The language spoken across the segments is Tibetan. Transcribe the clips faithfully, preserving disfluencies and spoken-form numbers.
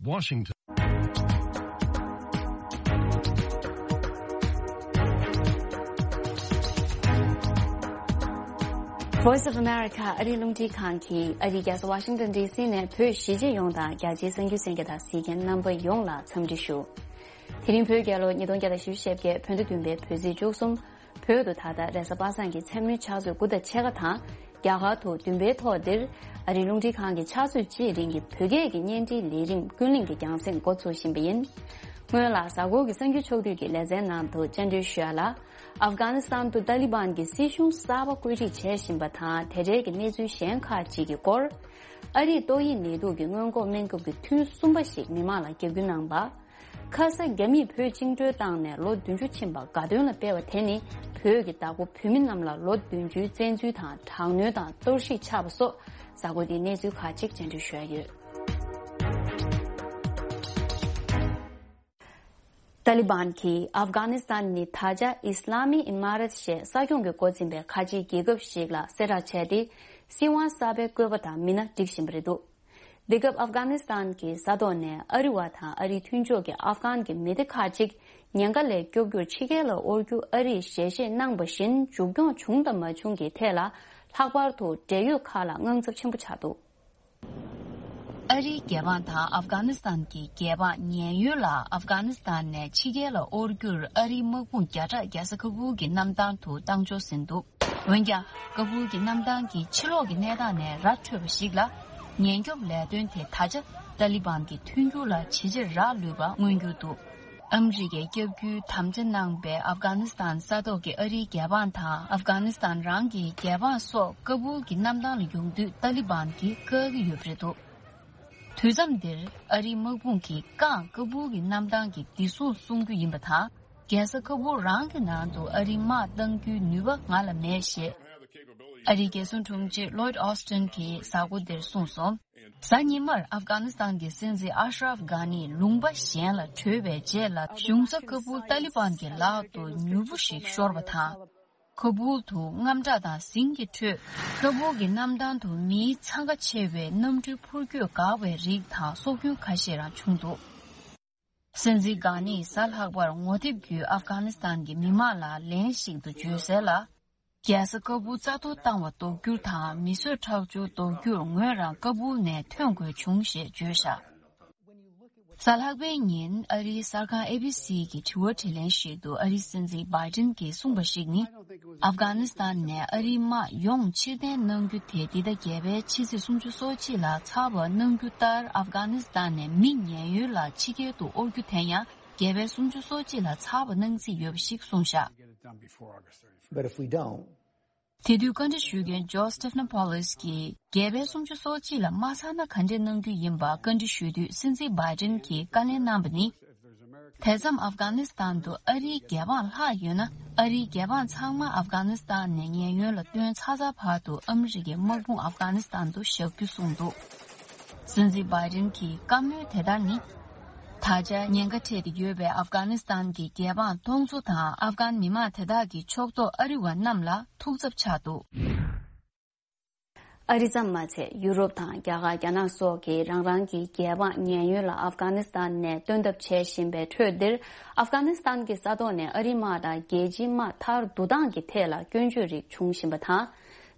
Washington. Voice of America ཨ་རིའི་རླུང་འཕྲིན་ཁང་གིས་ཨ་རིའི་རྒྱལ་ས་ཝ་ཤིང་ཏོན་ཌི་སི་ནས་བོད་གཞིས་བྱེས་ཡོངས་དང་རྒྱ་ཆེའི་གསར་འགྱུར་གསན་མཁན་དང་གཟིགས་མཁན་རྣམ་པ་ཡོངས་ལ་འཚམས་འདྲི་ཞུ། དེ་རིང་བོད་རྒྱལ་ལོ་ཉིས་སྟོང་བརྒྱ་དང་བཞི་བཅུ་ཞེ་བརྒྱད་བོད་ཟླ་བདུན་པའི་བོད་ཚེས་བཅུ་གསུམ། བོད་དུ་ད་ལྟ་རེས་གཟའ་པ་སངས་ཀྱི་མཚན་མོའི་ཕྱག་ཚོད་དགུ་དང་ཕྱེད་ཀ་དང་། རྒྱ་གར་དུ་བདུན་པའི་ཐོག་འདིར་ཨ་རིའི་རླུང་འཕྲིན་ཁང་གི་ཕྱག་ཚོད་གཅིག་རིང་གི་བོད་སྐད་ཀྱི་བརྙན་འཕྲིན་ལས་རིམ་ཀུན་གླེང་གི་རྒྱང་སྲིང་འགོ་ཚུགས་བཞིན་པ་ཡིན། སྔོན་ལ་གཟའ་འཁོར་གྱི་གསར་འགྱུར་ཕྱོགས་བསྡུས་ཀྱི་ལེ་ཚན་ནང་དུ་བཅར་འདྲི་ཞུ་ཡ་ལ། ཨབ་གྷ་ནི་སི་ཐན་དུ་ཏཱ་ལི་བན་གྱི་སྲིད་གཞུང་གསར་པ་བཀོད་སྒྲིག་བྱས་བཞིན་པ་དང་དེ་འབྲེལ་གྱི་གནས་ཚུལ་གཞན་ཁག་ཅིག་གི་སྐོར། ཨ་རིས་ཏོག་དབྱིབས་ནད་དུག་གི་སྔོན་འགོག་སྨན་ཁབ་ཀྱི་ཐུན་གསུམ་པ་ཞིག་མི་མང་ལ་བརྒྱབ་རྒྱུ་གནང་པ། ཁ་ས་རྒྱ་མིས་བོད་བཅིངས་འགྲོལ་བཏང་ནས་ལོ་བདུན་ཅུ་ཕྱིན་པ་དགའ་སྟོན་ལ་སྤེལ་བ་དེ་ནི་བོད་ཀྱི་བདག་པོ་བོད་མི་རྣམས་ལ་ལོ་བདུན་ཅུའི་བཙན་འཛུལ་དང་དྲག་གནོན་དང་གཏོར་བཤིག་ཆགས་པ་སོགས་གཟའ་འཁོར་འདིའི་གནས་ཚུལ་ཁག་ཅིག་བཅར་འདྲི་ཞུ་ཡ་ཡོད། ཏཱ་ལི་བན་གྱིས་ཨབ་གྷ་ནི་སི་ཐན་ནི་ད་ཆ་ཨི་སི་ལ་མི་ཨི་མ་རད་ཞེས་ས་སྐྱོང་གི་འགོ་འཛིན་པའི་ཁ་ཆེའི་རྒྱལ་ཁབ་ཞིག་ལ་གསལ་བསྒྲགས་བྱས་ཏེ། སྲིད་དབང་གསར་པའི་བཀོད་པ་དང་མི་སྣ་སྒྲིག་བཞིན་པ་རེད་འདུག་དེ་སྐབས་ཨབ་གྷ་ནི་སི་ཐན་གྱི་ས་ཐོག་ནས་ཨ་རི་བ་དང་ཨ་རིའི་མཐུན་ཕྱོགས་ཀྱི་ཨབ་གྷན་གྱི་མི་སྡེ་ཁག་ཅིག་ཉེན་ཁ་ལས་སྐྱོབ་རྒྱུར་ཕྱི་རྒྱལ་ལ་དབོར་རྒྱུ་ཨ་རིས་ཞལ་བཞེས་གནང་བ་བཞིན་མཇུག་སྐྱོང་བྱུང་དང་མ་བྱུང་གི་ཐད་ལ། ལྷག་པར་དུ་འབྲེལ་ཡོད་ཁག་ལ་དངངས་འཚབ་ཆེན་པོ་ཆགས་འདུག་ཨ་རིའི་རྒྱལ་འབངས་དང་ཨབ་གྷ་ནི་སི་ཐན་གྱི་རྒྱལ་འབངས་ཉེན་གཡོལ་ལ་ཨབ་གྷ་ནི་སི་ཐན་ནས་ཕྱི་རྒྱལ་ལ་དབོར་རྒྱུར་ཨ་རིའི་དམག་དཔུང་བརྒྱ་ཕྲག་རྒྱལ་ས་ཁ་ཁུལ་གྱི་གནམ་ཐང་དུ་བཏང་འབྱོར་ཟིན་འདུག་འོན་ཀྱང་། ཀ་བུལ་གྱི་གནམ་ཐང་གི་ཕྱི་ལོགས་ཀྱི་གནས་སྟངས་ནས་ར་འཕྲོད་པ་ཞིག་ལ། ཉེན་སྐྱོབ་ལས་དོན་དེ་ད་ཆ་ཏཱ་ལི་བན་གྱི་མཐུན་འགྱུར་ལ་ཇེ་ཆེར་རག་ལུས་པ་མངོན་གྱུར་འདུག་ཨ་མི་རི་ཀས་བསྐྱབ་རྒྱུའི་དམ་བཅའ་གནང་པའི་ཨབ་གྷ་ནི་སི་ཐན་ས་ཐོག་གི་ཨ་རིའི་རྒྱལ་འབངས་དང་ཨབ་གྷ་ནི་སི་ཐན་རང་གི་རྒྱལ་འབངས་སོགས་ཀ་བུལ་གྱི་གནམ་ཐང་ལ་ཡོང་དུས་ཏཱ་ལི་བན་གྱིས་བཀག་གི་ཡོད་པ་རེད་འདུག་དུས་མཚམས་འདིར་ཨ་རིའི་དམག་དཔུང་གིས་རྐང་ཀ་བུལ་གྱི་གནམ་ཐང་གི་བདེ་སྲུང་སྲུང་རྒྱུ་ཡིན་པ་དང་། རྒྱལ་ས་ཁ་བུལ་རང་གི་ནང་དུ་ཨ་རིའི་དམག་གཏང་རྒྱུའི་ནུས་པ་ང་ལ་མེད་ཞེས། ཨ་རིའི་རྒྱལ་སྲུང་དྲུང་ཆེ་ལོའིད་ཨོ་སི་ཊིན་གྱིས་གཟའ་འཁོར་འདིར་གསུངས་སོང་། གཟའ་ཉི་མར་ཨབ་གྷ་ནི་སི་ཐན་གྱི་སྲིད་འཛིན་ཨ་ཤ་རབ་གྷ་ནི་ལུང་པ་གཞན་ལ་བྲོས་པའི་རྗེས་ལ་གཞུང་ས་ཀ་བུལ་ཏཱ་ལི་བན་གྱི་ལག་ཏུ་མྱུར་པོ་ཞིག་ཤོར་བ་དང་། ཁ་བུལ་དུ་དངངས་སྐྲག་དང་ཟིང་གི་ཁྲོད། ཁ་བུལ་གྱི་གནམ་ཐང་དུ་མིའི་འཚང་ཁ་ཆེ་བའི་གནམ་གྲུའི་འཕུར་སྐྱོད་འགག་པའི་རིགས་དང་སྲོག་སྐྱོན་ཁ་ཤས་རང་བྱུང་འདུག་སྲིད་འཛིན་གྷ་ནིས་གཟའ་ལྷག་པར་ངོ་དེབ་བརྒྱུད་ཨབ་གྷ་ནི་སི་ཐན་གྱི་མི་མང་ལ་ལན་ཞིག་ཏུ་བརྗོད་གསལ་ལ། རྒྱལ་ས་ཀ་བུལ་རྩ་གཏོར་བཏང་བ་ལྡོག་རྒྱུ་དང་མི་གསོད་ཁྲག་སྦྱོར་ལྡོག་རྒྱུར་ངོས་རང་ཀ་བུལ་ནས་ཐོན་དགོས་བྱུང་ཞེས་བརྗོད་བཞག་གཟའ་ལྷག་པའི་ཉིན་ཨ་རིའི་གསར་ཁང་ཨེ་བི་སི་གི་དྲི་བ་དྲིས་ལན་ཞིག་ཏུ་ཨ་རིའི་སྲིད་འཛིན་བྷའི་ཏིན་གྱིས་གསུངས་པ་ཞིག་ནི། ཨབ་གྷ་ནི་སི་ཐན་ནས་ཨ་རིའི་དམག་ཡོངས་ཕྱིར་འཐེན་གནང་རྒྱུ་དེ་འདི་ཟླ་བརྒྱད་པའི་ཕྱི་ཚེས་སུམ་ཅུ་སོ་གཅིག་ལ་ཚར་བ་གནང་རྒྱུ་ལྟར་ཨབ་གྷ་ནི་སི་ཐན་ནས་མི་ཉེན་གཡོལ་ལ་ཕྱི་རྒྱལ་དུ་དབོར་རྒྱུ་དེ་ཡང་བརྒྱད་པའི་སུམ་ཅུ་སོ་གཅིག་ལ་ཚར་བ་གནང་རྩིས་ཡོད་པ་ཞིག་གསུངས་བཞག But if we don't, དེ་དུས་བཀའ་འདྲི་ཞུ་མཁན་ཇོ་སི་ཊི་ཕ་ནོ་པོ་ལིས་ཀྱིས་བརྒྱད་པའི་སུམ་ཅུ་སོ་གཅིག་ལ་མ་ཚར་ན་ག་འདྲས་གནང་རྒྱུ་ཡིན་པ་བཀའ་འདྲི་ཞུ་དུས་སྲིད་འཛིན་བྷའི་ཏིན་གྱིས་བཀའ་ལན་གནང་བ་ནི། དེ་མཚམས་ཨབ་གྷ་ནི་སི་ཐན་དུ་ཨ་རིའི་རྒྱལ་འབངས་ལྷག་ཡོད་ན་ཨ་རིའི་རྒྱལ་འབངས་ཚང་མ་ཨབ་གྷ་ནི་སི་ཐན་ནས་ཉེན་གཡོལ་ལ་བཏོན་ཚར་ཚར་བར་དུ་ཨ་མི་རི་ཀའི་དམག་དཔུང་ཨབ་གྷ་ནི་སི་ཐན་དུ་བཞག་རྒྱུ་གསུངས་འདུག་སྲིད་འཛིན་བྷའི་ཏིན་གྱི་བཀའ་མོལ་དེ་ལྟར་ནི། ད་ཆ་ཉེན་ཁ་འཕྲད་དེ་ཡོད་པའི་ཨབ་གྷ་ནི་སི་ཐན་གྱི་རྒྱལ་འབངས་སྟོང་ཚོ་དང་ཨབ་གྷན་མི་མང་དེ་དག་གི་ཕྱོགས་གཏོགས་ཨ་རི་བ་རྣམས་ལ་ཐུགས་འཚབ་ཆགས་འདུག་ཨ་རི་ཙམ་མ་ཚད་ཡུ་རོབ་དང་རྒྱ་གར་རྒྱ་ནག་སོགས་ཀྱིས་རང་རང་གི་རྒྱལ་འབངས་ཉེན་གཡོལ་ལ་ཨབ་གྷ་ནི་སི་ཐན་ནས་བཏོན་ཐབས་བྱེད་བཞིན་པའི་ཁྲོད་འདིར། ཨབ་གྷ་ནི་སི་ཐན་གྱི་ས་ཐོག་ནས་ཨ་རིའི་དམག་དང་རྒྱལ་སྤྱིའི་དམག་མཐར་བསྡུ་སྟངས་ཀྱི་ཐད་ལ་སྐྱོན་བརྗོད་རིགས་བྱུང་བཞིན་པ་དང་།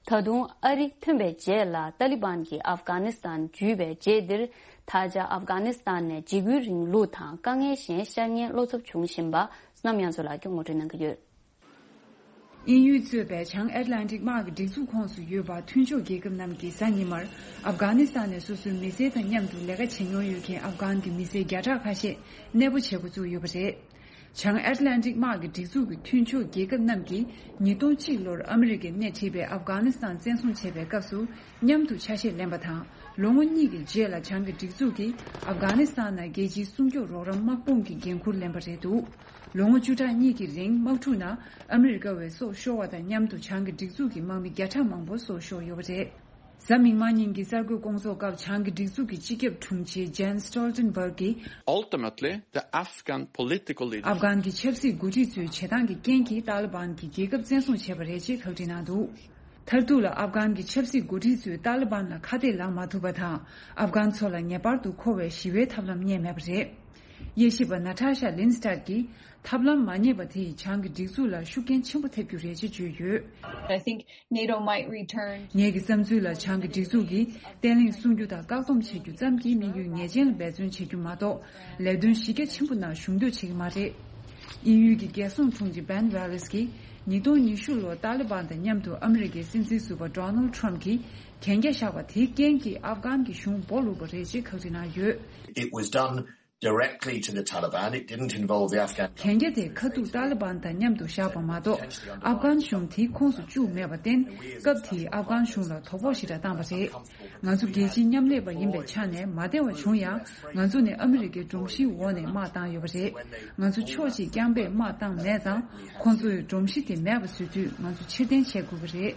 ད་དུང་ཨ་རི་ཐོན་པའི་རྗེས་ལ་ཏཱ་ལི་བན་གྱིས་ཨབ་གྷ་ནི་སི་ཐན་འཇུས་པའི་རྗེས་འདིར། ད་ཆ་ཨབ་གྷ་ནི་སི་ཐན་ནས་འཇིགས་སྐུལ་རིང་ལུགས་དང་དཀའ་ངལ་གཞན་ཤར་ཉེན་བློ་འཚབ་བྱུང་བཞིན་པ་བསོད་ནམས་དབྱངས་མཚོ་ལགས་ཀྱིས་ངོ་སྤྲོད་གནང་གི་ཡོད། དབྱིན་ཡུལ་གཙོས་པའི་བྱང་ཨེཊ་ལན་ཊིག་དམག་གི་སྒྲིག་འཛུགས་ཁོངས་སུ་ཡོད་པ་མཐུན་ཕྱོགས་རྒྱལ་ཁབ་རྣམས་ཀྱིས་གཟའ་ཉི་མར་ཨབ་གྷ་ནི་སི་ཐན་ནས་སོ་སོའི་མི་སེར་དང་མཉམ་དུ་ལས་ཀ་བྱེད་མྱོང་ཡོད་མཁན་ཨབ་གྷན་གྱི་མི་སེར་བརྒྱ་ཕྲག་ཁ་ཤས་གནས་སྤོ་བྱེད་འགོ་བཙུགས་ཡོད་པ་རེད། བྱང་ཨེཊ་ལན་ཊིག་དམག་གི་སྒྲིག་འཛུགས་ཀྱི་མཐུན་ཕྱོགས་རྒྱལ་ཁབ་རྣམས་ཀྱིས་ཉིས་སྟོང་གཅིག་ལོར་ཨ་མི་རི་ཀས་སྣེ་ཁྲིད་པའི་ཨབ་གྷ་ནི་སི་ཐན་བཙན་བཟུང་བྱས་པའི་སྐབས་སུ་མཉམ་དུ་ཆ་ཤས་ལེན་པ་དང་། ལོ་ངོ་གཉིས་ཀྱི་རྗེས་ལ་བྱང་གི་སྒྲིག་འཛུགས་ཀྱིས་ཨབ་གྷ་ནི་སི་ཐན་ནང་རྒྱལ་སྤྱིའི་སྲུང་སྐྱོབ་རོགས་རམ་དམག་དཔུང་གི་འགན་འཁུར་ལེན་པ་རེད་འདུག་ལོ་ངོ་བཅུ་ཕྲག་གཉིས་ཀྱི་རིང་དམག་འཁྲུག་ནང་ཨ་མི་རི་ཀ་བའི་སྲོག་ཤོར་བ་དང་མཉམ་དུ་བྱང་གི་སྒྲིག་འཛུགས་ཀྱི་དམག་མི་བརྒྱ་ཕྲག་མང་པོ་སྲོག་ཤོར་ཡོད་པ་རེད། གཟའ་མིག་དམར་ཉིན་གྱི་གསར་འགོད་སྐོང་ཚོགས་སྐབས་བྱང་གི་སྒྲིག་འཛུགས་ཀྱི་སྤྱི་ཁྱབ་དྲུང་ཆེ་ཇན་སི་ཊོལ་ཊེན་བྷར་གྱིས། Ultimately, the Afghan political leaders. ཨབ་གྷན་གྱི་ཆབ་སྲིད་འགོ་ཁྲིད་ཚོའི་བྱེད་སྟངས་ཀྱི་རྐྱེན་གྱིས་ཏཱ་ལི་བན་གྱིས་རྒྱལ་ཁབ་བཙན་བཟུང་བྱས་པ་རེད་ཅེས་ཁག་དཀྲི་གནང་འདུག་མཐར་ཐུག་ལ་ཨབ་གྷན་གྱི་ཆབ་སྲིད་འགོ་ཁྲིད་ཚོས་ཏཱ་ལི་བན་ལ་ཁ་གཏད་ལངས་མ་ཐུབ་པ་དང་། ཨབ་གྷན་ཚོ་ལ་ངེས་པར་དུ་མཁོ་བའི་ཞི་བའི་ཐབས་ལམ་རྙེད་མེད་པ་རེད། དབྱེ་ཞིབ་པ་ན་ཏཱ་ཤ་ལིན་སི་ཏཱད་ཀྱིས། ཐབས་ལམ་མ་རྙེད་པ་དེ་ཡིས་བྱང་གི་སྒྲིག་འཛུགས་ལ་ཤུགས་རྐྱེན་ཆེན་པོ་ཐེབས་རྒྱུ་རེད་ཅེས་བརྗོད་ཡོད། I think NATO might return. ངེད་ཀྱི་བསམ་ཚུལ་ལ་བྱང་གི་སྒྲིག་འཛུགས་ཀྱིས་བརྟན་ལྷིང་སྲུང་རྒྱུ་དང་བཀག་སྡོམ་བྱེད་རྒྱུ་ཙམ་གྱིས་དམིགས་ཡུལ་ངེས་ཅན་ལ་འབད་བརྩོན་བྱེད་རྒྱུ་མ་གཏོགས། ལས་དོན་གཞི་རྒྱ་ཆེན་པོ་ནང་ཞུགས་འདོད་བྱེད་ཀྱི་མ་རེད། དབྱིན་ཡུལ་གྱི་རྒྱལ་སྲུང་དྲུང་ཆེ་བན་ཝ་ལེས་ཀྱིས། ཉིས་སྟོང་ཉི་ཤུ་ལོར་ཏཱ་ལི་བན་དང་མཉམ་དུ་ཨ་མི་རི་ཀའི་སྲིད་འཛིན་ཟུར་པ་ཌོ་ནལ་ཁྲམ་གྱིས་གན་རྒྱ་བཞག་པ་དེའི་རྐྱེན་གྱིས་ཨབ་གྷན་གྱི་གཞུང་སྦོ་ལུག་པ་རེད་ཅེས་ཁག་དཀྲི་གནང་ཡོད། It was done directly to the Taliban. It didn't involve the Afghan government. གན་རྒྱ་དེ་ཁ་ཐུག་ཏཱ་ལི་བན་དང་མཉམ་དུ་བཞག་པ་མ་གཏོགས། ཨབ་གྷན་གཞུང་དེའི་ཁོངས་སུ་བཅུག་མེད་པར་བརྟེན། སྐབས་དེའི་ཨབ་གྷན་གཞུང་ལ་དོ་ཕོག་ཞེ་དྲག་བཏང་བ་རེད། ང་ཚོ་རྒྱལ་སྤྱིའི་མཉམ་ལས་པ་ཡིན་པའི་ཆ་ནས་མ་བདེ་བ་བྱུང་ཡང་། ང་ཚོ་ནི་ཨ་མི་རི་ཀའི་སྒྲོམ་གཞིའི་འོག་ནས་དམག་བཏང་ཡོད་པ་རེད། ང་ཚོ་ཕྱོགས་གཅིག་རྐྱང་པས་དམག་བཏང་མེད་ཙང་། ཁོང་ཚོས་སྒྲོམ་གཞི་དེ་མེད་པ་བཟོ་དུས་ང་ཚོ་ཕྱིར་འཐེན་བྱེད་དགོས་ཀྱི་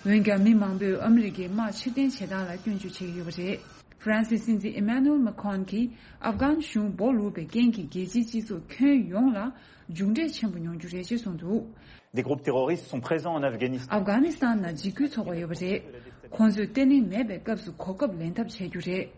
རེད། འོན་ཀྱང་། མི་མང་པོས་ཨ་མི་རི་ཀའི་དམག་ཕྱིར་འཐེན་བྱེད་སྟངས་ལ་སྐྱོན་བརྗོད་བྱེད་ཀྱི་ཡོད་པ་རེད། ཧྥ་རན་སིའི་སྲིད་འཛིན་ཨི་མ་ནུ་ཨེལ་མ་ཁོན་གྱིས། ཨབ་གྷན་གཞུང་སྦོ་ལུག་པའི་རྐྱེན་གྱིས་རྒྱལ་སྤྱིའི་སྤྱི་ཚོགས་ཁྱོན་ཡོངས་ལ་མཇུག་འབྲས་ཆེན་པོ་མྱོང་རྒྱུ་རེད་ཅེས་གསུངས་འདུག། Des groupes terroristes sont présents en Afghanistan. ཨབ་གྷ་ནི་སི་ཐན་ནང་འཇིགས་སྐུལ་ཚོགས་པ་ཡོད་པ་རེད། ཁོང་ཚོས་བརྟན་ལྷིང་མེད་པའི་སྐབས་སུ་གོ་སྐབས་ལེན་ཐབས་བྱ་རྒྱུ་རེད།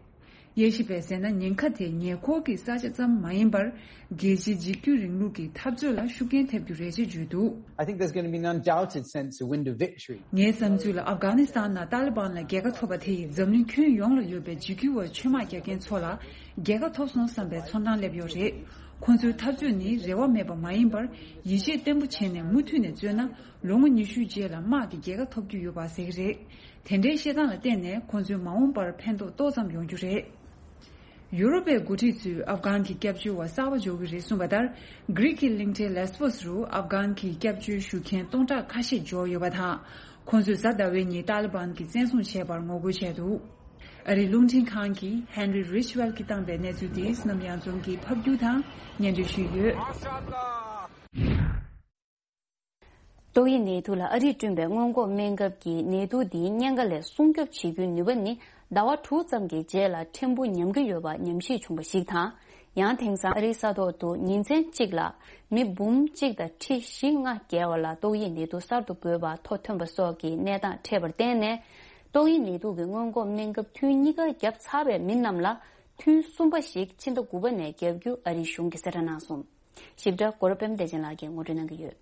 དབྱེ་ཞིབ་པས་ཟེར་ན། ཉེན་ཁ་དེ་ཉེ་འཁོར་གྱི་ས་ཆ་ཙམ་མ་ཡིན་པར། རྒྱལ་སྤྱིའི་འཇིགས་སྐུལ་རིང་ལུགས་ཀྱི་འཐབ་རྩོད་ལ་ཤུགས་རྐྱེན་ཐེབས་རྒྱུ་རེད་ཅེས་བརྗོད་འདུག། I think there's going to be an undoubted sense of wind of victory. ངའི་བསམ་ཚུལ་ལ། ཨབ་གྷ་ནི་སི་ཐན་ནང་ཏཱ་ལི་བན་ལ་རྒྱལ་ཁ་ཐོབ་པ་དེ་ཡིས་འཛམ་གླིང་ཁྱོན་ཡོངས་ལ་ཡོད་པའི་འཇིགས་སྐུལ་བ་ཆོས་དམག་རྒྱག་མཁན་ཚོ་ལ་རྒྱལ་ཁ་ཐོབ་སོང་བསམ་པའི་ཚོར་སྣང་སླེབས་ཡོད་རེད། ཁོང་ཚོའི་འཐབ་རྩོད་ནི་རེ་བ་མེད་པ་མ་ཡིན་པར། ཡིད་ཆེས་བརྟན་པོ་བྱས་ནས་མུ་མཐུད་ནས་རྩོད་ན། ལོ་ངོ་ཉི་ཤུའི་རྗེས་ལ་དམག་གི་རྒྱལ་ཁ་ཐོབ་རྒྱུ་ཡོད་པ་ཟེར་གྱི་རེད། དེ་འདྲའི་བཤད་སྟངས་ལ་བརྟེན་ནས། ཁོང་ཚོའི་མ་འོངས་པར་ཕན་ཐོགས་ཏོག་ཙམ་ཡོང་རྒྱུ་རེད། ཡུ་རོབ་པའི་འགོ་ཁྲིད་ཚོས་ཨབ་གྷན་གྱི་སྐྱབས་བཅོལ་བ་གསར་པ་འབྱོར་གྱི་རེད་གསུངས་པ་ལྟར། གྷི་རིག་གི་གླིང་ཕྲན་ལེས་པོ་སི་རུ་ཨབ་གྷན་གྱི་སྐྱབས་བཅོལ་ཞུ་མཁན་སྟོང་ཕྲག་ཁ་ཤས་འབྱོར་ཡོད་པ་དང་། ཁོང་ཚོས་གཟའ་ཟླ་བའི་ཉིན་ཏཱ་ལི་བན་གྱིས་བཙན་བཟུང་བྱས་པར་ངོ་རྒོལ་བྱས་འདུག། ཨ་རིའི་རླུང་འཕྲིན་ཁང་གིས་ཧན་རི་རིཆ་ཝེལ་གྱིས་བཏང་པའི་གནས་ཚུལ་དེ་བསོད་ནམས་གཡང་འཛོམས་ཀྱིས་ཕབ་སྒྱུར་དང་སྙན་སྒྲོན་ཞུས་ཡོད། ཏོག་དབྱིབས་ནད་དུག་ལ་ཨ་རིས་བསྐྲུན་པའི་སྔོན་འགོག་སྨན་ཁབ་ཀྱིས་ནད་དུག་འདིའི་གཉན་ཁ་ལས་སྲུང་སྐྱོབ་བྱེད་རྒྱུའི་ནུས་པ་ནི་ཟླ་བ་དྲུག་ཙམ་གྱི་རྗེས་ལ་ཕྲན་བུ་ཉམས་ཀྱི་ཡོད་པ་ཉམས་ཞིབ་བྱུང་བ་ཞིག་དང་། ཡང་དེང་སང་ཨ་རིའི་ས་ཐོག་ཏུ་ཉིན་མཚན་གཅིག་ལ་མི་འབུམ་གཅིག་དང་ཁྲི་བཞི་ལྔ་བརྒལ་བ་ལ་ཏོག་དབྱིབས་ནད་དུག་གསར་དུ་འགོས་པ་ཐོ་ཐོན་པ་སོགས་ཀྱི་གནས་སྟངས་འཕྲད་པར་བརྟེན་ནས། ཏོག་དབྱིབས་ནད་དུག་གི་སྔོན་འགོག་སྨན་ཁབ་ཐུན་གཉིས་ཀ་བརྒྱབ་ཚར་བའི་མི་རྣམས་ལ་ཐུན་གསུམ་པ་ཞིག་ཕྱི་ཟླ་དགུ་པ་ནས་བརྒྱབ་རྒྱུ་ཨ་རིའི་གཞུང་གིས་གསལ་བསྒྲགས་གནང་སོང་། ཞིབ་ཕྲ་གོ་རོ་པདྨ་བདེ་ཆེན་ལགས་ཀྱིས་ངོ་སྤྲོད་གནང་གི་ཡོད།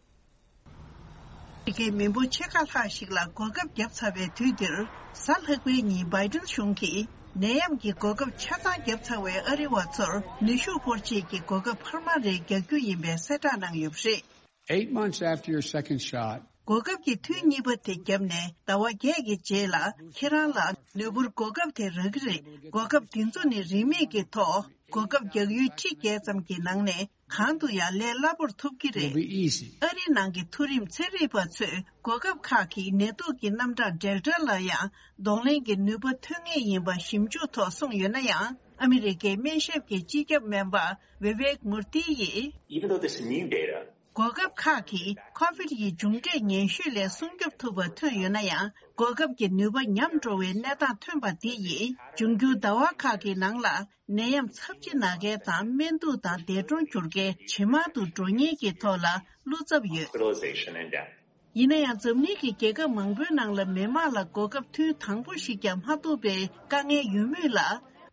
ཨ་མི་རི་ཀའི་མི་འབོར་ཕྱེད་ཀ་ལྷག་ཞིག་ལ་གོ་སྐབས་བརྒྱབ་ཚར་བའི་དུས་འདིར། གཟའ་ལྷག་པའི་ཉིན་བྷའི་ཌེན་གཞུང་གིས་ནད་ཡམས་ཀྱི་གོ་སྐབས་ཆ་ཚང་བརྒྱབ་ཚར་བའི་ཨ་རི་བ་ཚོར་ནུས་ཤུགས་སྤོར་ཆེད་ཀྱི་གོ་སྐབས་འཕར་མ་རེ་རྒྱག་རྒྱུ་ཡིན་པའི་གསལ་བསྒྲགས་གནང་ཡོད་པ་རེད། Eight months after your second shot, གོ་སྐབས་ཀྱི་ཐུན་གཉིས་པ་དེ་བརྒྱབ་ནས་ཟླ་བ་བརྒྱད་ཀྱི་རྗེས་ལ། ཁྱེད་རང་ལ་ནུས་པོར་གོ་སྐབས་དེ་རག་གི་རེད། གོ་སྐབས་འདི་ཚོ་ནི་རིན་མེད་ཀྱི་ཐོག་གོ་སྐབས་རྒྱག་ཡུལ་ཁྲི་བརྒྱད་ཙམ་གྱི་ནང་ནས་གང་དུ་ཡང་ལས་སླ་པོར་ཐོབ་ཀྱི་རེད། It'll be easy. ཨ་རིའི་ནང་གི་མཐོ་རིམ་ཚན་རིག་པ་ཚོས་གོ་སྐབས་ཁག་གིས་ནད་དུག་གི་རྣམ་གྲངས་འབྲེལ་ཕྲ་ལ་ཡང་གདོང་ལེན་གྱི་ནུས་པ་ཐོན་ངེས་ཡིན་པ་ཞིབ་འཇུག་ཐོག་གསུངས་ཡོད་ན་ཡང་། ཨ་མི་རི་ཀའི་སྨན་ཞབས་ཀྱི་སྤྱི་ཁྱབ་སྨན་པ་བི་ཝེག་མུར་ཏི་ཡིས། Even though this is new data, གོ་སྐབས་ཁག་གིས་ཁོ་བིད་ཀྱི་མཇུག་འབྲས་ཉེན་ཤོས་ལས་སྲུང་སྐྱོབ་ཐུབ་པ་ཐོན་ཡོད་ན་ཡང་། གོ་སྐབས་ཀྱི་ནུས་པ་ཉམས་འགྲོ་བའི་གནས་སྟངས་ཐོན་པ་འདི་ཡིས། འབྱུང་འགྱུར་ཟླ་བ་ཁག་གི་ནང་ལ་ནད་ཡམས་ཚབས་ཆེ་ན་མཁན་དང་སྨན་དུག་དང་འདས་གྲོངས་གྱུར་མཁན་ཇེ་མང་དུ་འགྲོ་ཉེན་གྱི་ཐོག་ལ་བློ་འཚབ་ཡོད། Hospitalization and death. ཡིན་ན་ཡང་། འཛམ་གླིང་གི་རྒྱལ་ཁབ་མང་པོའི་ནང་ལ་མི་དམངས་ལ་གོ་སྐབས་ཐུན་དང་པོ་ཞིག་ཀྱང་མ་ཐོབ་པའི་དཀའ་ངལ་ཡོད་མུས་ལ།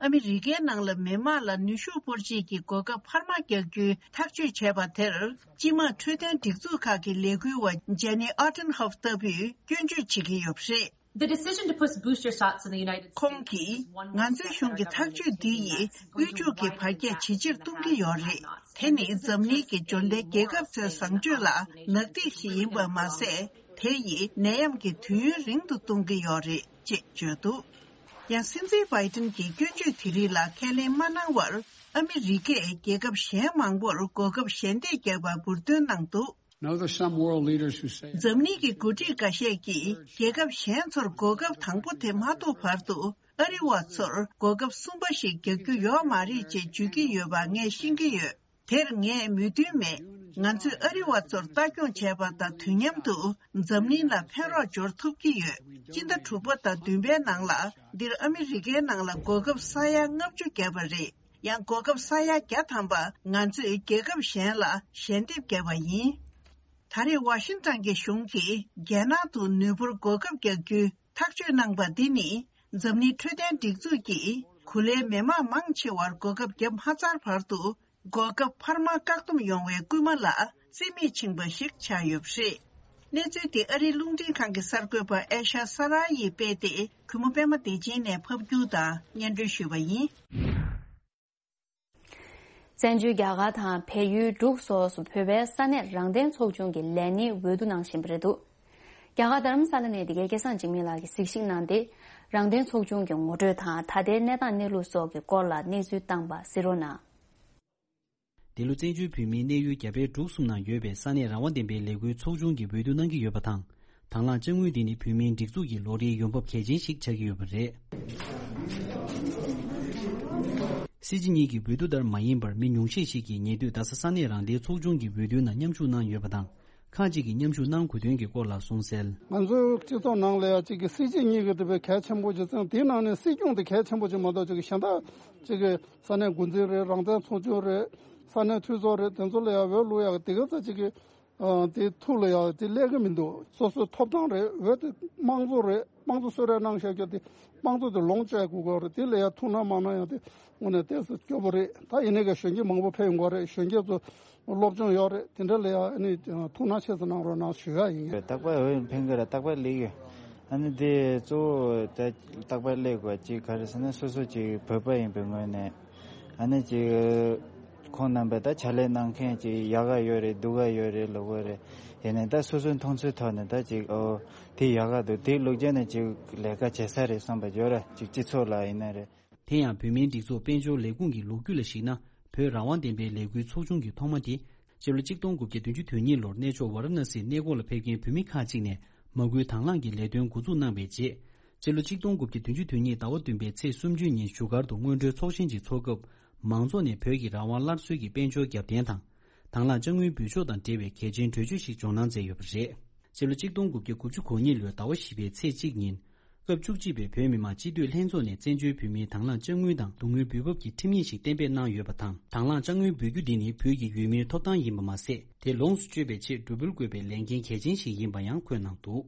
ཨ་མི་རི་ཀའི་ནང་ལ་མི་དམངས་ལ་ནུས་ཤུགས་སྤོར་ཆེད་ཀྱི་གོ་སྐབས་འཕར་མ་རྒྱག་རྒྱུའི་ཐག་གཅོད་བྱས་པ་དེར། སྤྱི་དམངས་འཕྲོད་བསྟེན་སྒྲིག་འཛུགས་ཁག་གི་ལས་འགུལ་བ་ཇེ་ནི་ཨོ་ཏན་ཧོབ་ལྟ་བུས་སྐྱོན་བརྗོད་བྱེད་ཀྱི་ཡོད་པ་རེད། The decision to put booster shots in the United States. ཁོང་གིས། ང་ཚོའི་གཞུང་གི་ཐག་གཅོད་འདི་ཡིས་དབུལ་ཕྱུག་གི་འཕར་རྒྱས་ཇེ་ཆེར་གཏོང་གི་ཡོད་རེད། དེ་ནི་འཛམ་གླིང་གི་འབྱོར་ལྡན་རྒྱལ་ཁབ་ཚོའི་བཟང་སྤྱོད་ལ་ནག་ཐིག་ཞིག་ཡིན་པ་མ་ཟད། དེ་ཡིས་ནད་ཡམས་ཀྱི་དུས་ཡུན་རིང་དུ་གཏོང་གི་ཡོད་རེད་ཅེས་བརྗོད་འདུག། ཡང་། སྲིད་འཛིན་བྷའི་ཏིན་གྱི་སྐྱོན་བརྗོད་དེ་རིགས་ལ་ཁས་ལེན་མ་གནང་བར། ཨ་མི་རི་ཀས་རྒྱལ་ཁབ་གཞན་མང་པོར་གོ་སྐབས་ཞལ་འདེབས་བརྒྱབ་པ་འབུར་འདོན་གནང་འདུག། Now, there's some world leaders who say འཛམ་གླིང་གི་འགོ་ཁྲིད་འགའ་ཤས་ཀྱིས་རྒྱལ་ཁབ་གཞན་ཚོར་གོ་སྐབས་དང་པོ་དེ་མ་ཐོབ་བར་དུ། ཨ་རི་བ་ཚོར་གོ་སྐབས་གསུམ་པ་ཞིག་རྒྱག་རྒྱུ་ཡོད་མ་རེད་ཅེས་བརྗོད་ཀྱི་ཡོད་པ་ངས་ཤེས་ཀྱི་ཡོད། དེར་ངས་མོས་མཐུན་མེད། ང་ཚོས་ཨ་རི་བ་ཚོར་ལྟ་སྐྱོང་བྱས་པ་དང་དུས་མཉམ་དུ་འཛམ་གླིང་ལ་ཕན་རོགས་འབྱོར་ཐུབ་ཀྱི་ཡོད། སྤྱི་ཟླ་དྲུག་པ་དང་བདུན་པའི་ནང་ལ་འདིར་ཨ་མི་རི་ཀའི་ནང་ལ་གོ་སྐབས་ས་ཡ་ལྔ་བཅུ་བརྒྱབ་པ་རེད། ཡང་གོ་སྐབས་ས་ཡ་བརྒྱ་ཐམ་པ་ང་ཚོས་རྒྱལ་ཁབ་གཞན་ལ་ཞལ་འདེབས་བརྒྱབ་པ་ཡིན། ད་ ད་རེས་ཝ་ཤིང་ཏན་གྱི་གཞུང་གིས་རྒྱལ་ནང་དུ་ནུས་འབོར་བགོ་སྐབས་རྒྱག་རྒྱུའི་ཐག་གཅོད་གནང་པ་འདི་ནི། འཛམ་གླིང་འཕྲོད་བསྟེན་སྒྲིག་འཛུགས་ཀྱིས་གོ་ལའི་མི་མང་མང་ཆེ་བར་བགོ་སྐབས་བརྒྱབ་མ་ཚར་བར་དུ། གོ་སྐབས་འཕར་མ་བཀག་སྡོམ་ཡོང་བའི་སྐུལ་མ་ལ་རྩིས་མེད་ཕྱིན་པ་ཞིག་ཆགས་ཡོད་པ་རེད། གནས་ཚུལ་དེ་ཨ་རིའི་རླུང་འཕྲིན་ཁང་གི་གསར་འགོད་པ་ཨེ་ཤ་ས་ར་ཡིས་སྤེལ་ཏེ། གུས་མོ་པད་མ་བདེ་ཆེན་ནས་ཕབ་སྒྱུར་དང་སྙན་སྒྲོན་ཞུས་པ་ཡིན། བཙན་བྱོལ་རྒྱ་གར་དང་བལ་ཡུལ་འབྲུག་སོགས་སུ་བོད་པའི་ས་གནས་རང་བདེན་ཚོགས་ཆུང་གི་ལས་སྣེའི་འོས་བསྡུ་གནང་བཞིན་པ་རེད་འདུག་རྒྱ་གར་རྡ་རམ་ས་ལ་ནས་འདི་གའི་སྐལ་བཟང་འཇིགས་མེད་ལགས་ཀྱིས་གཟིགས་ཞིབ་གནང་སྟེ། རང་བདེན་ཚོགས་ཆུང་གི་ངོ་སྤྲོད་དང་ད་ལྟའི་གནས་སྟངས་གནས་ལུགས་སོགས་ཀྱི་སྐོར་ལ་གནས་ཚུལ་བཏང་པ་གཟིགས་རོགས་གནང་། འདི་ལོ་བཙན་བྱོལ་བོད་མིའི་གནས་ཡུལ་རྒྱ་བལ་འབྲུག་གསུམ་ནང་ཡོད་པའི་ས་གནས་རང་དབང་ལྡན་པའི་ལས་འགུལ་ཚོགས་ཆུང་གི་འོས་བསྡུ་གནང་གི་ཡོད་པ་དང་། དང་བླངས་དཔྱ་དངུལ་འདི་ནི་བོད་མིའི་སྒྲིག་འཛུགས་ཀྱི་ལོ་རེའི་ཡོང་འབབ་གལ་ཆེན་ཞིག་ཆགས་ཀྱི་ཡོད་པ་རེད། སྲིད་སྤྱི་གཉིས་ཀྱི་འོས་བསྡུ་ལྟར་མ་ཡིན་པར། མི་ཉུང་ཤས་ཤིག་གིས་ཉེ་དུས་རྡ་ས་ས་གནས་རང་བདེན་ཚོགས་ཆུང་གི་འོས་བསྡུའི་ནང་མཉམ་ཞུགས་གནང་ཡོད་པ་དང་། ཁག་ཅིག་གིས་མཉམ་ཞུགས་གནང་དགོས་དོན་གྱི་སྐོར་ལ་གསུངས་གསལ། ང་ཚོའི་སྤྱི་ཚོགས་ནང་ལ་ཡང་གཅིག་གི་སྲིད་སྤྱི་གཉིས་ཀྱི་དེ་བས་གལ་ཆེན་པོ་ཅིག་བརྩི། དེའི་ནང་ནས་སྲིད་སྐྱོང་དེ་གལ་ཆེན་པོ་ཅིག་མ་གཏོགས། གཅིག་གི་གཞན་དག་གཅིག་གི་ས་གནས་འགོ་འཛིན་རེད། རང་བཙན་ཚོགས་ཆུང་རེད། ས་གནས་འཐུས་ཚོགས་རེད། དེ་ཚོ་ལ་ཡང་འོས་བླུག་ཡག་དེ་ག་ཚོད་ཅིག་གི་ཨ། དེ་ཐུགས་ལ་ཡང་དེ་སླེབས་ཀྱི་མི་འདུག་སོ་སོའི་ཐོབ་ཐང་རེད། འོས་དེ་དམངས་གཙོ་རེད། དམངས་གཙོ་གསོལ་རས་གནང་བཞག་རྒྱུ་དེ་དམངས་གཙོ་དེ་ལོངས་སྤྱད་དགོས་ཀྱི་རེད། དེ་ལ་ཡང་ཐུགས་སྣང་མ་གནང་ཡང་དེ་དངོས་གནས་ཏོག་ཙམ་སྐྱོ་པོ་རེད། ད་ཡིན་ནའི་ཀྱང་གཞོན་སྐྱེས་མང་པོ་ཕེབས་ཡོང་གི་རེད། གཞོན་སྐྱེས་ཚོ་སློབ་སྦྱོང་ཡོད་རེད། དེ་འདྲ་ལ་ཡང་ཨ་ནི་ཐུགས་སྣང་ཆེ་ཙམ་གནང་རོགས་གནང་ཞུ་ཡག་ཡིན། རྟག་པར་འོས་འཕེན་གྱི་རེད། རྟག་པར་སླེབས་ཡོད། ཨ་ནི་དེ་གཙོ་བོ་ད་རྟག་པར་སླེབས་དགོས་ཅིག་ག་རེ་ཟེར་ན། སོ་སོ་ཅིག་བོད་པ་ཡིན་པའི་ངོས་ནས། ཨ་ནི་ཅིག་ཁོང་རྣམ་པས་ད་ཕྱག་ལས་གནང་མཁན་ཅིག་ཡག་ག་ཡོད་རེད། སྡུག་ག་ཡོད་རེད་ལབ་དགོས་རེད། ཡིན་ནའི་ད་སོ་སོའི་མཐོང་ཚུལ་ཐོག་ནས་ད་ཅིག་ཨོ་དེ་ཡག་ག་འདུག་དེ་ལུགས་བྱས་ནས་ཅིག་ལས་ཀ་བྱེད་ས་རེད་བསམ་པ་ཡོད་ར། ཅིག་སྤྱི་ཚོགས་ལ་ཡིན་ན་རེད། དེ་ཡང་བོད་མིའི་སྒྲིག་འཛུགས་དཔལ་འབྱོར་ལས་ཁུངས་ཀྱི་ལོ་རྒྱུས་ལ་གཞིགས་ན། བོད་རང་དབང་ལྡན་པའི་ལས་འགུལ་ཚོགས་ཆུང་གི་ཐོག་མ་དེ། སྤྱི་ལོ་གཅིག་སྟོང་དགུ་བརྒྱ་བདུན་ཅུ་དོན་གཉིས་ལོར་གནས་མཆོག་ཝཱ་ར་ཎ་སིའི་གནས་སྐོར་ལ་ཕེབས་མཁན་བོད་མི་ཁག་ཅིག་ནས་མ་སྐུལ་དང་བླངས་ཀྱི་ལས་དོན་འགོ་འཛུགས་གནང་བའི་རྗེས། སྤྱི་ལོ་གཅིག་སྟོང་དགུ་བརྒྱ་བདུན་ཅུ་དོན་གཉིས་ཟླ་བ་བདུན་པའི་ཚེས་སུམ་ཅུ་ཉིན་བཞུགས་སྒར་དུ་སྔོན་འགྲོའི་ཚོགས་ཆེན་ཞིག་འཚོགས་སྐབས། མང་ཚོགས་ནས་བོད་ཀྱི་རང་དབང་སླར་གསོའི་གི་དཔལ་འབྱོར་རྒྱབ་རྟེན་དང་། དང་བླངས་དཔྱ་དངུལ་འབུལ་ཕྱོགས་དང་འབྲེལ་བའི་གལ་ཆེན་གྲོས་ཆོད་ཞིག་འཇོག་གནང་མཛད་ཡོད་པ་རེད། སྤྱི་ལོ་གཅིག་སྟོང་དགུ་བརྒྱ་དགུ་བཅུ་གོ་གཉིས་ལོའི་ཟླ་བ་བཞི་པའི་ཚེས་གཅིག་ཉིན། སྐབས་བཅུ་གཅིག་པའི་བོད་མི་མང་སྤྱི་འཐུས་ལྷན་ཚོགས་ནས་བཙན་བྱོལ་བོད་མིའི་དང་བླངས་དཔྱ་དངུལ་དང་སྡུག་བསྔལ་འབུལ་འབབ་ཀྱི་ཁྲིམས་ཡིག་ཞིག་གཏན་འབེབས་གནང་ཡོད་པ་དང་། དང་བླངས་དཔྱ་དངུལ་འབུལ་རྒྱུ་འདི་ནི་བོད་ཀྱི་ཡུལ་མིའི་ཐོབ་ཐང་ཡིན་པ་མ་ཟད། དེ་ལོངས་སུ་སྤྱོད་པའི་ཆེད་འགྲོ་འབུལ་དགོས་པའི་ལས་འགན་གལ་ཆེན་ཞིག་ཡིན་པ་ཡང་འཁོད་གནང་འདུག་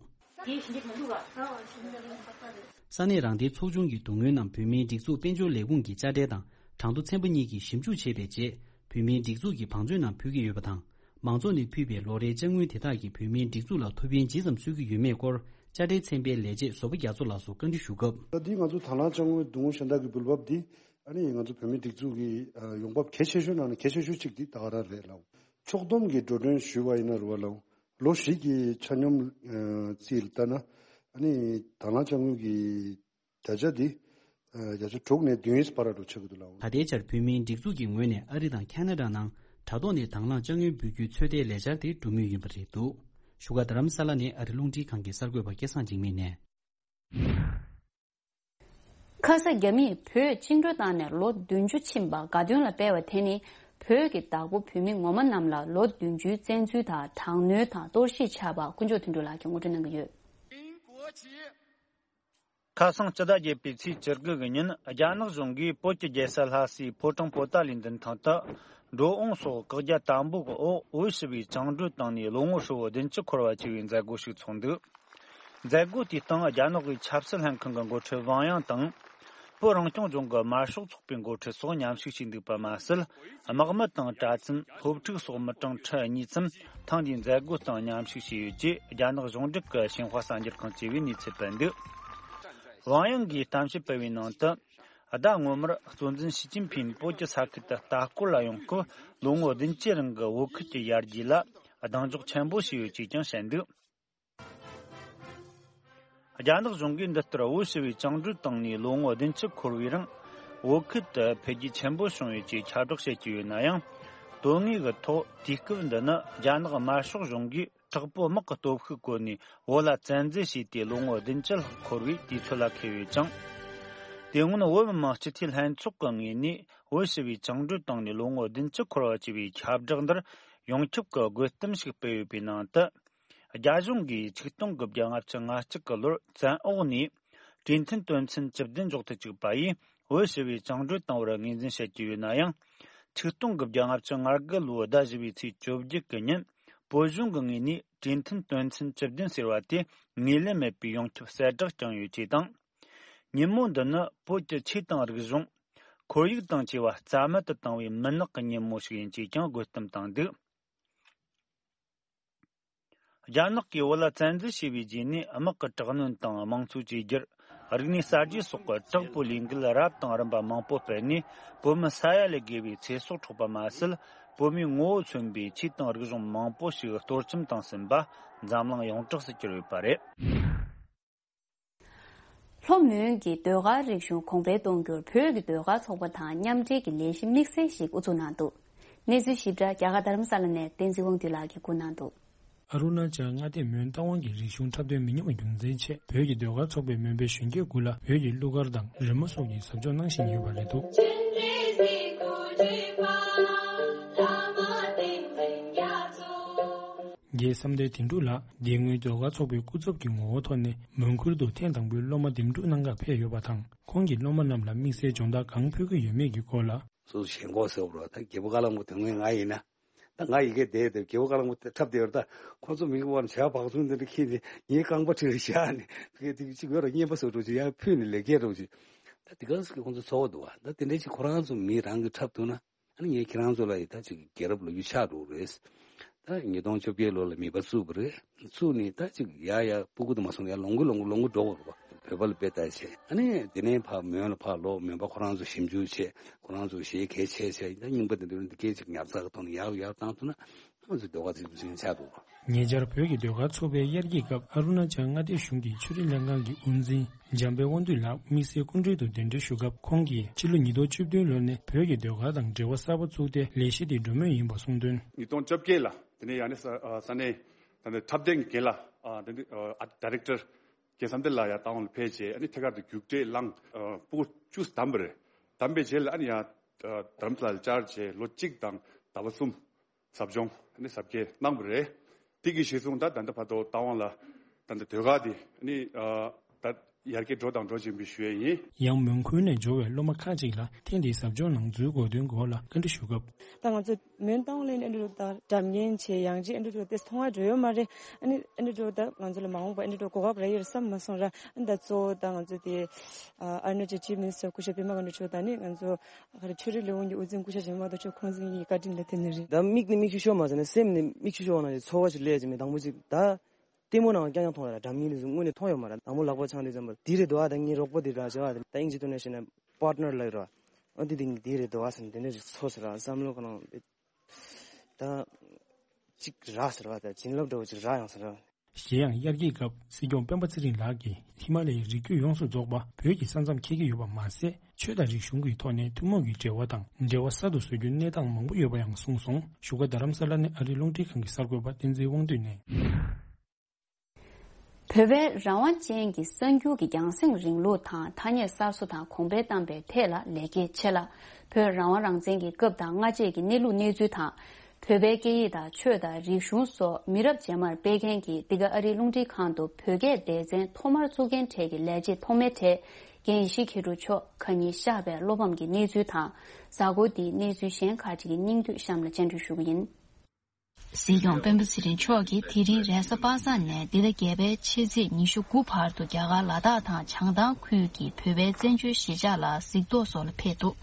ས་གནས་རང་བདེན་ཚོགས་ཆུང་གི་སྡུག་བསྔལ་རྣམས་བོད་མིའི་སྒྲིག་འཛུགས་དཔལ་འབྱོར་ལས་ཁུངས་ཀྱི་དཔྱ་ཁྲལ་དང་གྲངས་ཐོ་ཚན་པ་གཉིས་ཀྱིས་ཞིབ་འཇུག་བྱས་པའི་རྗེས། བོད་མིའི་སྒྲིག་འཛུགས་ཀྱི་བང་མཛོད་ནང་ཕུལ་གྱི་ཡོད་པ་དང་། མང་ཚོགས་ནས་ཕུལ་བའི་ལོ་རེའི་དཔྱ་དངུལ་དེ་དག་གིས་བོད་མིའི་སྒྲིག་འཛུགས་ལ་ཐུགས་ཕན་ཇི་ཙམ་གསོས་ཀྱི་ཡོད་མེད་སྐོར། དཔྱ་ཁྲལ་ཚན་པའི་ལས་བྱེད་བཟོ་པ་རྒྱ་མཚོ་ལགས་སུ་བཀའ་འདྲི་ཞུ་སྐབས། ད་འདི་ང་ཚོ་དང་བླངས་དཔྱ་དངུལ་སྡུག་བསྔལ་གཞན་དག་གི་འབུལ་འབབ་འདི། ཨ་ནི་ང་ཚོ་བོད་མིའི་སྒྲིག་འཛུགས་ཀྱི་ཨ་ཡོང་འབབ་གལ་ཆེ་ཤོས་ནང་ནས་གལ་ཆེ་ཤོས་གཅིག་འདི་ད་ག་རང་རེད་ལགས། ཕྱོགས་བསྡོམས་ཀྱི་འགྲོ་གྲོན་ཞུས་པ་ཡིན་ན་རེད་པ་ལགས། ལོ་བཞི་གི་ཆ་སྙོམས་ཨ་རྩིས་ལ་ལྟ་ན། ཨ་ནི་དང་བླངས་དཔྱ་དངུལ་གྱི་བརྒྱ་ཆ་འདི་ཨ་བརྒྱ་ཆ་དྲུག་ནས་བདུན་བར་ལ་འགྲོ་ཆགས་ཀྱི་འདུག་ལགས། ད་ལྟའི་ཆར་བོད་མིའི་སྒྲིག་འཛུགས་ཀྱི་ངོས་ནས་ཨ་རི་དང་ཁ་ན་ཌ་ནང་དྲ་ཐོག་ནས་དང་བླངས་དཔྱ་དངུལ་འབུལ་རྒྱུའི་ཚོད་ལྟའི་ལས་འཆར་དེ་འགྲོ་མུས་ཡིན་པ་རེད་འདུག་བཞུགས་སྒར་རྡ་རམ་ས་ལ་ནས་ཨ་རི་རླུང་འཕྲིན་ཁང་གི་གསར་འགོད་པ་སྐལ་བཟང་འཇིགས་མེད་ནས། ཁ་ས་རྒྱ་མིས་བོད་བཅིངས་འགྲོལ་བཏང་ནས་ལོ་བདུན་ཅུ་ཕྱིན་པ་དགའ་སྟོན་ལ་སྤེལ་བ་དེ་ནི། བོད་ཀྱི་བདག་པོ་བོད་མི་ངོ་མ་རྣམས་ལ་ལོ་བདུན་ཅུའི་བཙན་འཛུལ་དང་དྲག་གནོན་དང་གཏོར་བཤིག་བྱས་པ། དཀོན་མཆོག་དོན་གྲུབ་ལགས་ཀྱིས་ངོ་སྤྲོད་གནང་གི་ཡོད། ཁ་སང་སྤྱི་ཟླ་བརྒྱད་པའི་ཚེས་བཅུ་དགུ་གི་ཉིན། རྒྱ་ནག་གཞུང་གིས་བོད་ཀྱི་རྒྱལ་ས་ལྷ་སའི་ཕོ་བྲང་པོ་ཏཱ་ལའི་མདུན་ཐང་དུ། འགྲོ་འོང་སོགས་བཀག་རྒྱ་དམ་པོ་གི་འོག་བོད་ཞི་བའི་བཅིངས་འགྲོལ་བཏང་ནས་ལོ་ངོ་ཧྲིལ་བོ་བདུན་ཅུ་འཁོར་བ་བཅས་པའི་མཛད་སྒོ་ཞིག་ཚོགས་འདུག་མཛད་སྒོ་དེའི་སྟེང་རྒྱ་ནག་གི་ཆབ་སྲིད་ལྷན་ཁང་གི་འགོ་ཁྲིད་ཝང་དབྱང་དང་། བོད་རང་སྐྱོང་ལྗོངས་ཀྱི་དམར་ཤོག་ཚོགས་པའི་འགོ་ཁྲིད་སོགས་མཉམ་ཞུགས་བྱས་འདུག་པ་མ་ཟད། དམག་མི་དང་གྲྭ་བཙུན། སློབ་ཕྲུག་སོགས་མི་གྲངས་ཁྲི་གཉིས་ཙམ་ཐེངས་འདིའི་མཛད་སྒོའི་སྟེང་མཉམ་ཞུགས་བྱས་ཡོད་ཅེས་རྒྱ་ནག་གཞུང་འབྲེལ་གྱི་ཤིན་ཧྭ་གསར་འགྱུར་ཁང་བཅས་པས་གནས་ཚུལ་སྤེལ་འདུག་ཝང་དབྱང་གིས་གཏམ་བཤད་སྤེལ་བའི་ནང་དུ། ཟླ་སྔོན་མར་གཙོ་འཛིན་ཞི་ཅིན་ཕིང་བོད་ཀྱི་ས་ཁུལ་དུ་ལྟ་སྐོར་ལ་ཡོང་སྐབས། ལོ་ངོ་བདུན་ཅུའི་རིང་གི་བོད་ཁུལ་གྱི་ཡར་རྒྱས་ལ་གདེང་འཇོག་ཆེན་པོ་བྱས་ཡོད་ཅེས་ཀྱང་བཤད་འདུག་རྒྱ་ནག་གཞུང་གིས་འདི་ལྟར་བོད་ཞི་བའི་བཅིངས་འགྲོལ་བཏང་ནས་ལོ་ངོ་བདུན་ཅུ་འཁོར་བའི་རིང་། བོད་ཁུལ་དུ་འཕེལ་རྒྱས་ཆེན་པོ་བྱུང་ཡོད་ཅེས་ཁྱབ་བསྒྲགས་བྱེད་ཀྱི་ཡོད་ན་ཡང་། དོན་དངོས་ཀྱི་ཐོག་དུས་སྐབས་འདི་ནི་རྒྱ་ནག་དམར་ཤོག་གཞུང་གིས་དྲག་པོའི་དམག་གི་སྟོབས་ཤུགས་བཀོལ་ནས་བོད་ལ་བཙན་འཛུལ་བྱས་ཏེ་ལོ་ངོ་བདུན་ཅུ་ལྷག་འཁོར་བའི་དུས་ཚོད་ལ་འཁེལ་ཡོད་ཅིང་། དེ་སྔོན་བོད་མི་མང་སྤྱི་འཐུས་ལྷན་ཚོགས་ཀྱི་ངོས་ནས་བོད་ཞི་བའི་བཅིངས་འགྲོལ་བཏང་ནས་ལོ་ངོ་བདུན་ཅུ་འཁོར་བ་བཅས་པའི་ཁྱབ་བསྒྲགས་འདིར་ཡོངས་ཁྱབ་ཀྱི་དགོད་གཏམ་ཞིག་སྤེལ་ཡོད་པའི་ནང་དུ། རྒྱ་གཞུང་གིས་ཆིག་སྟོང་དགུ་བརྒྱ་ལྔ་བཅུ་ང་གཅིག་གི་ལོར་བཙན་འོག་ནས་གྲོས་མཐུན་དོན་ཚན་བཅུ་བདུན་འཇོག་ཏུ་བཅུག་པ་ཡིས་བོད་ཞི་བའི་བཅིངས་འགྲོལ་བཏང་བར་ངོས་འཛིན་བྱེད་ཀྱི་ཡོད་ན་ཡང་། ཆིག་སྟོང་དགུ་བརྒྱ་ལྔ་བཅུ་ང་དགུ་ལོའི་ཟླ་བཞི་པའི་ཚེས་བཅོ་བརྒྱད་ཀྱི་ཉིན་ བོད་གཞུང་གི་ངོས་ནས་གྲོས་མཐུན་དོན་ཚན་བཅུ་བདུན་ཟེར་བ་དེ་ངོས་ལེན་མེད་པའི་ཡོངས་ཁྱབ་གསལ་བསྒྲགས་བསྐྱངས་ཡོད་ཅེས་དང་། ཉིན་མོ་འདི་ནི་བོད་ཀྱི་ཆོས་དང་རིག་གཞུང་། ཁོར་ཡུག་དང་བཅས་པ་རྩ་མེད་དུ་བཏང་བའི་མུན་ནག་གི་ཉིན་མོ་ཞིག་ཡིན་ཅེས་ཀྱང་དགོད་གཏམ་བཏང་འདུག་རྒྱ་ནག་གིས་བོད་ལ་བཙན་འཛུལ་བྱས་པའི་རྗེས་ནས་དམག་གི་དྲག་གནོན་དང་དམངས་གཙོའི་བཅོས་བསྒྱུར། རིག་གནས་གསར་བརྗེ་སོགས་ཀྱི་དྲག་པོའི་ལས་འགུལ་རབ་དང་རིམ་པ་མང་པོ་སྤེལ་ནས། བོད་མི་ས་ཡ་ལས་བརྒལ་བའི་ཚེ་སྲོག་འཕྲོག་པ་མ་ཟད། བོད་མིའི་ངོ་བོ་མཚོན་པའི་ཆོས་དང་རིག་གཞུང་མང་པོ་ཞིག་གཏོར་བཅོམ་བཏང་ཟིན་པ་འཛམ་གླིང་ཡོངས་གྲགས་སུ་གྱུར་ཡོད་པ་རེད། ལྷོ་མོན་གྱི་ཟློས་གར་རིག་གཞུང་གོང་འཕེལ་གཏོང་རྒྱུར་བོད་ཀྱི་ཟློས་གར་ཚོགས་པ་དང་མཉམ་འབྲེལ་གྱི་ལས་གཞི་དམིགས་བསལ་ཞིག་དབུ་འཛུགས་གནང་འདུག་གནས་ཚུལ་ཞིབ་ཕྲ་རྒྱ་གར་རྡ་རམ་ས་ལ་ནས་བསྟན་འཛིན་དབང་འདུས་ལགས་ཀྱིས་བསྐུར་གནང་འདུག་ཨ་རུ་ན་ཅལ་མངའ་སྡེ་མོན་རྟ་དབང་གི་རིག་གཞུང་འཁྲབ་སྟོན་མི་ཉུང་བ་རྒྱུན་འཛིན་ཆེད་བོད་ཀྱི་ཟློས་གར་ཚོགས་པས་མོན་པའི་གཞོན་སྐྱེས་དགུ་ལ་བོད་ཀྱི་གླུ་གར་དང་རོལ་མོ་སོགས་ཀྱི་ཟབ་སྦྱོང་གནང་བཞིན་ཡོད་པ་རེད་འདུག་རྒྱལ་བསམ་གཏན་དོན་གྲུབ་ལགས་འདི་སྔོན་ཟློས་གར་ཚོགས་པའི་སྐུ་ཚབ་ཀྱི་ངོ་བོ་ཐོག་ནས་མོན་ཁུལ་དུ་ཐེངས་དང་པོའི་སློབ་མ་འདེམས་སྒྲུག་གནང་གར་ཕེབས་ཡོད་པ་དང་། ཁོང་གིས་སློབ་མ་རྣམས་ལ་དམིགས་བསལ་སྦྱོང་བརྡར་གང་ཕུལ་གྱི་ཡོད་མེད་ཀྱི་སྐོར་ལ། སོ་སོ་ཞེན་ཁོག་ཟེར་བ་རེད། ད་རྒད་པོ་ཀ་ལ་མོ་དོན་ངོས་ང་ཡིན་ན། ད་ང་ཡི་གེ་བསྡད་དེ་རྒད་པོ་ཀ་ལ་མོ་འཁྲབ་བསྡད་ཡོད་རེད། ད་ཁོ་ཚོ་མི་གི་བར་བྱ་བག་ཚུན་དེ་འདྲ་ཁྱེར་ནས་ངའི་རྐང་པ་ཁྲིད་རེ་བཞག་ནས་དེ་ག་དེ་གཅིག་ཡོད་ར་རྔན་པ་བཟོ་འགྲོ་ཅིག་ཡར་ཕུལ་ནས་ལས་ཀའི་འགྲོ་ཅིག་ད་དེ་ག་ཟེར་གི་ཁོ་ཚོ་ཚོར་བ་འདུག་བ། ད་དེ་འདྲ་ཅིག་ཁོ་རང་ཚོ་མི་རང་གི་འཁྲབ་ཐུབ་ན། ཨ་ནི་ངས་ཁྱེད་རང་ཚོ་ལ་ཡི་ད་ཅིག་རྒྱལ་རབས་ལོ་རྒྱུས་ཆགས་འགྲོ་རེད། ད་ཉིས་སྟོང་བཅོ་བརྒྱད་ལོ་ལ་མིད་པ་བཙུགས་པ་རེད། བཙུགས་ནས་ད་ཅིག་ཡ་ཡ་སྤུ་གུ་དུ་མ་སོང་ཡ་ལོངས་སྐུ་ལོངས་སྐུ་ལོངས་སྐུ་འགྲོ་བ་རེད་བ། བོད་པ་ལ་དཔེ་ལྟ་བྱས། ཨ་ནི་དེ་ནས་ཕར་མོན་ལ་ཕར་ལོག་མོན་པ་ཁོ་རང་ཚོ་ཞིབ་འཇུག་བྱས། ཁོ་རང་ཚོ་གཞས་གལ་ཆེ་ཆེ་ད་རྙིང་པ་དེ་འདྲ་འདི་སྐད་ཅིག་ཉར་ཚགས་ཀྱི་ཐོག་ནས་ཡག་ཡག་བཏང་ཐུབ་ན་ང་ཚོ་ཟློས་གར་ཚིག་འཛིན་ཆགས་འདུག་ཉེ་ཆར་བོད་ཀྱི་ཟློས་གར་ཚོགས་པའི་དབྱར་སྐྱིད་སྐབས་ཨ་རུ་ན་ཅལ་མངའ་སྡེ་གཞུང་གི་ཆོས་རིག་ལྷན་ཁང་གི་དབུ་འཛིན་འཇམ་དཔལ་དབང་འདུས་ལགས་དམིགས་བསལ་སྐུ་མགྲོན་དུ་གདན་འདྲེན་ཞུ་སྐབས། ཁོང་གིས་ཕྱི་ལོ་ཉིས་སྟོང་བཅུ་བདུན་ལོ་ནས་བོད་ཀྱི་ཟློས་གར་དང་འབྲེལ་བ་གསར་པ་བཙུགས་ཏེ་ལས་གཞི་དེ་གྲོས་མོལ་ཡིན་པ་གསུངས་དོན། ཉིས་སྟོང་བཅོ་བརྒྱད་ལ་དེ་ནས་ཡང་ནས་ས་ས་གནས་ད་ནས་འཁྲབ་སྟོན་གྱི་འགན་ལ་ཨ་དེ་འདི་ཨ་ཌའི་རེག་ཊར་རྒན་བསམ་གཏན་ལགས་ཡར་རྟ་དབང་ལ་ཕེབས་རྗེས། ཨ་ནི་ཐད་ཀར་དུ་རྒྱུགས་སྤྲོད་བླངས། ཨ་སྤུ་གུ་བཅུ་བདམས་པ་རེད། བདམས་པའི་རྗེས་ལ་ཨ་ནི་ཡང་ཨ་རྡ་རམ་ས་ལ་བཅར་རྗེས་ལོ་གཅིག་དང་ཟླ་བ་གསུམ་ཟབ་སྦྱོང་ཨ་ནི་ཟབ་རྒྱས་གནང་བ་རེད། དེ་གི་གཞི་བཟུང་ད་ད་ལྟ་བར་དུ་རྟ་དབང་ལ་ད་ལྟ་ཟློས་གར་དེ་ཨ་ནི་ཨ་ད་ཡར་རྒྱས་འགྲོ་དང་འགྲོ་བཞིན་པའི་ཞུ་ཡས་ཡིན། ཡང་མོན་ཁུལ་ནས་འབྱོར་བའི་སློབ་མ་ཁག་ཅིག་ལ་ཐེངས་འདིའི་ཟབ་སྦྱོང་ནང་འཛུལ་དགོས་དོན་སྐོར་ལ་བཀའ་འདྲི་ཞུ་སྐབས། ད་ང་ཚོ་མོན་རྟ་དབང་ལ་ཨ་ནི་འགྲོ་ད་སྒྲ་སྙན་བྱས། ཡང་ཅིག་ཨ་ནི་འགྲོ་དེ་མཐོང་བ་འགྲོ་ཡོད་མ་རེད། ཨ་ནི་ཨ་ནི་འགྲོ་ད་ང་ཚོ་ལ་མ་འོངས་པ་ཨ་ནི་འགྲོ་གོ་སྐབས་རག་ཡོད་རེད་བསམ་མ་སོང་ར། ཨ་ནི་ད་གཙོ་བོ་ད་ང་ཚོ་དེ་ཨ་ཨ་རུ་ན་ཅལ་ཅིབ་མི་ནི་སི་ཊར་སྐུ་ཞབས་པད་མ་དགའ་ནོར་མཆོག་དང་ནི་ང་ཚོ་ག་རེ་ཆོས་རིག་ལས་ཁུངས་ཀྱི་དབུ་འཛིན་སྐུ་ཞབས་འཇམ་དཔལ་རྡོ་རྗེ་ཁོང་ཚོ་གཉིས་ཀྱི་བཀའ་དྲིན་ལ་བརྟེན་ནས་རེད། ད་མིག་ནི་མིག་ཆུ་ཤོར་མ་ཟེར་ན་སེམས་ནི་མིག་ཆུ་ཤོར་བ་ནང་བཞིན་ཚོར་བ་ཞིག་སླེབས་ཀྱི་མེད། དང་པོ་ཅིག་ད། ལྟད་མོ་ནང་རྐྱང་རྐྱང་མཐོང་ཡོད་ར། སྒྲ་སྙན་དེ་ཚོ་དངོས་གནས་མཐོང་ཡོད་མ་རེད། དང་པོ་ལག་པ་འཆང་དུས་ཙམ་པ་འདི་རེད་འདུག་ཨ། ད་ངའི་རོགས་པ་འདི་འདྲ་བྱས་པ་དེ་ད་དབྱིན་ཇི་ཐོག་ནས་བཤད་ན་པར་ཊི་ནར་ལབ་ཡོད་ར། ཨ་འདི་འདི་འདི་རེད་འདུག་ཨ་ཟེར་ནས་དེ་འདྲ་ཞིག་ཚོར་སོང་ར། བསམ་བློ་ཁོ་རང་དེ་ད་ཅིག་རག་ཟེར་བ་དང་བྱིན་རླབས་འདྲ་བོ་ཅིག་རག་ཡོང་ཟེར་ར། གཞན་ཡང་དབྱར་སྐྱིད་སྐབས་སྲིད་སྐྱོང་སྤེན་པ་ཚེ་རིང་ལགས་ཀྱིས་ཧི་མ་ལ་ཡའི་རི་རྒྱུད་ཡོངས་སུ་རྫོགས་པ་བོད་ཀྱི་ས་མཚམས་འཁེལ་གྱི་ཡོད་པ་མ་ཟད། ཆོས་དང་རིག་གཞུང་གི་ཐོག་ནས་ཐུན་མོང་གི་འབྲེལ་བ་དང་འབྲེལ་བ་གསར་དུ་བཟོ་རྒྱུའི་གནས་སྟངས་མང་པོ་ཡོད་པ་ཡང་གསུངས་སོང་། བཞུགས་སྒར་རྡ་རམ་ས་ལ་ནས་ཨ་རིའི་རླུང་འཕྲིན་ཁང་གི་གསར་འགོད་པ་བསྟན་འཛིན་དབང་འདུས་ནས། བོད་པའི་རང་དབང་ཅན་གྱི་གསར་འགྱུར་གྱི་རྒྱང་སྲིང་རིང་ལུགས་དང་ཐ་སྙད་གསར་བཟོ་དང་གོང་འཕེལ་བཏང་པའི་ཐད་ལ་ལེགས་སྐྱེས་ཆེ་ལ། བོད་རང་དབང་རང་བཙན་གྱི་སྐབས་དང་སྔ་རྗེས་ཀྱི་གནས་ལུགས་གནས་ཚུལ་དང་། བོད་པའི་སྐད་ཡིག་དང་ཆོས་དང་རིག་གཞུང་སོགས་མི་རབས་རྗེས་མར་སྤེལ་མཁན་གྱི་འདི་ག་ཨ་རིའི་རླུང་འཕྲིན་ཁང་དུ་བོད་སྐད་སྡེ་ཚན་ཐོག་མར་བཙུགས་མཁན་གྲས་ཀྱི་ལས་བྱེད་ཐོག་མའི་གྲས་རྒན་ཡེ་ཤེས་མཁས་གྲུབ་མཆོག་ཁ་ཉིན་བཞག་པའི་བློ་ཕམ་གྱི་གནས་ཚུལ་དང་། གཟའ་འཁོར་འདིའི་གནས་ཚུལ་གཞན་ཁག་ཅིག་གི་སྙིང་བསྡུས་གཤམ་ལ་སྤྱན་འབུལ་ཞུ་གི་ཡིན། སྲིད་སྐྱོང་སྤེན་པ་ཚེ་རིང་མཆོག་གིས་དེ་རིང་རེས་གཟའ་པ་སངས་ནས་འདི་ཟླ་བརྒྱད་པའི་ཕྱི་ཚེས་ཉི་ཤུ་དགུ་བར་དུ་རྒྱ་གར་ལ་དྭགས་དང་བྱང་ཐང་ཁུལ་གྱི་བོད་པའི་བཙན་བྱོལ་གཞིས་ཆགས་ལ་གཟིགས་རྟོག་སོགས་ལ་ཕེབས་འདུག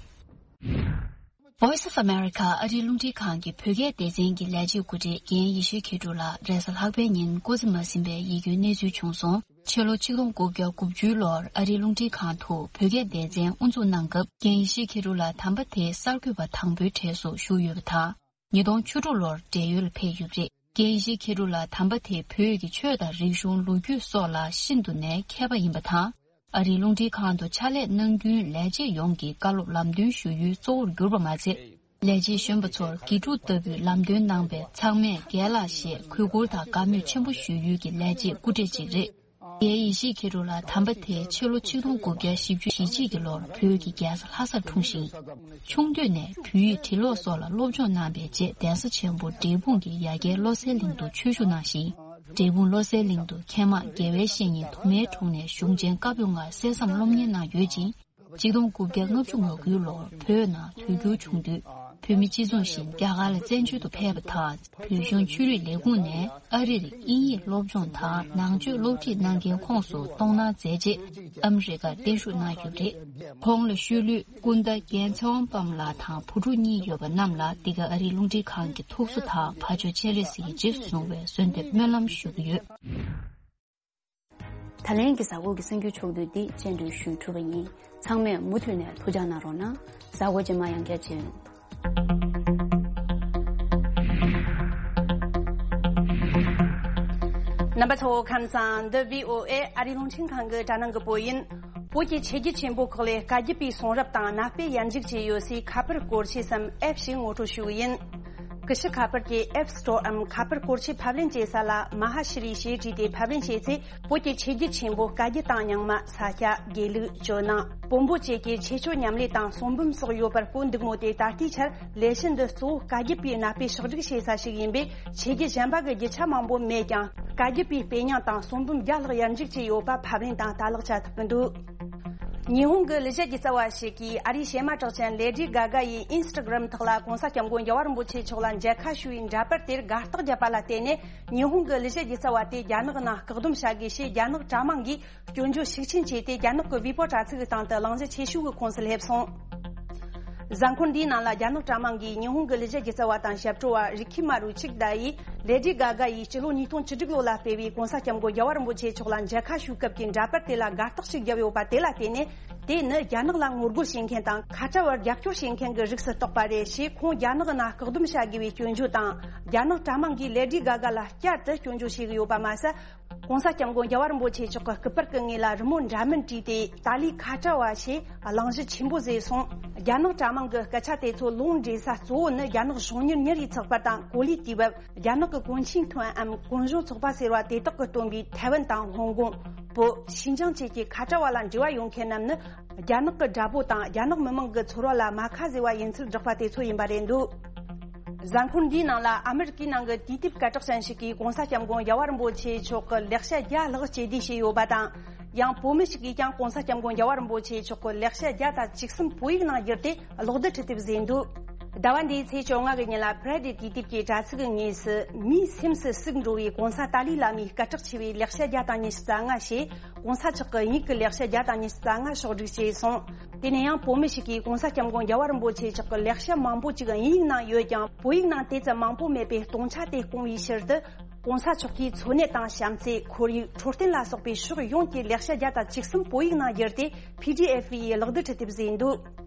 Voice of America ཨ་རིའི་རླུང་འཕྲིན་ཁང་གི་བོད་སྐད་སྡེ་ཚན་གྱི་ལས་བྱེད་སྐུ་བགྲེས་རྒན་ཡེ་ཤེས་མཁས་གྲུབ་ལགས་རེས་གཟའ་ལྷག་པའི་ཉིན་སྐུ་ཚེ་མ་ཟིན་པའི་ཡིད་སྐྱོའི་གནས་ཚུལ་བྱུང་སོང་། ཕྱི་ལོ་ཆིག་སྟོང་དགུ་བརྒྱ་དགུ་བཅུའི་ལོར་ཨ་རིའི་རླུང་འཕྲིན་ཁང་དུ་བོད་སྐད་སྡེ་ཚན་དབུ་འཛུགས་གནང་སྐབས་རྒན་ཡེ་ཤེས་མཁས་གྲུབ་ལགས་དམ་པ་དེའི་གསར་འགོད་པ་དང་པོའི་གྲས་སུ་ཞུགས་ཡོད་པ་དང་། ཉིས་སྟོང་བཅུ་དྲུག་ལོར་བགྲེས་ཡོལ་ཕེབས་ཡོད་པ་རེད། རྒན་ཡེ་ཤེས་མཁས་གྲུབ་ལགས་དམ་པ་དེ་བོད་ཀྱི་ཆོས་དང་རིག་གཞུང་ལོ་རྒྱུས་སོགས་ལ་ཤིན་ཏུ་ནས་མཁས་པ་ཡིན་པ་དང་། ཨ་རིའི་རླུང་འཕྲིན་ཁང་དུ་ཕྱག་ལས་གནང་རྒྱུའི་ལས་བྱེད་ཡོངས་ཀྱི་བཀའ་སློབ་ལམ་སྟོན་ཞུ་ཡུལ་གཙོ་བོར་གྱུར་པ་མ་ཚད། ལས་བྱེད་གཞོན་པ་ཚོར་དགེ་ཕྲུག་ལྟ་བུའི་ལམ་སྟོན་གནང་བས་ཚང་མས་རྒན་ལགས་ཞེས་གུས་བཀུར་དང་དགའ་མོས་ཆེན་པོ་ཞུ་ཡུལ་གྱི་ལས་བྱེད་སྐུ་བགྲེས་ཅིག་རེད། རྒན་ཡེ་ཤེས་མཁས་གྲུབ་ལགས་དམ་པ་དེ་ཕྱི་ལོ་ཆིག་སྟོང་དགུ་བརྒྱ་བཞི་བཅུ་ཞེ་གཅིག་གི་ལོར་བོད་ཀྱི་རྒྱལ་ས་ལྷ་སར་འཁྲུངས་ཤིང་། ཆུང་དུས་ནས་བོད་ཡིག་འབྲི་ཀློག་སོགས་ལ་སློབ་སྦྱོང་གནང་བའི་རྗེས་གདན་ས་ཆེན་པོ་འབྲས་སྤུངས་ཀྱི་ཡ་གྱལ་བློ་གསལ་གླིང་དུ་ཆོས་ཞུགས་གནང་ཞིང་། འབྲས་སྤུངས་བློ་གསལ་གླིང་དུ་མཁས་མང་དགེ་བའི་བཤེས་གཉེན་དུ་མའི་དྲུང་ནས་གཞུང་ཆེན་བཀའ་པོད་ལྔ་གསན་བསམ་སློབ་གཉེར་གནང་ཡོད་ཅིང་། ཆིག་སྟོང་དགུ་བརྒྱ་ལྔ་བཅུ་ང་དགུའི་ལོར་བོད་ནང་དུས་འགྱུར་བྱུང་དུས། བོད་མི་སྤྱི་མཚུངས་བཞིན་རྒྱ་གར་ལ་བཙན་བྱོལ་དུ་ཕེབས་པ་དང་། བོད་གཞུང་ཆོས་རིག་ལས་ཁུངས་ནས་ཨ་རིར་དབྱིན་ཡིག་སློབ་སྦྱོང་དང་ནང་ཆོས་སློབ་ཁྲིད་གནང་མཁན་ཁོངས་སུ་གཏོང་གནང་མཛད་རྗེས་ཨ་མི་རི་ཀར་གཏན་བཞུགས་གནང་ཡོད་པ་རེད། ཁོང་ལ་ཤུལ་ལུས་སྐུ་ཟླ་རྒན་ཚེ་དབང་དཔལ་ལགས་དང་བུ་ཕྲུག་གཉིས་ཡོད་པ་རྣམས་ལ་འདི་ག་ཨ་རིའི་རླུང་འཕྲིན་ཁང་གི་ཐུགས་གསོ་དང་བར་ཆད་སྤྱན་རས་གཟིགས་ཀྱིས་རྗེས་སུ་བཟུང་བའི་གསོལ་འདེབས་སྨོན་ལམ་ཞུ་གི་ཡོད། ད་ལན་གྱི་གཟའ་འཁོར་གྱི་གསར་འགྱུར་ཕྱོགས་བསྡུས་འདི་སྤྱན་འབུལ་ཞུས་གྲུབ་པ་ཡིན། ཚང་མས་མུ་མཐུད་ནས་ཐུགས་ཅག་གནང་རོགས་གནང་། གཟའ་འཁོར་རྗེས་མ་ཡང་བསྐྱར་མཇལ་ཡོང་། རྣམ་པ་ཚོ་ཁམས་བཟང་། འདི་བྷི་ཨོ་ཨེ་ཨ་རིའི་རླུང་འཕྲིན་ཁང་གི་དྲ་ནང་གི་བོད་ཡིན། བོད་ཀྱི་ཆོས་བརྒྱུད་ཆེན་པོ་ཁག་ལས་བཀའ་བརྒྱུད་པའི་གསུང་རབ་དང་གནའ་དཔེ་ཡར་འཇུག་བྱས་ཡོད་སའི་ཁ་པར་སྐོར་ཆས་སམ་ཨེབ་ཞིག་ངོ་སྤྲོད་ཞུ་གི་ཡིན། ཀུ་ཤུ་ཁ་པར་གྱི་App Store འམ་ཁ་པར་སྐོར་ཆས་ཕབ་ལེན་བྱེད་ས་ལ་མ་ཧཱ་ཤྲི་ཞེས་བྲིས་ཏེ་ཕབ་ལེན་བྱས་ཚེ། བོད་ཀྱི་ཆོས་བརྒྱུད་ཆེན་པོ་བཀའ་བརྒྱུད་དང་རྙིང་མ། ས་སྐྱ། དགེ་ལུགས། ཇོ་ནང་། བོན་པོ་བཅས་ཀྱི་ཆོས་སྤྱོད་ཉམས་ལེན་དང་གསུང་འབུམ་སོགས་ཡོད་པར་བཀོད་འདུག་མོད། དེ་ད་ལྟའི་ཆར་ལས་གཞི་འདི་གཙོ་བོ་བཀའ་བརྒྱུད་པའི་གནའ་དཔེ་ཕྱོགས་སྒྲིག་བྱེད་ས་ཞིག་ཡིན་པས། ཆོས་བརྒྱུད་གཞན་པ་གི་རྒྱུ་ཆ་མང་པོ་མེད་ཀྱང་། བཀའ་བརྒྱུད་པའི་དཔེ་རྙིང་དང་གསུང་འབུམ་བརྒྱ་ལྷག་ཡར་འཇུག་བྱས་ཡོད་པ་ཕབ་ལེན་དང་ལྟ་ཀློག་བྱ་ཐུབ་ཀྱི་འདུག། ཉི་ཧོང་གི་ལི་ཤ་རྒྱུ་རྩ་བ་ཞིག་གིས་ཨ་རིའི་གཤེད་མ་གྲགས་ཅན་ལེ་ཌི་གྷ་གྷ་ཡི་ཨིན་སི་ཊ་གྷ་རམ་ཐོག་ལ་༸གོང་ས་༸སྐྱབས་མགོན་རྒྱལ་བ་རིན་པོ་ཆེ་མཆོག་ལ་མཇལ་ཁ་ཞུ་བའི་འདྲ་པར་དེར་དགའ་རྟགས་བརྒྱབ་པ་ལ་བརྟེན་ནས། ཉི་ཧོང་གི་ལི་ཤ་རྒྱུ་རྩ་བ་དེ་རྒྱ་ནག་ནང་བཀག་སྡོམ་བྱ་དགོས་ཞེས་རྒྱ་ནག་དྲ་དམངས་ཀྱིས་སྐྱོན་བརྗོད་ཤུགས་ཆེན་བྱས་ཏེ། རྒྱ་ནག་གི་ཝི་པོ་དྲ་ཚིགས་ཀྱི་སྟེང་དུ་གླེང་གཞི་ཆེ་ཤོས་ཀྱི་ཁོངས་སུ་སླེབས་སོང་། གཟའ་འཁོར་འདིའི་ནང་ལ་རྒྱ་ནག་དྲ་དམངས་ཀྱིས་ཉི་ཧོང་གི་ལི་ཤ་རྒྱུ་རྩ་བ་དང་ཞབས་བྲོ་བ་རི་ཁི་མ་རུ་ཆིག་ད་ཡིས་ལེ་ཌི་གྷ་གྷ་ཡིས་སྤྱི་ལོ་ཉིས་སྟོང་བཅུ་དྲུག་ལོ་ལ་སྤེལ་བའི་༸གོང་ས་༸སྐྱབས་མགོན་རྒྱལ་བ་རིན་པོ་ཆེ་མཆོག་ལ་མཇལ་ཁ་ཞུ་སྐབས་ཀྱི་འདྲ་པར་དེ་ལ་དགའ་རྟགས་ཤིག་བརྒྱབ་ཡོད་པ་དེ་ལ་བརྟེན་ནས། དེ་ནི་རྒྱ་ནག་ལ་ངོ་རྒོལ་བྱེད་མཁན་དང་ཁ་བྲལ་བར་རྒྱབ་སྐྱོར་བྱེད་མཁན་གྱི་རིགས་སུ་གཏོགས་པ་རེད་ཞེས། ཁོང་རྒྱ་ནག་ནང་བཀག་སྡོམ་བྱ་དགོས་པའི་སྐྱོན་བརྗོད་དང་། རྒྱ་ནག་དྲ་དམངས་ཀྱིས་ལེ་ཌི་གྷ་གྷ་ལ་བསྐྱར་དུ་སྐྱོན་བརྗོད་བྱེད་ཀྱི་ཡོད་པ་མ་ཟད། ༸གོང་ས་༸སྐྱབས་མགོན་རྒྱལ་བ་རིན་པོ་ཆེ་མཆོག་གི་སྐུ་པར་གྱི་ངོས་ལ་རི་མོ་འདྲ་མིན་བྲིས་ཏེ། ཏཱ་ལའི་ཁ་བྲལ་བ་ཞེས་གླེང་གཞི་ཆེན་པོ་བཟོས་སོང་། རྒྱ་ནག་དྲ་དམངས་ཀྱི་སྐད་ཆ་དེ་ཚོ་ལུང་འདྲེན་ས་གཙོ་བོ་ནི། རྒྱ་ནག་གཞུང་གཉེར་ཉིན་རེའི་ཚགས་པར་དང་། གོ་ལའི་དུས་བབ། རྒྱ་ནག་གི་གོང་ཆེན་ཐོན་ཨམ་གུང་གཞོན་ཚོགས་པ་ཟེར་བ་དེ་དག་གིས་བཏོན་པའི་ཐའེ་ཝན་དང་ཧོང་ཀོང་། བོད། ཤིན་ཅང་བཅས་ཀྱི་ཁ་བྲལ་བ་ལ་འབྲེལ་བ་ཡོད་མཁན་རྣམས་ནི། རྒྱ་ནག་གི་དགྲ་བོ་དང་། རྒྱ་ནག་མི་དམངས་ཀྱི་ཚོར་བ་ལ་རྨ་ཁ་བཟོས་པ་ཡིན་ཚུལ་བསྒྲགས་པ་དེ་ཚོ་ཡིན་པ་རེད་འདུག། གཟའ་འཁོར་འདིའི་ནང་ལ་ཨ་མི་རི་ཀའི་ནང་གི་དུས་དེབ་སྐད་གྲགས་ཅན་ཞིག་གིས་༸གོང་ས་༸སྐྱབས་མགོན་རྒྱལ་བ་རིན་པོ་ཆེ་མཆོག་གི་ལེགས་བཤད་བརྒྱ་ལྷག་སྤྱི་བསྡུས་བྱས་ཡོད་པ་དང་། ཡང་བོད་མི་ཞིག་གིས་ཀྱང་༸གོང་ས་༸སྐྱབས་མགོན་རྒྱལ་བ་རིན་པོ་ཆེ་མཆོག་གི་ལེགས་བཤད་བརྒྱ་དང་བཅུ་གསུམ་བོད་ཡིག་ནང་བསྒྱུར་ཏེ་གློག་རྡུལ་འཕྲུལ་དེབ་བཟོས་འདུག། ཟླ་བ་འདིའི་ཚེས་བཅོ་ལྔ་གི་ཉིན་ལ་Friday དུས་དེབ་ཀྱི་དྲ་ཚིགས་ཀྱི་ངོས་སུ། མིའི་སེམས་སུ་ཟུག་འགྲོ་བའི་༸གོང་ས་ཏཱ་ལའི་བླ་མའི་སྐད་གྲགས་ཆེ་བའི་ལེགས་བཤད་བརྒྱ་དང་ཉི་ཤུ་རྩ་ལྔ་ཞེས། ༸གོང་ས་མཆོག་གི་དབྱིན་ཡིག་གི་ལེགས་བཤད་བརྒྱ་དང་ཉི་ཤུ་རྩ་ལྔ་ཕྱོགས་སྒྲིག་བྱས་སོང་། དེ་ནས་ཡང་བོད་མི་ཞིག་གིས་༸གོང་ས་༸སྐྱབས་མགོན་རྒྱལ་བ་རིན་པོ་ཆེ་མཆོག་གི་ལེགས་བཤད་མང་པོ་ཅིག་དབྱིན་ཡིག་ནང་ཡོད་ཀྱང་། བོད་ཡིག་ནང་དེ་ཙམ་མང་པོ་མེད་པས་སྟོང་ཆ་དེ་སྐོང་བའི་ཕྱིར་དུ། ༸གོང་ས་མཆོག་གི་འཚོ་གནས་དང་བྱམས་བརྩེ། ཁོར་ཡུག་འཕྲོད་བསྟེན་ལ་སོགས་པའི་ཕྱོགས་ཡོངས་ཀྱི་ལེགས་བཤད་བརྒྱ་དང་བཅུ་གསུམ་བོད་ཡིག་ནང་བསྒྱུར་ཏེ། པི་ཌི་ཨེཕ་ཡི་གློག་རྡུལ་འཕྲུལ་དེབ་བཟོས་འདུག།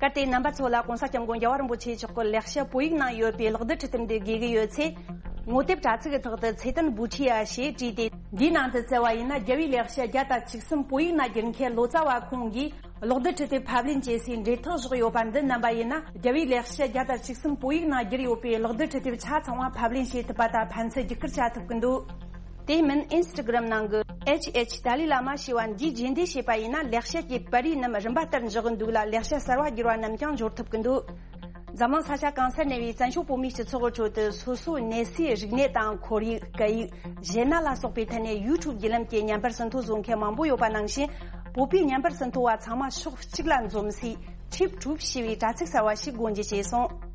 གལ་ཏེ་རྣམ་པ་ཚོ་ལ་༸གོང་ས་༸སྐྱབས་མགོན་རྒྱལ་བ་རིན་པོ་ཆེ་མཆོག་གི་ལེགས་བཤད་བོད་ཡིག་ནང་ཡོད་པའི་གློག་རྡུལ་འཕྲུལ་དེབ་འདི་དགོས་ཀྱི་ཡོད་ཚེ། ངོ་དེབ་དྲ་ཚིགས་ཀྱི་ཐོག་ཏུ་ཚེ་བརྟན་བུ་ཁྲིད་ཡ་ཞེས་བྲིས་ཏེ། འདིའི་ནང་དུ་བསྩལ་བ་ཡིན་ན། རྒྱལ་བའི་ལེགས་བཤད་བརྒྱ་དང་བཅུ་གསུམ་བོད་ཡིག་ནང་བསྒྱུར་མཁན་ལོ་ཙཱ་བ་ཁོང་གིས་གློག་རྡུལ་འཕྲུལ་དེབ་ཕབ་ལེན་བྱེད་སའི་འབྲེལ་ཐག་བཞག་ཡོད་པ་འདི་རྣམ་པ་ཡིན་ན། རྒྱལ་བའི་ལེགས་བཤད་བརྒྱ་དང་བཅུ་གསུམ་བོད་ཡིག་ནང་བསྒྱུར་ཡོད་པའི་གློག་རྡུལ་འཕྲུལ་དེབ་ཆ་ཚང་བ་ཕབ་ལེན་བྱེད་ཐུབ་པ་དང་ཕན་ཚུན་བརྒྱུད་བསྐུར་བྱ་ཐུབ་ཀྱི་འདུག། དེ་མིན་ཨིན་སི་ཊ་གྷ་རམ་ནང་གི་ཨེཆ་ཨེཆ་ཏཱ་ལའི་བླ་མ་ཞེས་པ་འདིས་རྗེས་འདེད་བྱས་པ་ཡིན་ན། ལེགས་བཤད་ཀྱི་པར་རིས་རྣམས་རིམ་པ་ལྟར་འཇོག་གི་འདུག་ལ། ལེགས་བཤད་གསར་བ་བསྒྱུར་བ་རྣམས་ཀྱང་འབྱོར་ཐུབ་ཀྱི་འདུག། འཛམ་གླིང་ས་ཆ་གང་སར་གནས་པའི་བཙན་བྱོལ་བོད་མིའི་སྤྱི་ཚོགས་ཀྱི་ཁྲོད་དུ། སོ་སོའི་གནས་སའི་རིག་གནས་དང་། ཁོར་ཡུག་གི་ཡིག་གཞས་སྣ་ལ་སོགས་པའི་ཐད་ནས་ཡུ་ཊུབ་བརྒྱུད་ལམ་གྱི་བརྙན་པར་ཟིན་ཐོ་བཟོ་མཁན་མང་པོ་ཡོད་པ་ནང་བཞིན། བོད་པའི་བརྙན་པར་ཟིན་ཐོ་བ་ཚང་མ་ཕྱོགས་གཅིག་ལ་འཛོམས་སའི། ཊིབ་ཊུབ་ཞེས་པའི་དྲ་ཚིགས་གསར་བ་ཞིག་སྒོ་འབྱེད་བྱས་སོང་།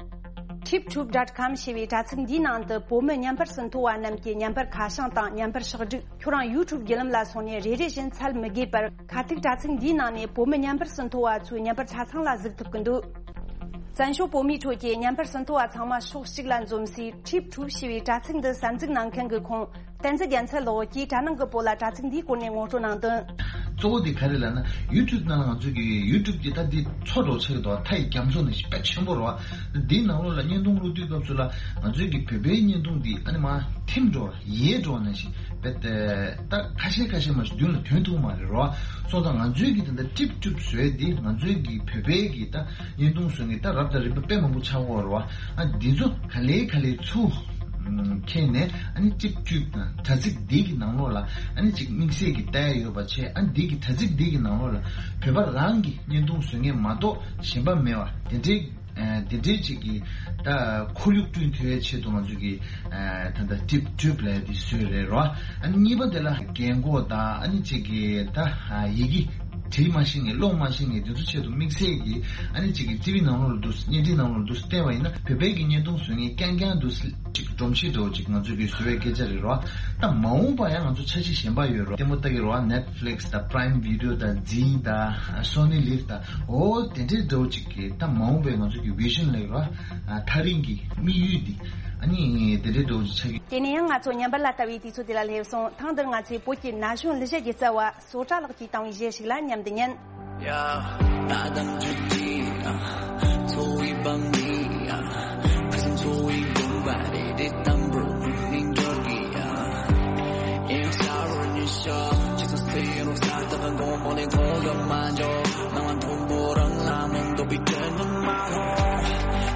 ཊིབ་ཊུབ་ཌོཊ་ཀོམ་ཞེས་པའི་དྲ་ཚིགས་འདིའི་ནང་དུ་བོད་མི་བརྙན་པར་ཟིན་ཐོ་བ་རྣམས་ཀྱི་བརྙན་པར་ཁ་བྱང་དང་། བརྙན་པར་ཕྱག་བྲིས། ཁྱོད་རང་ཡུ་ཊུབ་བརྒྱུད་ལམ་ལ་སོང་ནས་རེ་རེ་བཞིན་འཚོལ་མི་དགོས་པར། ཁ་ཐུག་དྲ་ཚིགས་འདིའི་ནང་ནས་བོད་མི་བརྙན་པར་ཟིན་ཐོ་བ་ཚོའི་བརྙན་པར་ཆ་ཚང་ལ་གཟིགས་ཐུབ་ཀྱི་འདུག། བཙན་བྱོལ་བོད་མིའི་ཁྲོད་ཀྱི་བརྙན་པར་ཟིན་ཐོ་བ་ཚང་མ་ཕྱོགས་གཅིག་ལ་འཛོམས་སའི་ཊིབ་ཊུབ་ཞེས་པའི་དྲ་ཚིགས་འདི་གསར་འཛུགས་གནང་མཁན་གྱི་ཁོང་། བསྟན་འཛིན་རྒྱལ་མཚན་ལགས་ཀྱིས་དྲ་ནང་གི་བོད་ལ་དྲ་ཚིགས་འདིའི་སྐོར་ནས་ངོ་སྤྲོད་གནང་དོན། གཙོ་བོ་དེ་ག་རེ་ལབ་ན། ཡུ་ཊུབ་ནང་ང་ཚོས་ཀྱི་ཡུ་ཊུབ་ཀྱི་ད་འདི་མཚོ་འདྲ་བོ་ཆགས་ཀྱི་འདུག། མཐའ་ཡི་རྒྱ་མཚོ་ནང་བཞིན་དཔེ་ཆེན་པོ་རེད་བ། འདིའི་ནང་ལོགས་ལ་བརྙན་ཐུང་བླུག་དུས་སྐབས་སུ་ལ་ང་ཚོས་ཀྱི་བོད་པའི་བརྙན་ཐུང་འདི་ཨ་ནི་མར་ཐིམ་འགྲོ་བ། ཡལ་འགྲོ་བ་ནང་བཞིན་དཔེ་ད་ཁ་ཤས་ཁ་ཤས་མ་ཞིག་མདུན་ལ་ཐོན་ཐུབ་མ་རེད་རོ། སོང་ཙང་ང་ཚོའི་གི་དེ་འདྲ་ཊིབ་ཊུབ་བཟོས་ཏེ་ང་ཚོའི་གི་བོད་པའི་གི་ད་བརྙན་ཐུང་བཟོ་མཁན་ད་རབ་དང་རིམ་པ་དཔེ་མང་པོ་ཆགས་ཀྱི་ཡོད་རེད་བ། ཨ་འདི་ཚོ་ག་ལེ་ག་ལེ་ཚུར་ཁྱེར་ནས་ཨ་ནི་ཊིབ་ཊུབ་དྲ་ཚིགས་འདི་གི་ནང་ལོགས་ལ་ཨ་ནི་ཅིག་དམིགས་བསལ་གྱི་ལྟ་ཡ་ཡོད་པ་བྱས། ཨ་འདི་གི་དྲ་ཚིགས་འདི་གི་ནང་ལོགས་ལ་བོད་པ་རང་གི་བརྙན་ཐུང་བཟོ་མཁན་མ་གཏོགས་གཞན་པ་མེད་པ་དེ་འདྲའི། ཨ་དེ་འདྲའི་ཅིག་གི་ད་ཁོར་ཡུག་བསྐྲུན་ཐུབ་ཡའི་ཆེད་དུ་ང་ཚོ་གི་ཨ་ད་ལྟ་ཊིབ་ཊུབ་ལབ་ཡ་དེ་བཟོས་རེད་རོ། ཨ་ནི་གཉིས་པ་དེ་ལ་རྒན་གོག་དང་ཨ་ནི་ཅིག་གི་ད་ཡི་གེ་ བྲིས་མ་ཤེས་མཁན་ཀློག་མ་ཤེས་མཁན་དེ་ཚོ་ཆེད་དུ་དམིགས་བསལ་གྱི་ཨ་ནི་གཅིག་གི་ཊི་ཝི་ནང་ལོགས་ལ་འདུག་བརྙན་འཕྲིན་ནང་ལོགས་ལ་འདུག་བལྟས་པ་ཡིན་ན་བོད་པའི་གི་བརྙན་ཐུང་བཟོ་མཁན་རྐྱང་རྐྱང་འདུག་གཅིག་སྒྲོམ་གཞི་འདྲ་བོ་གཅིག་ང་ཚོ་གི་བཟོ་བའི་སྐད་ཆ་རེད་རོ། ད་མ་འོངས་པ་ཡང་ང་ཚོ་འཆར་གཞི་གཞན་པ་ཡོད་རོ། ལྟད་མོ་ལྟ་གི་རོ། Netflix་དང་Prime Video་དང་Zee་དང་Sony Liv་དང་འོ་དེ་འདྲའི་འདྲ་བོ་གཅིག་གི་ད་མ་འོངས་པའི་ང་ཚོ་གི་vision་ལབ་རོ། ཐག་རིང་གི་དམིགས་ཡུལ་འདི་ཨ་ནི་དེ་འདྲའི་འདྲ་བོ་གཅིག་ཆགས་ཀྱི། དེ་ནས་ཡང་ང་ཚོ་ཉམས་པ་ལ་ལྟ་བའི་དུས་ཚོད་དེ་ལ་སླེབས་སོང་། ཐེངས་འདིར་ང་ཚོས་བོད་ཀྱི་ན་གཞོན་གླུ་གཞས་ཀྱི་རྩ་བ། སོ་ཊ་ལགས་ཀྱིས་བཏང་བའི་གཞས་ཤིག་ལ་མཉམ་དུ་ཉན། Yeah, ང་དང་ཆུ་ཊི་ཡ། འཚོ་བའི་བང་རིམ་ཡ། ཁ་སང་འཚོ་བའི་དགོན་པ་རེ་རེ་དམ་པོར་ཉིན་འགྲོ་གི་ཡ། ཡང་ས་རུ་ཉི་ཤོག་ཅི་སོང་སྟེ་རུ་ས་ད་གང་གོང་མོ་ལས་ཐོག་ག་མ་འཇོག་ནང་མཐོན་པོ་རང་ལ་མང་དོ་པའི་དྲན་ནི་མ་ཧོ།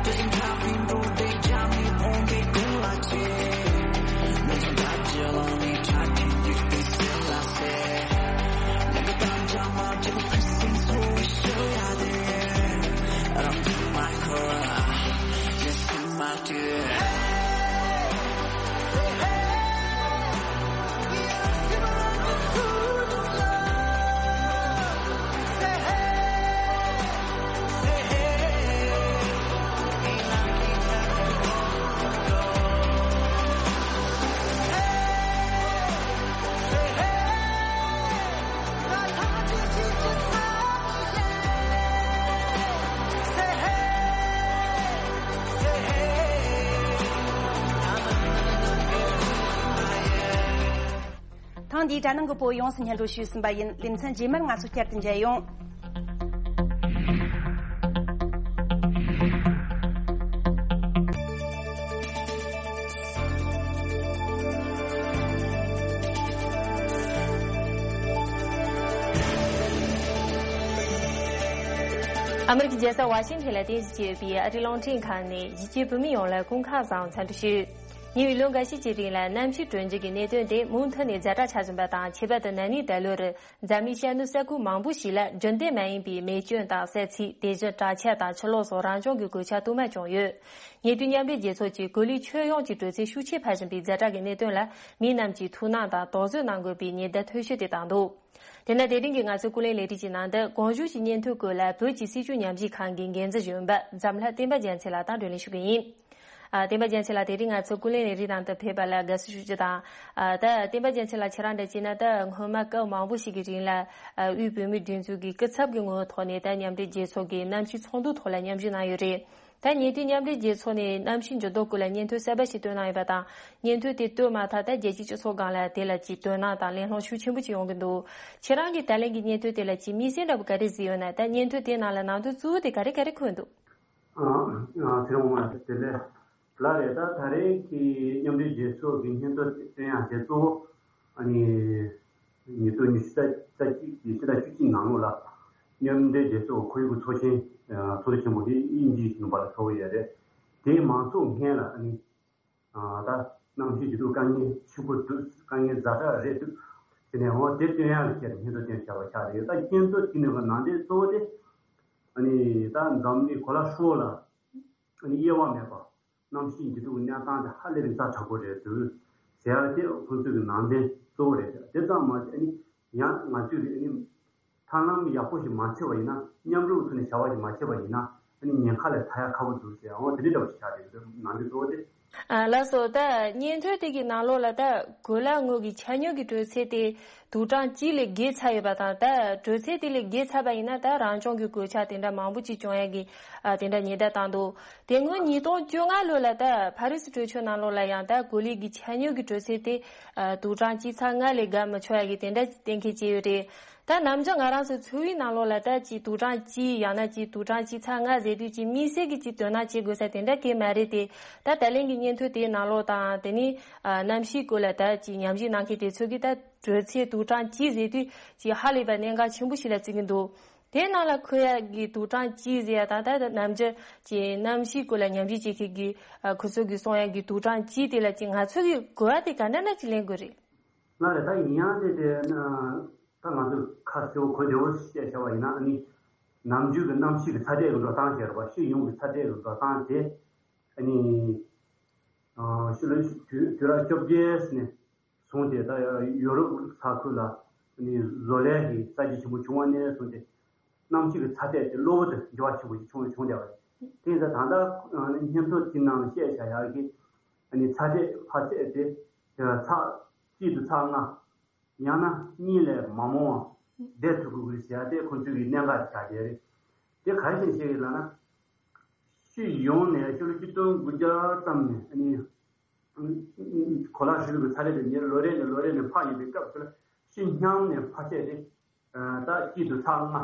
དེ་བཞིན་ཁ་ཕིན་འགྲོ་དེ་ཇ་མི་ཕོང་གི་ཀུན་ལ་ཆེ། ཐེངས་འདིའི་དྲ་ནང་གི་བོད་ཡོངས་སུ་སྙན་སྒྲོན་ཞུས་ཟིན་པ་ཡིན། ལེ་ཚན་རྗེས་མར་ང་ཚོ་བསྐྱར་དུ་མཇལ་ཡོང་། ཨ་མི་རི་ཀའི་རྒྱལ་ས་ཝ་ཤིང་ཐན་ལ་རྟེན་གཞི་བྱས་ཡོད་པའི་ཨ་རིའི་རླུང་འཕྲིན་ཁང་ནས་གཞིས་བྱེས་བོད་མི་ཡོངས་ལ་སྐུ་ཁམས་བཟང་འཚམས་འདྲི་ཞུ། ཉེ་བའི་ལོ་འགའ་ཤས་ཀྱི་རིང་ལ་གནམ་གཤིས་དྲོ་འཇིགས་ཀྱི་གནད་དོན་དེ་མུ་མཐུད་ནས་ཛ་དྲག་ཆགས་བཞིན་པ་དང་། ཁྱད་པར་དུ་ན་ནིང་ད་ལོར་འཛམ་གླིང་ཤར་ནུབ་ས་ཁུལ་མང་པོ་ཞིག་ལ་རྒྱུན་ལྡན་མ་ཡིན་པའི་མེ་སྐྱོན་དང་གསད་ཚིག་དེ་བཞིན་དྲག་ཆར་དང་ཆུ་ལོག་སོགས་རང་བྱུང་གི་གོད་ཆག་དུ་མ་བྱུང་ཡོད། ཉེ་དུས་མཉམ་འབྲེལ་རྒྱལ་ཚོགས་ཀྱིས་གོ་ལའི་ཁྱོན་ཡོངས་ཀྱི་དྲོད་ཚད་ཤུགས་ཆེ་འཕར་བཞིན་པའི་ཛ་དྲག་གི་གནད་དོན་ལ་མི་རྣམས་ཀྱིས་ཐུགས་སྣང་དང་དོགས་ཟོན་གནང་དགོས་པའི་ཉེན་བརྡ་མཐོ་ཤོས་དེ་བཏང་འདུག་དེ་ན་དེ་རིང་གི་ང་ཚོའི་ཀུན་གླེང་ལས་རིགས་ཀྱི་ནང་དུ་གོང་བཞུགས་ཀྱི་སྙན་ཐོའི་སྐོར་ལ་བོད་ཀྱི་སྲིད་བྱུས་ཉམས་ཞིབ་ཁང་གི་འགན་འཛིན་གཞོན་པ་འཛམ་ལྷ་བསྟན་པ་རྒྱལ་མཚན་ལགས་དང་བགྲོ་གླེང་ཞུ་གི་ཡིན། ཨ། བསྟན་པ་རྒྱལ་མཚན་ལགས་དེ་རིང་ང་ཚོའི་ཀུན་གླེང་ལས་རིགས་ནང་དུ་ཕེབས་པ་ལ་དགའ་བསུ་ཞུ་རྒྱུ་དང་། ཨ། ད་བསྟན་པ་རྒྱལ་མཚན་ལགས་ཁྱེད་རང་འདྲ་བྱས་ན་ད་སྔོན་མ་སྐབས་མང་པོ་ཞིག་གི་རིང་ལ། ཨ། དབུས་བོད་མིའི་སྒྲིག་འཛུགས་ཀྱི་སྐུ་ཚབ་ཀྱི་ངོ་བོའི་ཐོག་ནས་ད་མཉམ་འབྲེལ་རྒྱལ་ཚོགས་ཀྱི་གནམ་གཤིས་ཚོགས་འདུའི་ཐོག་ལ་མཉམ་ཞུགས་གནང་ཡོད་རེད། ད་ཉེ་དུས་མཉམ་འབྲེལ་རྒྱལ་ཚོགས་ནས་གནམ་གཤིས་འགྱུར་ལྡོག་སྐོར་ལ་སྙན་ཐོ་གསར་པ་ཞིག་བཏོན་གནང་ཡོད་པ་དང་། སྙན་ཐོ་དེ་བཏོན་མ་ཐག་ད་རྒྱལ་སྤྱིའི་སྤྱི་ཚོགས་སྒང་ལ་དེ་ལ་ཅིག་དོ་སྣང་དང་གླེང་སློང་ཤུགས་ཆེན་པོ་ཅིག་ཡོང་གི་འདུག་ཁྱེད་རང་གིས་ད་ལན་གྱི་སྙན་ཐོ་དེ་ལ་ཅིག་དམིགས་བསལ་འདྲ་པོ་ག་རེ་གཟིགས་ཡོད་ན། ད་སྙན་ཐོ་དེའི་ནང་ལ་ནང་དོན་གཙོ་བོ་དེ་ག་རེ་ག་རེ་འཁོད་འདུག་ཨ། ཨ། ཚེ་རིང་དབང་མོ་ལགས་བདེ་ལེགས། ལགས་རེད། ད་ད་རེས་ཀྱི་མཉམ་འབྲེལ་རྒྱལ་ཚོགས་ཀྱི་སྙན་ཐོ་བཏོན་ཡག་དེ་གཙོ་བོ་ཨ་ནི། ཉིས་སྟོང་ཉི་ཤུ་རྩ་གཅིག་གི་ཕྱི་ཟླ་བཅུ་གཅིག་ནང་ལོགས་ལ་མཉམ་འབྲེལ་རྒྱལ་ཚོགས་ཁོར་ཡུག་གི་ཚོགས་ཆེན་ཚོགས་འདུ་ཆེན་པོ་དེ་དབྱིན་ཇིའི་ལུང་པ་ལ་ཚོགས་ཡོད་རེད། དེ་མ་ཚོགས་སྔོན་ལ་ཨ་ནི་ད་གནམ་གཤིས་འགྱུར་ལྡོག་དཀའ་ངལ་ཆེན་པོ་འདུག་དཀའ་ངལ་ཛ་དྲག་རེད་འདུག་དེ་ནས་འོ་དེ་སྟོན་ཡག་གི་ཆེད་དུ་སྙན་ཐོ་བཏོན་བཞག་པ་ཆགས་རེད། ད་སྙན་ཐོ་དེ་ནས་ནང་དོན་གཙོ་བོ་དེ་ཨ་ནི་ད་འཛམ་གླིང་གོ་ལ་ཧྲིལ་པོ་ལ་ཨ་ནི་དབྱེ་བ་མེད་པ། གནམ་གཤིས་འགྱུར་ལྡོག་གི་གནས་སྟངས་དེ་ཧ་ལས་པའི་ཛ་དྲག་པོ་རེད་འདུག་ཟེར་ཡག་དེ་ཁོང་ཚོའི་གི་ནང་དོན་གཙོ་བོ་རེད་ཟེར། དེ་ཙམ་མ་ཟད་ཨ་ནི་ཡང་ང་ཚོས་ཀྱི་ཨ་ནི་ཐབས་ལམ་ཡག་པོ་ཞིག་མ་བྱས་པ་ཡིན་ན། མཉམ་རུབ་ཐོག་ནས་བྱ་བ་ཞིག་མ་བྱས་པ་ཡིན་ན་ཨ་ནི་ཉེན་ཁ་ལས་ཐར་ཡག་ཁག་པོ་འདུག་ཟེར། འོ་དེ་འདྲ་འདྲ་པོ་ཞིག་ཆགས་རེད་འདུག་ནང་དོན་གཙོ་བོ་དེ། ཨ། ལགས་སོ། ད་སྙན་ཐོ་དེ་གི་ནང་ལོགས་ལ་ད་གོ་ལ་ངོས་ཀྱི་ཆ་སྙོམས་ཀྱི་དྲོད་ཚད་དེ་དུག་གྲང་གཅིག་ལས་བརྒལ་ཚར་ཡོད་པ་དང་། ད་དྲོད་ཚད་དེ་ལས་བརྒལ་ཚར་བ་ཡིན་ན་ད་རང་བྱུང་གི་གོད་ཆག་དེ་འདྲ་མང་པོ་ཅིག་བྱུང་ཡག་གི། ཨ། དེ་འདྲ་ཉེན་བརྡ་བཏང་འདུག་དེ་སྔོན་ཉིས་སྟོང་བཅོ་ལྔ་ལོ་ལ་ད་ཕ་རི་སི་གྲོས་ཆོད་ནང་ལོགས་ལ་ཡང་ད་གོ་ལའི་གི་ཆ་སྙོམས་ཀྱི་དྲོད་ཚད་དེ། ཨ། དུག་གྲང་གཅིག་ཚེག་ལྔ་ལས་བརྒལ་མི་ཆོག་ཡག་གི་དེ་འདྲ་གཏན་འཁེལ་བྱས་ཡོད་རེད། ད་ནམ་རྒྱུན་ང་རང་ཚོ་འཚོ་བའི་ནང་ལོགས་ལ་ད་ཅིག་དུག་གྲང་གཅིག་ཡང་ན་ཅིག་དུག་གྲང་གཅིག་ཚེག་ལྔ་ཟེར་དུས་ཅིག་དམིགས་བསལ་གྱི་ཅིག་དོ་སྣང་བྱེད་དགོས་ས་དེ་འདྲ་གང་ཡང་མ་རེད་དེ། ད་ད་ལན་གྱི་སྙན་ཐོ་དེའི་ནང་ལོགས་དང་། དེ་ནས་ཨ་གནམ་གཤིས་སྐོར་ལ་ད་ཅིག་ཉམས་ཞིབ་གནང་མཁན་དེ་ཚོ་གིས་ད་དྲོད་ཚད་དུག་གྲང་གཅིག་ཟེར་དུས་ཅིག་ཧ་ལས་པ་གནད་འགག་ཆེན་པོ་ཞིག་ལ་བརྩི་གི་འདུག་དེའི་ནང་ལ་འཁོད་ཡག་གི་དུག་གྲང་གཅིག་ཟེར་ཡག་དང་། ད་ནམ་རྒྱུན་ཅིག་གནམ་གཤིས་སྐོར་ལ་ཉམས་ཞིབ་བྱེད་མཁན་གྱི་ཨ་ཁོ་ཚོ་གིས་གསུང་ཡག་གི་དུག་གྲང་གཅིག་དེ་ལ་ཅིག་ང་ཚོ་གིས་གོ་བ་དེ་ག་འདྲ་འདྲ་ཅིག་ལེན་དགོས་རེད། ལགས་རེད། ད་ཡིན་ཡང་དེ་དེ་ན་ད་ང་ཚོས་ཁ་གསལ་པོ་གོ་བདེ་པོ་བཤད་བྱ་བ་ཡིན་ན། ཨ་ནི་ནམ་རྒྱུན་གྱི་གནམ་གཤིས་ཀྱི་ཚ་དྲོད་ཀྱི་འགྲོ་སྟངས་ཟེར་བ། ཤེས་ཡོན་གྱི་ཚ་དྲོད་ཀྱི་འགྲོ་སྟངས་དེ་ཨ་ནི་ཕྱི་ལོ་དུས་དུས་རབས་བཅོ་བརྒྱད་ནས་བཟུང་སྟེ་ད་ཡོ་རོབ་ས་ཁུལ་ལ་ ནི་བཟོ་ལས་ཀྱི་གསར་བརྗེ་ཆེན་པོ་བྱུང་བ་ནས་བཟུང་སྟེ། གནམ་གཤིས་ཀྱི་ཚ་དྲོད་དེ་གློ་བུར་དུ་འགྱུར་བ་ཆེན་པོ་ཞིག་བྱུང་བྱུང་བསྡད་པ་རེད། དེ་ཡིན་ཙང་ད་ལྟ་ཨ་ནི་སྙན་ཐོ་དེ་ནང་བཤད་བཞག་ཡག་གི་ཨ་ནི་ཚ་དྲོད་འཕར་ཚད་དེ་ཚ་གཅིག་ཏུ་ཚ་ལྔ། ཡང་ན་གཉིས་ལས་མ་མང་བ་བསྡད་ཐུབ་དགོས་ཀྱི་ཟེར་ཡ་དེ་ཁོང་ཚོའི་གི་གནད་འགག་ཆགས་བསྡད་རེད། དེ་ག་རེ་བྱས་བཤད་ཡོད་ལབ་ན། སྤྱི་ཡོངས་ནས་ཕྱི་ལོ་ཆིག་སྟོང་དགུ་བརྒྱ་ཙམ་ནས་ཨ་ནི་གོ་ལ་ཧྲིལ་པོའི་ཚ་དྲོད་དེ་ཉིན་ལོ་རེ་ནས་ལོ་རེ་ནས་འཕར་ཡོང་པའི་སྐབས་སུ་ལ། སྤྱི་མཉམ་ནས་འཕར་ཚད་དེ་ད་གཅིག་ཏུ་ཚ་ལྔ།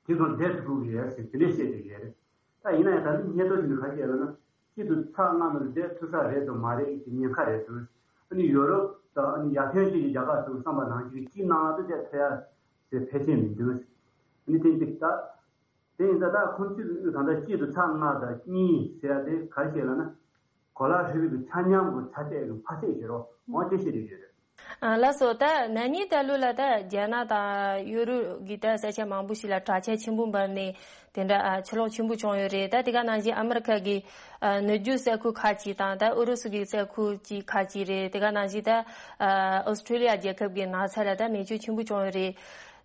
དེ་ཙམ་བསྡད་ཐུབ་ཀྱི་ཡོད་ཟེར་དེ་འདྲས་བཤད་བསྡད་ཡོད་རེད། ད་ཡིན་ན་ཡང་ད་ནི་སྙན་ཐོ་དེ་ནི་ག་རེ་བཤད་ལབ་ན། སྤྱི་ཚོགས་ཚང་མ་ལ་བསྡད་ཐུབ་ས་རེད་དམ་མ་རེད་ཀྱི་ཉེན་ཁ་རེད་འདུག་ཨ་ནི་ཡོ་རོབ་དང་ཨ་ནི་ཡར་ཐོན་ཅན་གྱི་རྒྱལ་ཁབ་ཚོ་བསམ་པ་ནང་བཞིན་གཅིག་ནང་དུ་བསྡད་ཐུབ་ཡ་ཟེར་ཕལ་ཆེར་མི་འདུག་ཨ་ནི་དེ་འདི་ད་དེ་ཡིན་ད་ད་ཁོང་ཚོས་ད་ལྟ་སྤྱི་ཚོགས་ཚང་མ་དང་གཉིས་ཟེར་ཡ་དེ་ག་རེ་བཤད་ལབ་ན། གོ་ལ་ཧྲིལ་པོའི་ཆ་མཉམ་གྱི་ཚ་དྲོད་ཀྱི་འཕར་ཚད་ཟེར་རོ་འོང་དེ་བཤད་བསྡད་ཡོད་རེད། ཨ་ལགས་སོ། ད་ན་ནིང་ད་ལོ་ལ་ད་རྒྱ་ནག་དང་ཡོ་རོབ་ཀྱི་ད་ས་ཆ་མང་པོ་ཞིག་ལ་དྲག་ཆར་ཆེན་པོ་འབབ་ནས་དེ་འདྲ་ཨ་ཆུ་ལོག་ཆེན་པོ་བྱུང་ཡོད་རེད། ད་དེ་ག་ནང་བཞིན་ཨ་མི་རི་ཁ་གི་ཨ་ནུབ་རྒྱུད་ས་ཁུལ་ཁག་ཅིག་དང་ད་ཨུ་རུ་སུ་གི་ས་ཁུལ་ཅིག་ཁག་ཅིག་རེད། དེ་ག་ནང་བཞིན་ད་ཨ་ཨོ་སི་ཁྲུ་ལི་ཡ་རྒྱལ་ཁབ་ཀྱི་ནགས་ཚལ་ལ་ད་མེ་མཆོད་ཆེན་པོ་བྱུང་ཡོད་རེད།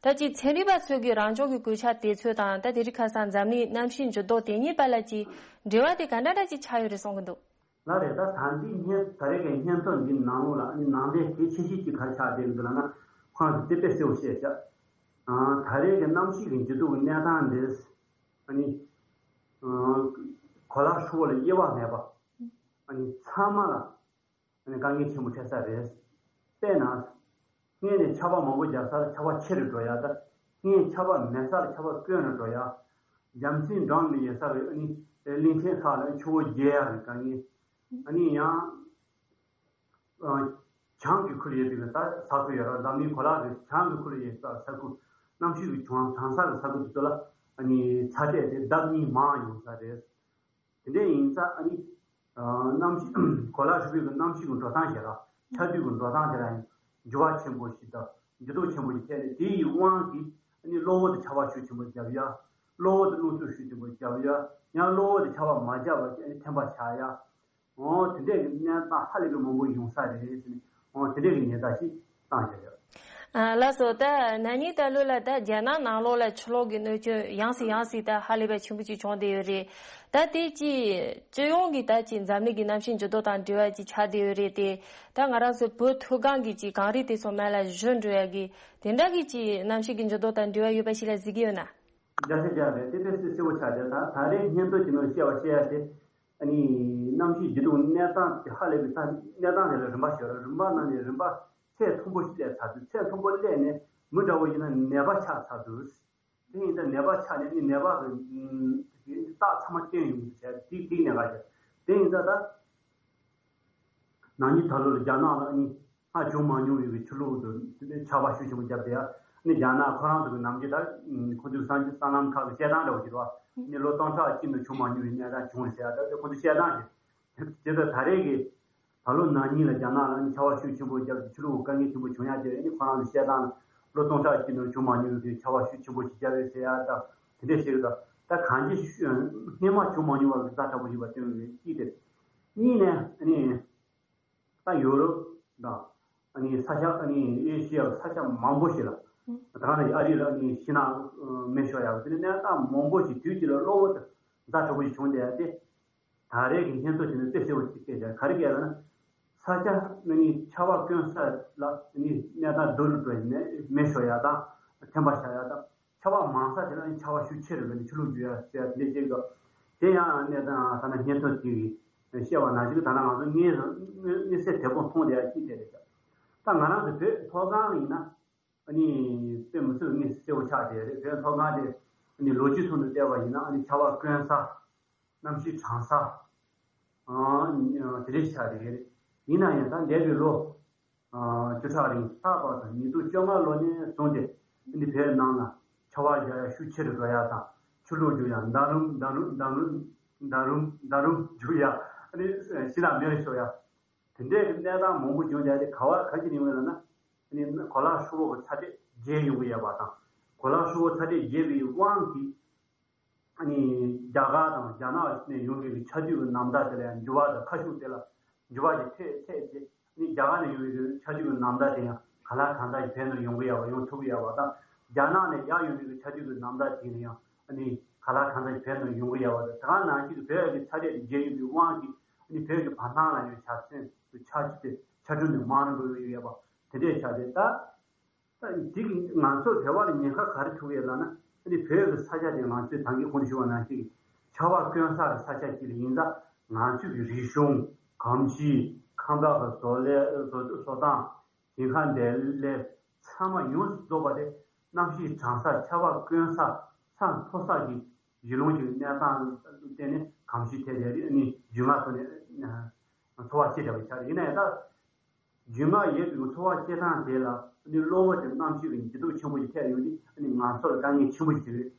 ད་ཅིག་ཚན་རིག་པ་ཚོས་ཀྱི་རང་སྦྱོང་གི་གོད་ཆག་དེ་ཚོ་དང་ད་དེ་རིང་ཁ་སང་འཛམ་གླིང་གནམ་གཤིས་འགྱུར་ལྡོག་དེ་གཉིས་བར་ལ་ཅིག་འབྲེལ་བ་དེ་ག་འདྲ་འདྲ་ཅིག་ཆགས་ཡོད་རེད་གསུང་གི་འདུག་ལགས་རེད། ད་ད་འདི་སྙན་ད་རེས་ཀྱི་སྙན་ཐོ་འདི་ནང་ལོགས་ལ་ཨ་ནི་ནང་དོན་གལ་ཆེ་ཤོས་ཅིག་ག་རེ་ཆགས་བསྡད་ཀྱི་འདུག་ལབ་ན། ཁོ་རང་ཚོས་དེ་དཔེ་གསལ་པོ་བཤད་ཤག་ཨ་ད་རེས་ཀྱི་གནམ་གཤིས་ཀྱི་འགྱུར་ལྡོག་གི་གནས་སྟངས་འདི་ཨ་ནི་ཨ་གོ་ལ་ཧྲིལ་པོ་ལ་དབྱེ་བ་མེད་པ་ཨ་ནི་ཚང་མ་ལ་ཨ་ནི་དཀའ་ངལ་ཆེན་པོ་འཕྲད་ས་རེད། དཔེར་ན། སྔོན་ནས་ཆར་པ་མང་པོ་བརྒྱབ་ས་ལ་ཆར་པ་ཆེ་རུ་འགྲོ་ཡ་དང་། སྔོན་ཆར་པ་མེད་ས་ལ་ཆར་པ་དཀོན་རུ་འགྲོ་ཡ། རྒྱ་མཚོའི་འགྲམ་ནས་ཡོད་ས་རུ་ཨ་ནི་གླིང་ཆེན་ཁག་ལ་ཆུ་བོ་རྒྱས་ཡ་རུ་དཀའ་ངལ། ཨ་ནི་ཡང་། ཨ། བྱང་གི་ཁུལ་ཡོད་པའི་ས་ས་ཁུལ་ཡོད་ར་འཛམ་གླིང་གོ་ལ་གི་བྱང་གི་ཁུལ་ཡོད་ས་ས་ཁུལ། གནམ་གཤིས་ཀྱི་གྲང་གྲང་ས་གི་ས་ཁུལ་དེ་ཚོ་ལ་ཨ་ནི་ཚ་དྲོད་དེ་ལྡབ་གཉིས་མང་ཡོང་ས་རེད། དེ་འདྲ་ཡིན་ཙང་ཨ་ནི། ཨ། གནམ་གཤིས་གོ་ལ་ཧྲིལ་པོའི་གི་གནམ་གཤིས་ཀྱི་འགྲོ་སྟངས་ཞེ་དྲག་ཆར་དུས་ཀྱི་འགྲོ་སྟངས་དེ་ལ་ཡང་འགྱུར་བ་ཆེན་པོ་ཞིག་དང་འགྱུར་ལྡོག་ཆེན་པོ་ཞིག་ཐེབས་ནས། དེ་ཡི་དབང་གིས་ཨ་ནི་གློ་བུར་དུ་ཆར་པ་ཤུགས་ཆེན་པོ་བརྒྱབ་ཡ། གློ་བུར་དུ་རླུང་འཚུབ་ཤུགས་ཆེན་པོ་བརྒྱབ་ཡ། ཡང་གློ་བུར་དུ་ཆར་པ་མ་བརྒྱབ་པ་བྱས་ནས་ཐན་པ་ཆགས་ཡ། འོ་དེ་འདྲས་ཀྱི་གནས་སྟངས་ཧ་ལས་པའི་མང་པོ་ཡོང་ས་རེད་ཟེར་ནས། འོ་དེ་འདྲས་ཀྱི་ཉེན་བརྡ་ཞིག་བཏང་བཞག་ཡོད། ཨ་ལགས་སོ། ད་ན་ནིང་ད་ལོ་ལ་ད་རྒྱ་ནག་ནང་ལོགས་ལ་ཆུ་ལོག་གི་གནོད་སྐྱོན་ཡང་སེ་ཡང་སེ་ད་ཧ་ལས་པའི་ཆེན་པོ་ཅིག་བྱུང་བསྡད་ཡོད་རེད། ད་དེ་ཅིག་སྤྱི་ཡོངས་ཀྱི་ད་ཅིག་འཛམ་གླིང་གི་གནམ་གཤིས་འགྱུར་ལྡོག་དང་འབྲེལ་བ་ཅིག་ཆགས་བསྡད་ཡོད་རེད་དེ། ད་ང་རང་ཚོ་བོད་མཐོ་སྒང་གི་ཅིག་གངས་རི་དེ་ཚོ་མར་ལ་བཞུར་འགྲོ་ཡ་གི་དེ་འདྲ་གི་ཅིག་གནམ་གཤིས་ཀྱི་འགྱུར་ལྡོག་དང་འབྲེལ་བ་ཡོད་པ་ཞིག་ལ་གཟིགས་ཀྱི་ཡོད་ན། རྒྱ་ཆེ་རྒྱ་རེད། དེ་དཔེ་སྲིད་སྲིད་པོ་ཆགས་རྒྱ། ད་ད་རེས་སྙན་ཐོ་ཅིག་ནང་བཤད་པ་བཤད་ཡ་དེ། ཨ་ནི། གནམ་གཤིས་འགྱུར་ལྡོག་གནས་སྟངས་དེ་ཧ་ལས་པའི་ས་གནས་སྟངས་དེ་ལ་རིམ་པ་ཞིག་ཡོད་རེད། རིམ་པ་ནང་ནས་རིམ་པ་ཚད་མཐོན་པོ་ཞིག་སླེབས་ཚར་དུས། ཚད་མཐོན་པོ་སླེབས་ནས་མི་འདྲ་བོ་ཡིན་ན་ནད་པ་ཆགས་ཚར་དུས། དེ་ཡིན་ཙང་ནད་པ་ཆགས་ནས་ནི་ནད་པ་གི་རྟགས་ཚང་མ་བསྟན་ཡོང་གི་བྱས་དེ་དེ་ནད་པ་ཆགས། དེ་ཡིན་ཙང་ད། ན་ནིང་ད་ལོ་ལ་རྒྱ་ནག་ལ་ནི་སྔར་བྱུང་མ་མྱོང་བའི་ཆུ་ལོག་དང་ཆར་པ་ཤུགས་ཆེན་པོ་བརྒྱབ་སྟེ། ནི་རྒྱ་ནག་ཁོ་རང་ཚོ་གི་ནམ་རྒྱུན་ད་ཁོ་ཚོའི་སང་སང་ལམ་ཁག་གི་བཤད་སྟངས་འདྲ་བོ་ཞིག་རེད་བ། ནི་ལོ་སྟོང་ཕྲག་གཅིག་ནང་བྱུང་མ་མྱོང་བའི་གནས་སྟངས་བྱུང་ཟེར་ཡ་ད་ཁོ་ཚོའི་བཤད་སྟངས་ཤིག་དེ་ཚོ་ད་རེས་ཀྱི་ད་ལོ་ན་ནིང་ལ་རྒྱ་ནག་ལ་ནི་ཆར་པ་ཤུགས་ཆེན་པོ་བརྒྱབ་སྟེ་ཆུ་ལོག་དཀའ་ངལ་ཆེན་པོ་བྱུང་ཡ་དེ་ནི་ཁོ་རང་ཚོའི་བཤད་སྟངས། ལོ་སྟོང་ཕྲག་གཅིག་ནང་བྱུང་མ་མྱོང་བའི་ཆར་པ་ཤུགས་ཆེན་པོ་ཞིག་བརྒྱབ་ཡོད་ཟེར་ཡ་ད་དེ་འདྲས་ཞིག་རེད། ད་གང་ཅི་སྔོན་མ་བྱུང་མ་མྱོང་བ་གི་ཛ་དྲག་པོ་ཞིག་བ་སྟོན་ཡོད་གཅིག་དེ། གཉིས་ནས་ནི། ད་ཡོ་རོབ་དང་། ཨ་ནི་ས་ཆ་ཨ་ནི་ཨེ་ཤི་ཡ་ས་ཆ་མང་པོ་ཞིག་ལ། ད་ག་ནང་བཞིན་ཨ་རི་ལ་ཨ་ནི་ཤིང་ནགས་མེ་ཤོར་ཡག་དེ་ནི་གནས་སྟངས་མང་པོ་ཞིག་དུས་གཅིག་ལ་གློ་བུར་དུ་ཛ་དྲག་པོ་ཞིག་བྱུང་བསྡད་ཡ་དེ། ད་རེས་ཀྱི་སྙན་ཐོ་དེ་ནི་དཔེ་གསལ་པོ་ཞིག་སྐད་ཆ་ག་རེ་སྐད་ལབ་ན། ས་ཆ་ཨ་ནི་ཆར་པ་དཀོན་ས་ལ་ཨ་ནི་གནས་སྟངས་སྡུག་རུ་འགྲོ་ཡ་མེ་ཤོར་ཡ་དང་ཐན་པ་ཆགས་ཡ་དང་། ཆར་པ་མང་ས་དེ་ལ་ཆར་པ་ཤུགས་ཆེ་རུ་འགྲོ་ནས་ཆུ་ལོག་རྒྱུག་ཡ་ཟེར་ཡ་དེ་འདྲ་བྱེད་དགོས། དེ་ཡང་གནས་སྟངས་ཐ་ན་སྙན་ཐོ་དེ་གིས་བཤད་པ་ནང་བཞིན་ད་ལྟ་ང་ཚོ་དངོས་དངོས་གནས་ཚུལ་དེ་ཚོ་མཐོང་བསྡད་ཡ་གཅིག་དེ་རེད། ད་ང་རང་ཚོ་བོད་མཐོ་སྒང་ཡིན་ན་ཨ་ནི་དཔེ་མི་སྲིད་པའི་གནས་གསལ་པོ་ཆགས་བསྡད་རེད། བོད་མཐོ་སྒང་དེ་ཨ་ནི་ལོ་རྒྱུས་ཐོག་ནས་བལྟས་པ་ཡིན་ན་ཨ་ནི་ཆར་པ་དཀོན་ས། གནམ་གཤིས་གྲང་ས། ཨ་དེ་འདྲ་ཞིག་ཆགས་བསྡད་རེད། ཡིན་ན་ཡང་ད་འདས་པའི་ལོ། ཨ་བཅུ་ཕྲག་རིང་ལྷག་པར་དུ་ཉིས་སྟོང་བཅོ་ལྔ་ལོ་ནས་བཟུང་སྟེ་འདི་བོད་ནང་ལ་ཆར་པ་རྒྱག་ཡ་ཤུགས་ཆེ་རུ་འགྲོ་ཡ་དང་། ཆུ་ལོག་རྒྱུག་ཡ། འདམ་རུམ་འདམ་རུམ་འདམ་རུམ་འདམ་རུམ་འདམ་རུམ་འདམ་རུམ་རྒྱུག་ཡ། ཨ་ནི་ཤིང་ནགས་མེ་རུ་ཤོར་ཡ། དེ་འདྲའི་གི་གནས་སྟངས་མང་པོ་བྱུང་བསྡད་དེ་ག་བ་ག་ཅི་ནས་ཡོང་ཡོད་ལབ་ན། ཨ་ནི་གོ་ལ་ཧྲིལ་པོ་གི་ཚ་དྲོད་རྒྱས་ཡོང་གི་ཡོད་པ་དང་། གོ་ལ་ཧྲིལ་པོ་ཚ་དྲོད་རྒྱས་པའི་དབང་གིས། ཨ་ནི་རྒྱ་གར་དང་རྒྱ་ནག་ནས་ཡོང་མཁན་གྱི་ཆར་ཆུ་གི་ནམ་ཟླ་དེ་ལ་ཡང་འགྱུར་བ་དང་ཁ་ཤུགས་དེ་ལ་འགྱུར་བ་ཞིག་ཐེབས་ཐེབས་ཏེ། ཨ་ནི་རྒྱ་གར་ནས་ཡོང་མཁན་གྱི་ཆར་ཆུ་གི་ནམ་ཟླ་དེ་ཡང་ ག་ལ་གང་འདྲ་ཞིག་བོད་ནང་ཡོང་གི་ཡོད་པ། ཡོང་ཐུབ་ཀྱི་ཡོད་པ་དང་། རྒྱ་ནག་ནས་ཡར་ཡོང་མཁན་གྱི་ཆ་རྐྱེན་གྱི་རྣམ་ཐར་དེ་ནས་ཡང་ཨ་ནི་ག་ལ་གང་འདྲ་ཞིག་བོད་ནང་ཡོང་གི་ཡོད་པ་དང་། དེ་ག་ནང་བཞིན་གྱི་བོད་ཀྱི་ཚ་དྲོད་དེ་རྒྱས་ཡོད་པའི་དབང་གིས་ཨ་ནི་བོད་ཀྱི་བར་སྣང་ལ་ཡང་ཆ་ཚན་དུ་ཆ་རྒྱུས་དེ་ཆ་རྒྱུས་ནས་མང་རུ་འགྲོ་ཡོད་པ་དེ་འདྲས་ཆགས་ཏེ། ད་ད་འདི་གི་ང་ཚོ་བོད་པ་ལ་ཉེན་ཁ་ག་རེ་ཐུག་ཡོད་ལབ་ན། ཨ་ནི་བོད་ཀྱི་ས་ཆ་དེ་ང་ཚོས་ད་གིན་གོང་དུ་ཞུས་པ་ནང་བཞིན་ཆར་པ་དཀོན་ས་གི་ས་ཆ་ཅིག་ལ་ཡིན་ཙང་། ང་ཚོས་ཀྱི་རིག་གཞུང་། གོམས་གཤིས། ཁང་པ་གི་བཟོ་ལས། བཟོ་བཟོ་སྟངས། ཞིང་ཁ་འདེབས་ལས་ཚང་མ་ཡོངས་སུ་རྫོགས་པ་དེ་གནམ་གཤིས་གྲང་ས། ཆར་པ་དཀོན་ས། ས་མཐོ་ས་གི་གཞི་རླུང་གི་གནས་སྟངས་ལ་བརྟེན་ནས་གོམས་གཤིས་དེ་དེ་རེད། ཨ་ནི་རྒྱུས་མངའ་ཐོག་ནས་འཚོ་བ་སྐྱེལ་བསྡད་པ་ཆགས་རེད། ཡིན་ན་ཡང་ད་རྒྱུས་མངའ་ཡོད་པའི་འཚོ་བ་སྐྱེལ་སྟངས་དེ་ལ་ཨ་ནི་གློ་བུར་དུ་གནམ་གཤིས་ཀྱི་འགྱུར་ལྡོག་ཆེན་པོ་ཞིག་ཐེབས་ཡོང་དུས། ཨ་ནི་ང་ཚོ་ལ་དཀའ་ངལ་ཆེན་པོ་ཞིག་རེད།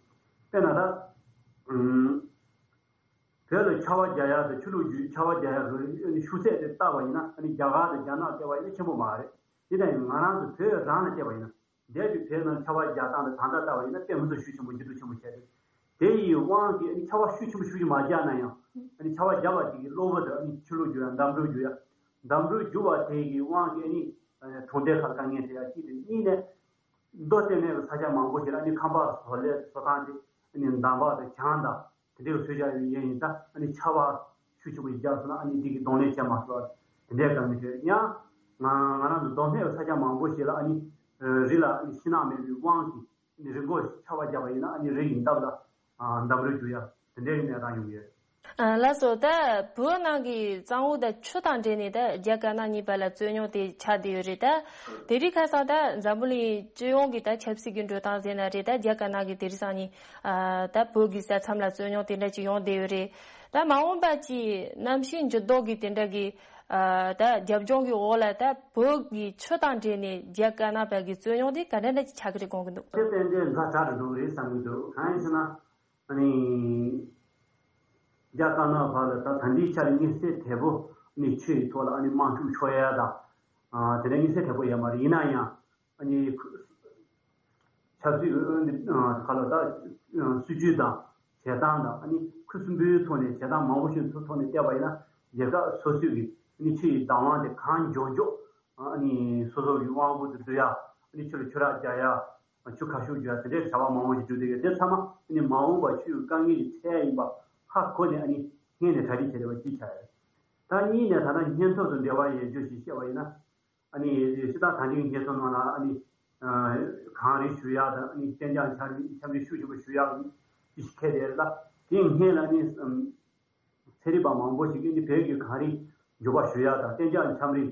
དཔེར་ན་ད་ཨུམ། བོད་ལ་ཆར་པ་རྒྱག་ཡག་དང་ཆུ་ལོག་རྒྱུག་ཆར་པ་རྒྱག་ཡག་གི་ཤུགས་ཚད་དེ་བལྟས་པ་ཡིན་ན། ཨ་ནི་རྒྱ་གར་དང་རྒྱ་ནག་བལྟས་པ་ཡིན་ན་ཆེན་པོ་མ་རེད། དེ་ལྟ་ཡིན་ང་རང་ཚོ་བོད་རང་ལ་བལྟས་པ་ཡིན་ན། འདས་པའི་བོད་ནང་ཆར་པ་རྒྱག་སྟངས་དང་ད་ལྟ་བལྟས་པ་ཡིན་ན་དཔེ་མི་སྲིད་ཤུགས་ཆེན་པོ་འགྱུར་ལྡོག་ཆེན་པོ་བྱས་ཏེ། དེ་ཡི་དབང་གིས་ཨ་ནི་ཆར་པ་ཤུགས་ཆེན་པོ་ཤུགས་ཆེན་མ་རྒྱག་ན་ཡང་། ཨ་ནི་ཆར་པ་རྒྱག་པ་དེ་གི་གློ་བུར་དུ་ཨ་ནི་ཆུ་ལོག་རྒྱུག་ཡག་འདམ་འགྲོས་རྒྱུག་ཡག་འདམ་འགྲོས་རྒྱུག་པ་དེ་གི་དབང་གིས་ཨ་ནི་གྲོང་སྡེ་ཁག་དཀའ་ངལ་འཕྲད་ཡག་གཅིག་དང་། གཉིས་ནས། མདོ་སྟོད་སྨད་ཀྱི་ས་ཆ་མང་པོ་ཞིག་ལ་ཨ་ནི་ཁང་པ་བཟོ་ལས་བཟོ་སྟངས་དེ་ཨ་ནི་འདམ་བག་དང་གྱང་དང་དེ་འདྲའི་བཟོས་བཞག་ཡོད་ཡིན་ཙང་། ཨ་ནི་ཆར་པ་ཤུགས་ཆེན་པོ་ཞིག་བརྒྱབ་སོང་ན་ཨ་ནི་དེ་གི་གདོང་ལེན་བྱེད་མ་ཐུབ་པ་དེ་འདྲའི་དཀའ་ངལ་འཕྲད། ཡང་ང་ང་རང་ཚོ་མདོ་སྨད་ཀྱི་ས་ཆ་མང་པོ་ཞིག་ལ་ཨ་ནི་རི་ལ་ཨ་ནི་ཤིང་ནགས་མེད་པའི་དབང་གིས་ཨ་ནི་རི་མགོར་ཆར་པ་བརྒྱབ་པ་ཡིན་ན་ཨ་ནི་རི་ཡི་འདབས་ལ་འདམ་རུད་རྒྱུག་ཡག་དེ་འདྲའི་གནས་སྟངས་ཡོང་གི་ཡོད། ལགས་སོ། ད་བོད་ནང་གི་གཙང་བོ་དང་ཆུ་དང་འབྲེལ་ནས་ད་རྒྱ་དཀར་ནག་གཉིས་བར་ལ་རྩོད་རྙོག་དེ་ཆགས་བསྡད་ཡོད་རེད། ད་དེ་རིང་ཁ་སང་ད་འཛམ་བུ་གླིང་སྤྱི་ཡོངས་ཀྱི་ད་ཆབ་སྲིད་ཀྱི་འགྲོ་སྟངས་ཟེར་ན་རེད། ད་རྒྱ་དཀར་ནག་གི་དེ་རིང་སང་ཉིན་ད་བོད་ཀྱི་ས་མཚམས་ལ་རྩོད་རྙོག་དེ་འདྲ་ཅིག་ཡོང་བསྡད་ཡོད་རེད། ད་མ་འོངས་པ་ཅིག་གནམ་གཤིས་འགྱུར་ལྡོག་གི་དེ་འདྲ་གི་ད་རྒྱབ་ལྗོངས་ཀྱི་འོག་ལ་ད་བོད་ཀྱི་ཆུ་དང་འབྲེལ་ནས་རྒྱ་དཀར་ནག་བར་གྱི་རྩོད་རྙོག་དེ་ག་འདྲ་འདྲ་ཅིག་ཆགས་ཀྱི་རེད་དགོངས་ཀྱི་འདུག་དེ་ཏན་ཏན་ཛ་དྲག་ཏུ་འགྲོ་གི་རེད་བསམ་གྱི་འདུག་གང་ཡིན་ཟེར་ན། ཨ་ནི། རྒྱ་དཀར་ནག་བར་ལ་ད་ད་ལྟའི་ཆར་དམིགས་བསལ་དལ་པོ་ཨ་ནི་ཆུ་ཡི་ཐོག་ལ་ཨ་ནི་དམག་འཁྲུག་ཤོར་ཡ་དང་། ཨ་དེ་འདྲ་དམིགས་བསལ་དལ་པོ་ཡོད་མ་རེད། ཡིན་ན་ཡང་ཨ་ནི་ཆབ་སྲིད་ཨ་ནི་ཨ་ག་ལ་ད་སྲིད་ཇུས་དང་བྱེད་སྟངས་དང་། ཨ་ནི་ཁུ་སིམ་པོའི་ཐོག་ནས་བྱེད་སྟངས་མང་པོ་ཞིག་ཐོག་ནས་བལྟས་པ་ཡིན་ན། རྒྱལ་ཁབ་སོ་སོའི་གི་ཨ་ནི་ཆུ་ཡི་བདག་དབང་དེ་གང་མགྱོགས་མགྱོགས་ཨ་ནི་སོ་སོ་གི་དབང་པོ་དེ་བསྡུ་ཡ། ཨ་ནི་ཆུ་ལ་ཆུ་རགས་རྒྱག་ཡ། ཆུ་ཁ་ཤུགས་རྒྱག་དེ་འདྲའི་བྱ་བ་མང་པོ་ཞིག་བསྒྲུབས་བསྡད་ཡོད། དེ་ཚང་མ་ཨ་ནི་མ་འོངས་པར་ཆུ་ཡི་དཀའ་ངལ་གྱི་ཚད་ཡིན་པ་ཧ་གོ་ནས་ཨ་ནི་སྔོན་ནས་གྲ་སྒྲིག་བྱས་བསྡད་པ་ཅིག་ཆགས་ཡོད། ད་གཉིས་ནས་ད་ལྟ་སྙན་ཐོ་དང་འབྲེལ་བ་ཡོད་རྒྱུ་ཞིག་བཤད་པ་ཡིན་ན། ཨ་ནི་སྤྱིར་བཏང་ད་ལྟའི་སྙན་ཐོ་ནང་ལ་ཨ་ནི་གངས་རི་བཞུ་ཡག་དང་། ཨ་ནི་གཏན་འཇགས་འཆམ་རི་འཆམ་རི་ཤུགས་ཆེན་པོ་བཞུ་ཡག་ཅིག་འཁེལ་བསྡད་ཡོད་ལ། དེའི་སྔོན་ལ་ཨ་ནི་ཚན་རིག་པ་མང་པོ་ཞིག་གིས་ཨ་ནི་བོད་ཀྱི་གངས་རི་མགྱོགས་པ་བཞུ་ཡག་དང་། གཏན་འཇགས་འཆམ་རི་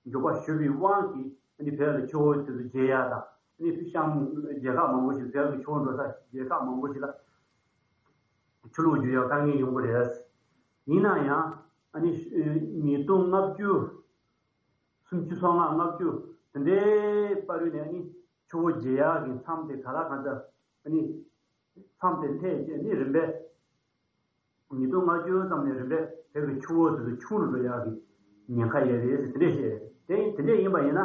མགྱོགས་པ་ཞུ་བའི་དབང་གིས་ཨ་ནི་བོད་ལ་ཆུ་བོ་དེ་ཚོ་རྒྱས་ཡག་དང་། ཨ་ནི་ཤང་རྒྱལ་ཁབ་མང་པོ་ཞིག་བོད་ཀྱི་ཆུ་བོ་འགྲོ་ས་རྒྱལ་ཁབ་མང་པོ་ཞིག་ལ་ཆུ་ལོག་རྒྱུག་ཡག་དཀའ་ངལ་ཡོང་གི་རེད། ཡིན་ན་ཡང་ཨ་ནི་ཉིས་སྟོང་ལྔ་བཅུ། སུམ་ཅུ་སོ་ལྔ་ལྔ་བཅུ་དེ་འདྲའི་བར་དུ་ནས་ཨ་ནི་ཆུ་བོ་རྒྱས་ཡག་གི་མཚམས་དེ་ག་ལ་གང་འཚམ་ཨ་ནི་མཚམས་དེ་ཐད་ཀྱི་ཨ་ནི་རིམ་པས། ཉིས་སྟོང་ལྔ་བཅུ་ཙམ་ནས་རིམ་པས་བོད་ཀྱི་ཆུ་བོ་དེ་ཚོ་ཆུང་རུ་འགྲོ་ཡག་གི་ཉེན་ཁ་ཡོད་རེད་ཟེར་དེ་འདྲས་བཤད། དེ་དེ་འདྲས་ཡིན་པ་ཡིན་ན་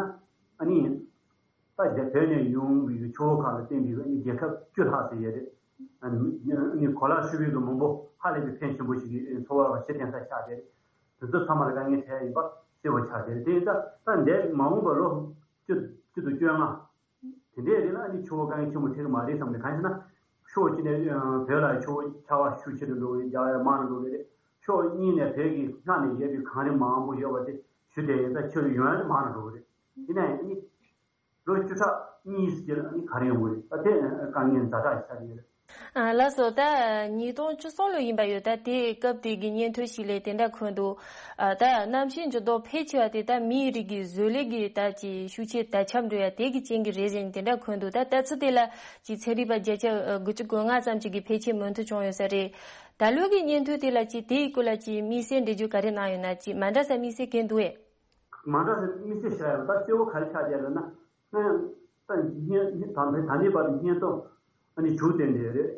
ཨ་ནི་ད་རྒྱ་བོད་ནས་ཡོང་བའི་ཆུ་བོ་ཁག་ལ་བརྟེན་པའི་ཨ་ནི་རྒྱལ་ཁབ་བཅུ་ལྷག་ཙམ་ཡོད་རེད། ཨ་ནི་གོ་ལ་ཧྲིལ་པོའི་གི་མང་པོ་ཧ་ལས་པའི་ཕོན་ཆེན་པོ་ཞིག་གི་འཚོ་བ་གཞི་རྟེན་ས་ཆགས་བསྡད་རེད། དེ་ཚོ་ཚང་མ་ལ་དཀའ་ངལ་འཕྲད་ཡིན་པ་གསལ་པོ་ཆགས་བསྡད་རེད། དེ་ཡིན་ཙང་ད་འདས་མ་འོངས་པ་ལོ་བཅུ་བཅུ་དང་བཅོ་ལྔ། དེ་འདྲའི་རིང་ལ་ཨ་ནི་ཆུ་བོ་དཀའ་ངལ་ཆེན་པོ་འཕྲད་ཀྱི་མ་རེད་བསམ་ནས། གང་ཡིན་ཟེར་ན། ཕྱོགས་གཅིག་ནས་ཨ་བོད་ལ་ཆུ་བོ་ཆར་པ་ཤུགས་ཆེ་རུ་འགྲོ་གི་རེད། རྒྱག་ཡག་མང་རུ་འགྲོ་གི་རེད། ཕྱོགས་གཉིས་ནས་བོད་ཀྱི་སྔ་ནས་ཡོད་པའི་གངས་རི་མང་པོ་ཡོད་པ་དེ་བཞུ་བསྡད་ཡོད་ཙང་ཆུ་ཡོང་ཡག་དེ་མང་རུ་འགྲོ་གི་རེད། ཡིན་ན་ཡང་ཨ་ནི་ལོ་བཅུ་ཕྲག་གཉིས་ཙམ་ལ་ཨ་ནི་ག་རེ་ཡོང་གི་རེད། ད་དེ་དཀའ་ངལ་ཛ་དྲག་ཆགས་ཀྱི་ཡོད་རེད། ཨ་ལགས་སོ། ད་ཉིས་སྟོང་བཅུ་གསུམ་ལོ་ཡིན་པ་ཡོད། ད་དེ་སྐབས་དེ་གི་སྙན་ཐོ་ཞིག་ལས་དེ་འདྲ་འཁོད་འདུག་ཨ་ད་གནམ་གཤིས་འགྱུར་ལྡོག་འཕེལ་ཆེ་བ་དེ་ད་མིའི་རིགས་ཀྱི་བཟོ་ལས་ཀྱི་ད་ཀྱི་ཤུགས་ཆེ་ད་ཁྱབ་འགྲོ་ཡ་དེ་གི་རྐྱེན་གྱིས་རེད་ཟེར་ནས་དེ་འདྲ་འཁོད་འདུག་ད་ལྟ་ཚུལ་དེ་ལ་ཀྱི་ཚན་རིག་པ་བརྒྱ་ཆ་དགུ་བཅུ་གོ་ལྔ་ཙམ་ཅིག་གི་ཕལ་ཆེར་མོས་མཐུན་བྱུང་ཡོད་ས་རེད། ད་ལོའི་གི་སྙན་ཐོ་དེ་ལ་ཀྱི་དེའི་སྐོར་ལ་ཀྱི་དམིགས་བསལ་འགྲེལ་བརྗོད་ག་རེ་གནང་ཡོད་ན། ཀྱི་མ་འདྲ་ས་དམིགས་བསལ་གང་འདུག་ཨེ། མ་འདྲ་ས་དམིགས་བསལ་བཤད་ཡོད་པ་ད་གཙོ་བོ་ག་རེ་ཆགས་བསྡད་ལབ་ན། ད་བརྙན་ད་ད་ལྟའི་བར་དུ་སྙན་ཐོ་ཨ་ནི་བཅུ་ལྡན་བསྡད་རེད།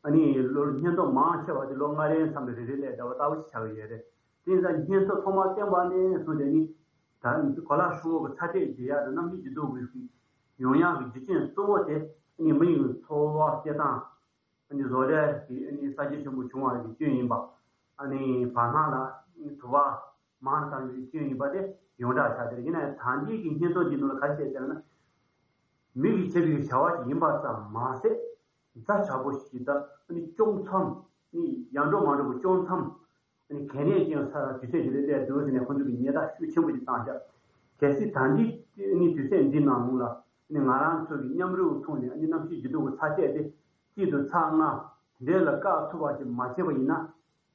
ཨ་ནི་ལོ་སྙན་ཐོ་མང་ཆེ་བ་དེ་ལོ་ལྔ་རེའི་མཚམས་ལ་རེ་རེ་སླེབས་བསྡད་པ་ལྟ་བུ་ཞིག་ཆགས་ཀྱི་ཡོད་རེད། དེ་ཡིན་ཙང་སྙན་ཐོ་ཐོག་མར་བཏོན་པ་ནས་བཟུང་སྟེ་ནི་ད་གོ་ལ་ཧྲིལ་པོ་གི་ཚ་དྲོད་རྒྱས་ཡག་དང་གནམ་གཤིས་འགྱུར་ལྡོག་གི་ཡོང་ཡག་གི་རྒྱུ་རྐྱེན་གཙོ་བོ་དེ་ཨ་ནི་མི་ཡི་འཚོ་བ་སྐྱེལ་སྟངས། ཨ་ནི་བཟོ་ལས་ཀྱི་ཨ་ནི་གསར་བརྗེ་ཆེན་པོ་བྱུང་བ་གི་རྐྱེན་ཡིན་པ། ཨ་ནི་བར་སྣང་ལ་དུ་བ། མང་ཙམ་ཞིག་སྐྱོན་ཡིན་པ་དེ་ཡོངས་གྲགས་ཆགས་བསྡད། ཡིན་ན་ཡང་ད་ལྟའི་གི་སྙན་ཐོ་འདི་ནང་ལ་ག་རེ་བཤད་ཟེར་ན། མི་གིས་བྱེད་པའི་བྱ་བ་ཞིག་ཡིན་པ་ཙམ་མ་ཟད། མཛའ་བྱ་པོ་ཞིག་དང་ཨ་ནི་སྐྱོང་མཚམས། ཨ་ནི་ཡར་འགྲོ་མར་འགྲོ་གི་སྐྱོང་མཚམས། ཨ་ནི་གལ་གནད་ཅན་ས་དུས་ཚོད་ཅིག་ལ་སླེབས་འདུག་ཟེར་ནས་ཁོ་ཚོ་གིས་ཉེས་རྡུང་ཤུགས་ཆེན་པོ་ཞིག་བཏང་ཤག་གལ་སྲིད་ད་ལྟའི་ཨ་ནི་དུས་ཚོད་འདི་ནང་ལོགས་ལ་ཨ་ནི་ང་རང་ཚོ་གི་མཉམ་རུབ་ཐོག་ནས་ཨ་ནི་གནམ་གཤིས་འགྱུར་ལྡོག་གི་ཚ་ཚད་དེ་གཅིག་དང་ཚེག་ལྔ་དེ་འདྲ་ལ་བཀག་ཐུབ་པ་ཞིག་མ་བྱས་པ་ཡིན་ན།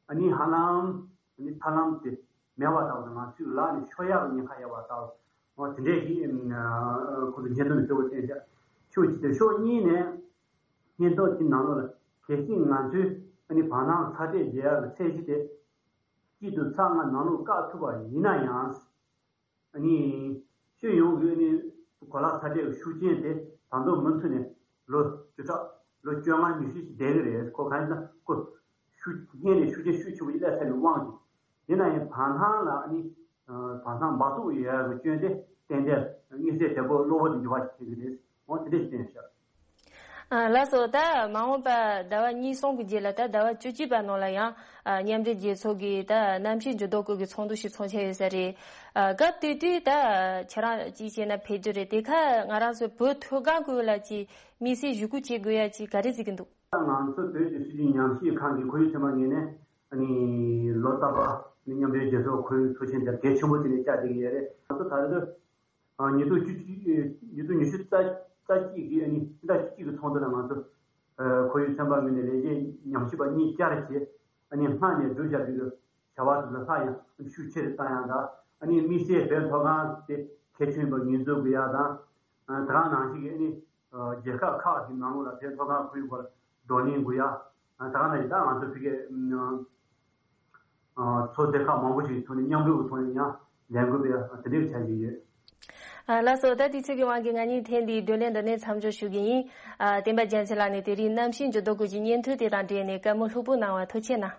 ཨ་ནི་ཧ་ལམ་ཨ་ནི་ཐབས་ལམ་དེ་མེད་པ་ལྟ་བུ་དང་། ང་ཚོའི་ལག་ནས་ཤོར་ཡག་གི་ཉེན་ཁ་ཡོད་པ་ལྟ་བུ། འོ་དེ་འདྲས་ཀྱི་ཨ་ཁོ་ཚོ་སྙན་ཐོ་ནས་གསལ་པོ་བསྟན་ཤག་ཕྱོགས་གཅིག་དེ། ཕྱོགས་གཉིས་ནས་སྙན་ཐོ་དེ་ནང་ལོགས་ལ་གལ་སྲིད་ང་ཚོས་ཨ་ནི་བར་སྣང་ཚ་དྲོད་རྒྱས་ཡག་གི་ཚད་གཞི་དེ་གཅིག་དང་ཚེག་ལྔ་ནང་ལོགས་བཀག་ཐུབ་པ་ཡིན་ན་ཡང་། ཨ་ནི་སྤྱི་ཡོངས་ཀྱི་ཨ་ནི་གོ་ལ་ཚ་དྲོད་ཀྱི་ཤུགས་རྐྱེན་དེ་ད་དུང་མུ་མཐུད་ནས་ལོ་བཅུ་ཕྲག་ལོ་བཅོ་ལྔ་ཉི་ཤུ་ཞིག་བསྡད་ཀྱི་རེད། ཁོ་གང་ཡིན་ན་ཁོ་ཤུགས་སྔོན་ནས་ཤུགས་རྐྱེན་ཤུགས་ཆེན་པོ་ཞིག་སླེབས་ཚར་བའི་དབང་གིས། ཡིན་ན་ཡང་བར་སྣང་ལ་ཨ་ནི་བར་སྣང་འབག་བཙོག་ཡོད་ཡག་གི་སྐྱོན་དེ་ཏན་ཏན་དངོས་གསལ་དོད་པོ་གློ་བུར་དུ་འགྱུར་བ་ཞིག་ཐེབས་ཀྱི་རེད། འོ་དེ་འདྲ་ཞིག་བསྟན་ཤག་ཨ། ལགས་སོ། ད་མ་འོངས་པ་ཟླ་བ་གཉིས་གསུམ་གྱི་རྗེས་ལ་ད་ཟླ་བ་བཅུ་གཅིག་པ་ནང་ལ་ཡང་ཨ་མཉམ་འབྲེལ་རྒྱལ་ཚོགས་ཀྱི་ད་གནམ་གཤིས་འགྱུར་ལྡོག་སྐོར་གྱི་ཚོགས་འདུ་ཞིག་འཚོགས་འཆར་ཡོད་ས་རེད། ཨ། སྐབས་དེ་དུས་ད་ཁྱེད་རང་ཅིའི་ཕྱིར་ན་ཕེབས་རྒྱུ་རེད། དེ་ཁ་ང་རང་ཚོའི་བོད་མཐོ་སྒང་ཁུལ་ལ་ཅིག་དམིགས་བསལ་ཞུ་སྐུལ་བྱེད་དགོས་ཡ་ཅིག་ག་རེ་གཟིགས་ཀྱི་འདུག་ང་ཚོ་བོད་ཀྱི་སྲིད་བྱུས་ཉམས་ཞིབ་ཁང་གི་ཁོར་ཡུག་ཚན་པ་ངོས་ནས་ཨ་ནི་ལོ་རྟག་པར་ཨ་ནི་མཉམ་འབྲེལ་རྒྱལ་ཚོགས་ཁོར་ཡུག་ཚོགས་ཆེན་དེ་གལ་ཆེན་པོ་བྱས་ནས་བཅར་བསྡད་ཀྱི་ཡོད་རེད། ང་ཚོ་ད་རེས་ཨ་ཉིས་སྟོང་བཅུ་གཅིག་ཉིས་སྟོང་ཉི་ཤུ་རྩ་རྩ་གཅིག་གི་ཨ་ནི་སྤྱི་ཟླ་བཅུ་གཅིག་གི་ཚོགས་འདུ་ལ་ང་ཚོ་ཨ་ཁོར་ཡུག་ཚན་པ་ངོས་ནས་ལས་བྱེད་ཉམས་ཞིབ་པ་གཉིས་བཅར་བྱས། ཨ་ནི་སྔར་ནས་བསྒྲུབས་བཞག་པའི་བྱ་བ་དེ་ཚོ་སླར་ཡང་ཤུགས་ཆེ་རུ་བཏང་ཡག་དང་། ཨ་ནི་དམིགས་བསལ་བོད་མཐོ་སྒང་དེ་གལ་ཆེན་པོ་ངོས་འཛིན་དགོས་ཡག་དང་། ཨ་ད་ག་ནང་བཞིན་གྱི་ཨ་ནི་རྒྱལ་ཁབ་ཁག་གི་ནང་ལོགས་ལ་བོད་མཐོ་སྒང་ཁོར་ཡུག་སྐོར་བགྲོ་གླེང་དགོས་ཡག་ད་ག་ནང་བཞིན་ད་ང་ཚོ་ཕ་གིའི་ཚོགས་སྡེ་ཁག་མང་པོ་ཞིག་ཐོག་ནས་མཉམ་རུབ་ཀྱི་ཐོག་ནས་ཡང་ལས་འགུལ་སྤེལ་ཡག་དེ་འདྲའི་འཆར་གཞི་ཡོད། ཨ། ལགས་སོ། ད་དུས་ཚོད་ཀྱི་དབང་གིས་ང་གཉིས་ཐེངས་འདིའི་བགྲོ་གླེང་འདི་ནས་མཚམས་འཇོག་ཞུ་གི་ཡིན། ཨ། བསྟན་པ་རྒྱལ་མཚན་ལགས་ནས་དེ་རིང་གནམ་གཤིས་འགྱུར་ལྡོག་སྐོར་གྱི་སྙན་ཐོ་དེ་དང་འབྲེལ་ནས་བཀའ་མོལ་ལྷུག་པོ་གནང་བར་ཐུགས་རྗེ་གནང་།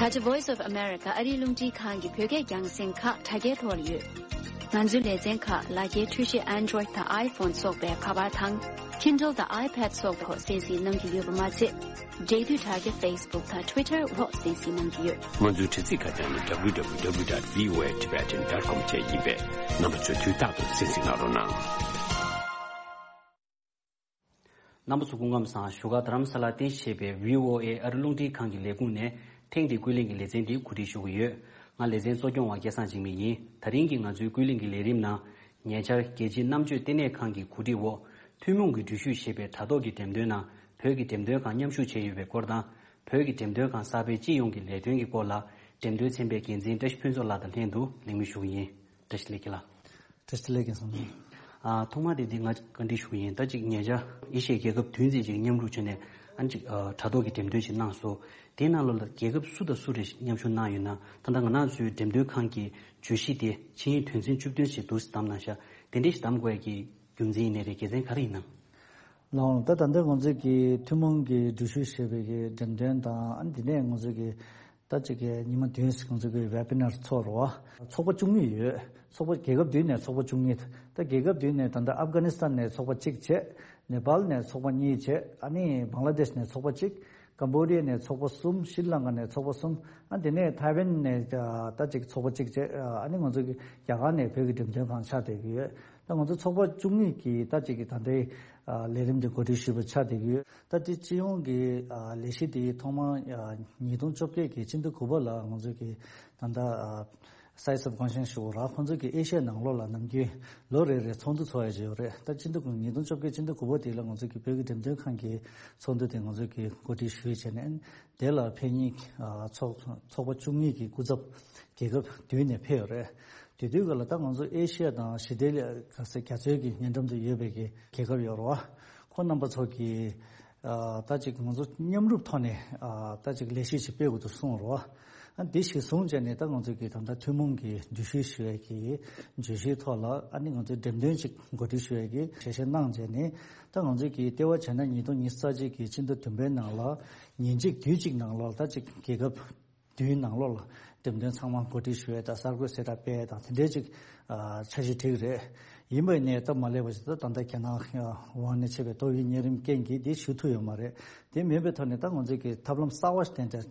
ད་ཆ་Voice of America ཨ་རིའི་རླུང་འཕྲིན་ཁང་གི་བོད་སྐད་རྒྱང་སྲིང་ཁག་དྲ་རྒྱའི་ཐོག་ལ་ཡོད། ང་ཚོའི་ལེ་ཚན་ཁག་ལག་འཁྱེར་འཕྲུལ་ཆས་Android དང་iPhone སོགས་པའི་ཁ་པར་དང་Kindle དང་iPad སོགས་པའི་ཐོག་གསན་གཟིགས་གནང་རྒྱུ་ཡོད་པ་མ་ཚད། འབྲེལ་མཐུད་དྲ་རྒྱ་Facebook དང་Twitter འོག་གསན་གཟིགས་གནང་རྒྱུ་ཡོད། ང་ཚོའི་དྲ་ཚིགས་ཁ་བྱང་ནི་W W W dot V O A Tibetan dot com བཅས་ཡིན་པས་རྣམ་པ་ཚོས་དུས་རྟག་ཏུ་གསན་གཟིགས་གནང་རོགས་གནང་། རྣམ་པ་ཚོ་སྐུ་ཁམས་བཟང་། བཞུགས་སྒར་རྡ་རམ་ས་ལར་རྟེན་གཞི་བྱས་པའི་V O A ཨ་རི་རླུང་འཕྲིན་ཁང་གི་ལས་ཁུངས་ནས་ཐེངས་འདིའི་ཀུན་གླེང་གི་ལེ་ཚན་འདི་གོ་སྒྲིག་ཞུ་གི་ཡོད། ང་ལེ་ཚན་གཙོ་སྐྱོང་བ་སྐལ་བཟང་འཇིགས་མེད་ཡིན། ད་རིང་གི་ང་ཚོའི་ཀུན་གླེང་གི་ལས་རིམ་ནང་། ཉེ་ཆར་རྒྱལ་སྤྱིའི་རྣམ་དཔྱོད་ལྟེ་གནས་ཁང་གི་གོ་སྒྲིག་འོག་ཐུན་མོང་གི་འགྲུལ་བཞུད་ཞེས་པའི་དྲ་ཐོག་གི་འགྲེམས་སྟོན་ནང་བོད་ཀྱི་འགྲེམས་སྟོན་ཁང་མཉམ་ཞུགས་བྱས་ཡོད་པའི་སྐོར་དང་། བོད་ཀྱི་འགྲེམས་སྟོན་ཁང་གསར་པའི་སྤྱི་ཡོངས་ཀྱི་ལས་དོན་གྱི་སྐོར་ལ་འགྲེམས་སྟོན་ཚན་པའི་འགན་འཛིན་བཀྲ་ཤིས་ཕུན་ཚོགས་ལགས་དང་ལྷན་དུ་གླེང་མོལ་ཞུ་གི་ཡིན། བཀྲ་ཤིས་བདེ་ལེགས་ལགས། བཀྲ་ཤིས་བདེ་ལེགས། རྒན་བསམ་གྲུབ། ཨ། ཐོག་མར་དེ་འདི་ང་བཀའ་འདྲི་ཞུ་གི་ཡིན། ད་ཅིག་ཉེ་ཆར་ཨེ་ཤི་ཡའི་རྒྱལ་ཁབ་བདུན་ཙམ་ཅིག་མཉམ་རུབ་བྱས་ནས་ཨ་ནི་ཅིག་ཨ། དྲ་ཐོག་གི་འགྲེམས་སྟོན་ཞིག་གནང་སོང་། དེའི་ནང་ལོགས་ལ་རྒྱལ་ཁབ་སུ་དང་སུ་རེ་མཉམ་ཞུགས་གནང་ཡོད་ན། ད་ལྟ་ང་རང་ཚོའི་འགྲེམས་སྟོན་ཁང་གི་བརྗོད་གཞི་དེ་ཆིངས་ཡིག་དོན་ཚན་བཅུ་བདུན་ཞེས་འདུག་སེ་བདམས་གནང་ཤག་དེ་འདྲ་ཞིག་བདམས་དགོས་ཡ་གི་རྒྱུ་མཚན་ཡིན་ནའི་རེད། དགེ་མཚན་ག་རེ་ཡིན་ནམ། ལགས་འོང་། ད་ད་ལྟ་ང་ཚོས་ཀྱི་ཐུན་མོང་གི་འགྲུལ་བཞུད་ཞེས་པའི་གི་འགྲེམས་སྟོན་དང་། ཨ་ནི་དེ་ནས་ང་ཚོས་ཀྱི་ད་ཅིག་གི་ཉི་མ་བདུན་ང་ཚོ་གི་ཝེ་བི་ནར་ཚོགས་རོགས། ཚོགས་པ་བཅུ་གཉིས་ཡོད། ཚོགས་པ་རྒྱལ་ཁབ་བདུན་ནས་ཚོགས་པ་བཅུ་གཉིས། ད་རྒྱལ་ཁབ་བདུན་ནས་ད་ལྟ་ཨབ་གྷ་ནི་སི་ཐན་ནས་ཚོགས་པ་གཅིག་བྱས། ནེ་པཱལ་ནས་ཚོགས་པ་གཉིས་བྱས། ཨ་ནི་བང་ལ་དེཤ་ནས་ཚོགས་པ་གཅིག་ཀམ་བོ་ཌི་ཡ་ནས་ཚོགས་པ་གསུམ། ཤྲི་ལང་ཀ་ནས་ཚོགས་པ་གསུམ། ཨ་དེ་ནས་ཐའེ་ཝན་ནས་ད་ཅིག་ཚོགས་པ་གཅིག་བྱས། ཨ་ནི་ང་ཚོ་གི་རྒྱ་གར་ནས་བོད་ཀྱི་འགྲེམས་སྟོན་ཁང་ཆགས་བསྡད་ཀྱི་ཡོད། ད་ང་ཚོ་ཚོགས་པ་བཅུ་གཉིས་ཀྱིས་ད་ཅིག་གི་ད་ལྟའི་ལས་རིམ་འདི་གོ་སྒྲིག་ཞུས་པ་ཆགས་བསྡད་ཀྱི་ཡོད། ད་དེ་སྤྱི་ཡོངས་ཀྱི་ལས་གཞི་དེའི་ཐོག་མར་ཉིས་སྟོང་བཅོ་བརྒྱད་ཀྱི་སྤྱི་ཟླ་དགུ་པ་ལ་ང་ཚོ་གི་ད་ལྟ་སའི་སབ་ཀོན་ཤན་ཞུ་བ་ར། ཁོང་ཚོ་གི་ཨེ་ཤ་ཡ་ནང་ལོགས་ལ་ནམ་རྒྱུན་ལོ་རེ་རེ་ཚོགས་འདུ་ཚོགས་ཡ་ཅིག་ཡོད་རེད། ད་སྤྱི་ཟླ་དགུ། ཉིས་སྟོང་བཅོ་བརྒྱད་སྤྱི་ཟླ་དགུ་པ་དེ་ལ་ང་ཚོ་གི་བོད་ཀྱི་འགྲེམས་སྟོན་ཁང་གི་ཚོགས་འདུ་དེ་ང་ཚོ་གི་གོ་སྒྲིག་ཞུས་བྱས་ནས། དེ་ལ་ཕེབས་མཁན་ཨ། ཚོགས་ཚོགས་པ་བཅུ་གཉིས་ཀྱི་སྐུ་ཚབ་རྒྱལ་ཁབ་བདུན་ནས་ཕེབས་ཡོད་རེད། དེ་དུས་སྐབས་ལ་ད་ང་ཚོ་ཨེ་ཤི་ཡ་དང་ཞི་བདེ་ལ་ག་ཚོད་རྒྱ་མཚོའི་གི་སྙན་འགྲམ་དུ་ཡོད་པའི་གི་རྒྱལ་ཁབ་ཡོད་རེད་བ། ཁོང་རྣམ་པ་ཚོ་གིས་ཨ། ད་ཅིག་ང་ཚོ་མཉམ་རུབ་ཐོག་ནས་ཨ། ད་ཅིག་ལས་གཞི་ཞིག་སྤེལ་དགོས་འདུག་གསུངས་རེད་བ། ཨ། འདི་ཞིག་བཟུང་བྱས་ནས་ད་ང་ཚོ་གི་ད་ལྟ་ཐུན་མོང་གི་འགྲུལ་བཞུད་ཞུ་ཡས་ཀྱི་བརྗོད་གཞིའི་ཐོག་ལ་ཨ་ནི་ང་ཚོའི་འགྲེམས་སྟོན་ཅིག་གོ་སྒྲིག་ཞུ་ཡས་ཀྱི་ཞལ་བཞེས་གནང་བྱས་ནས། ད་ང་ཚོས་ཀྱི་ལྟེ་བ་བྱས་ན་ཉིས་སྟོང་ཉི་ཤུ་རྩ་གཅིག་གི་སྤྱི་ཟླ་བདུན་པའི་ནང་ལ་ཉིན་གཅིག་དུས་གཅིག་ནང་ལོགས་ད་ཅིག་རྒྱལ་ཁབ་བདུན་ནང་ལོགས་ལ་འགྲེམས་སྟོན་ཚང་མ་གོ་སྒྲིག་ཞུ་ཡས་དང་གསར་འགོད་གསལ་བསྒྲགས་སྤེལ་ཡས་དང་དེ་འདྲའི་ཅིག་ཨ། འཆར་གཞི་བསྒྲིགས་རེད། ཡིན་པ་ཡིན་ནའི་ད་མ་ལས་པ་ཞིག་ད་ད་ལྟ་རྒྱ་ནག་དབང་ནས་ཆད་པའི་ཏོག་དབྱིབས་གཉན་རིམས་རྐྱེན་གྱིས་དེ་ཞུ་ཐུབ་ཡོད་མ་རེད། དེ་མིན་པའི་ཐོག་ནས་ད་ང་ཚོས་ཀྱི་ཐབས་ལམ་གསར་བ་ཞིག་དེ་འདྲ་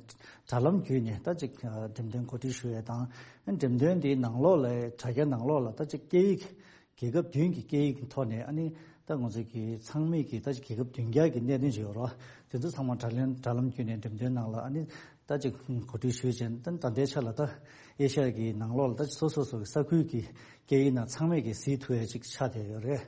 དྲ་ལམ་བརྒྱུད་ནས་ད་ཅིག་འགྲེམས་སྟོན་གོ་སྒྲིག་ཞུ་ཡས་དང་། འགྲེམས་སྟོན་དེའི་ནང་ལོགས་ལ་དྲ་རྒྱ་ནང་ལོགས་ལ་ད་ཅིག་སྐད་ཡིག་རྒྱལ་ཁབ་བདུན་གྱི་སྐད་ཡིག་གི་ཐོག་ནས་ཨ་ནི་ད་ང་ཚོས་ཀྱི་ཚང་མས་ཀྱི་ད་ཅིག་རྒྱལ་ཁབ་བདུན་བརྒྱ་གི་གནད་དོན་ཅིག་ཡོད་རེད། དེ་ཚོ་ཚང་མ་དྲ་ལམ་དྲ་ལམ་བརྒྱུད་ནས་འགྲེམས་སྟོན་ནང་ལ་ཨ་ནི་ད་ཅིག་གོ་སྒྲིག་ཞུས་བྱས་ད་ད་ལྟའི་ཆ་ལ་ད་ཨེ་ཤ་ཡ་གི་ནང་ལོགས་ལ་ད་སོ་སོ་སོ་གི་ས་ཁུལ་གྱི་སྐད་ཡིག་ནང་ཚང་མས་ཀྱི་གཟིགས་ཐུབ་ཡ་ཅིག་ཆགས་བསྡད་ཡོད་རེད།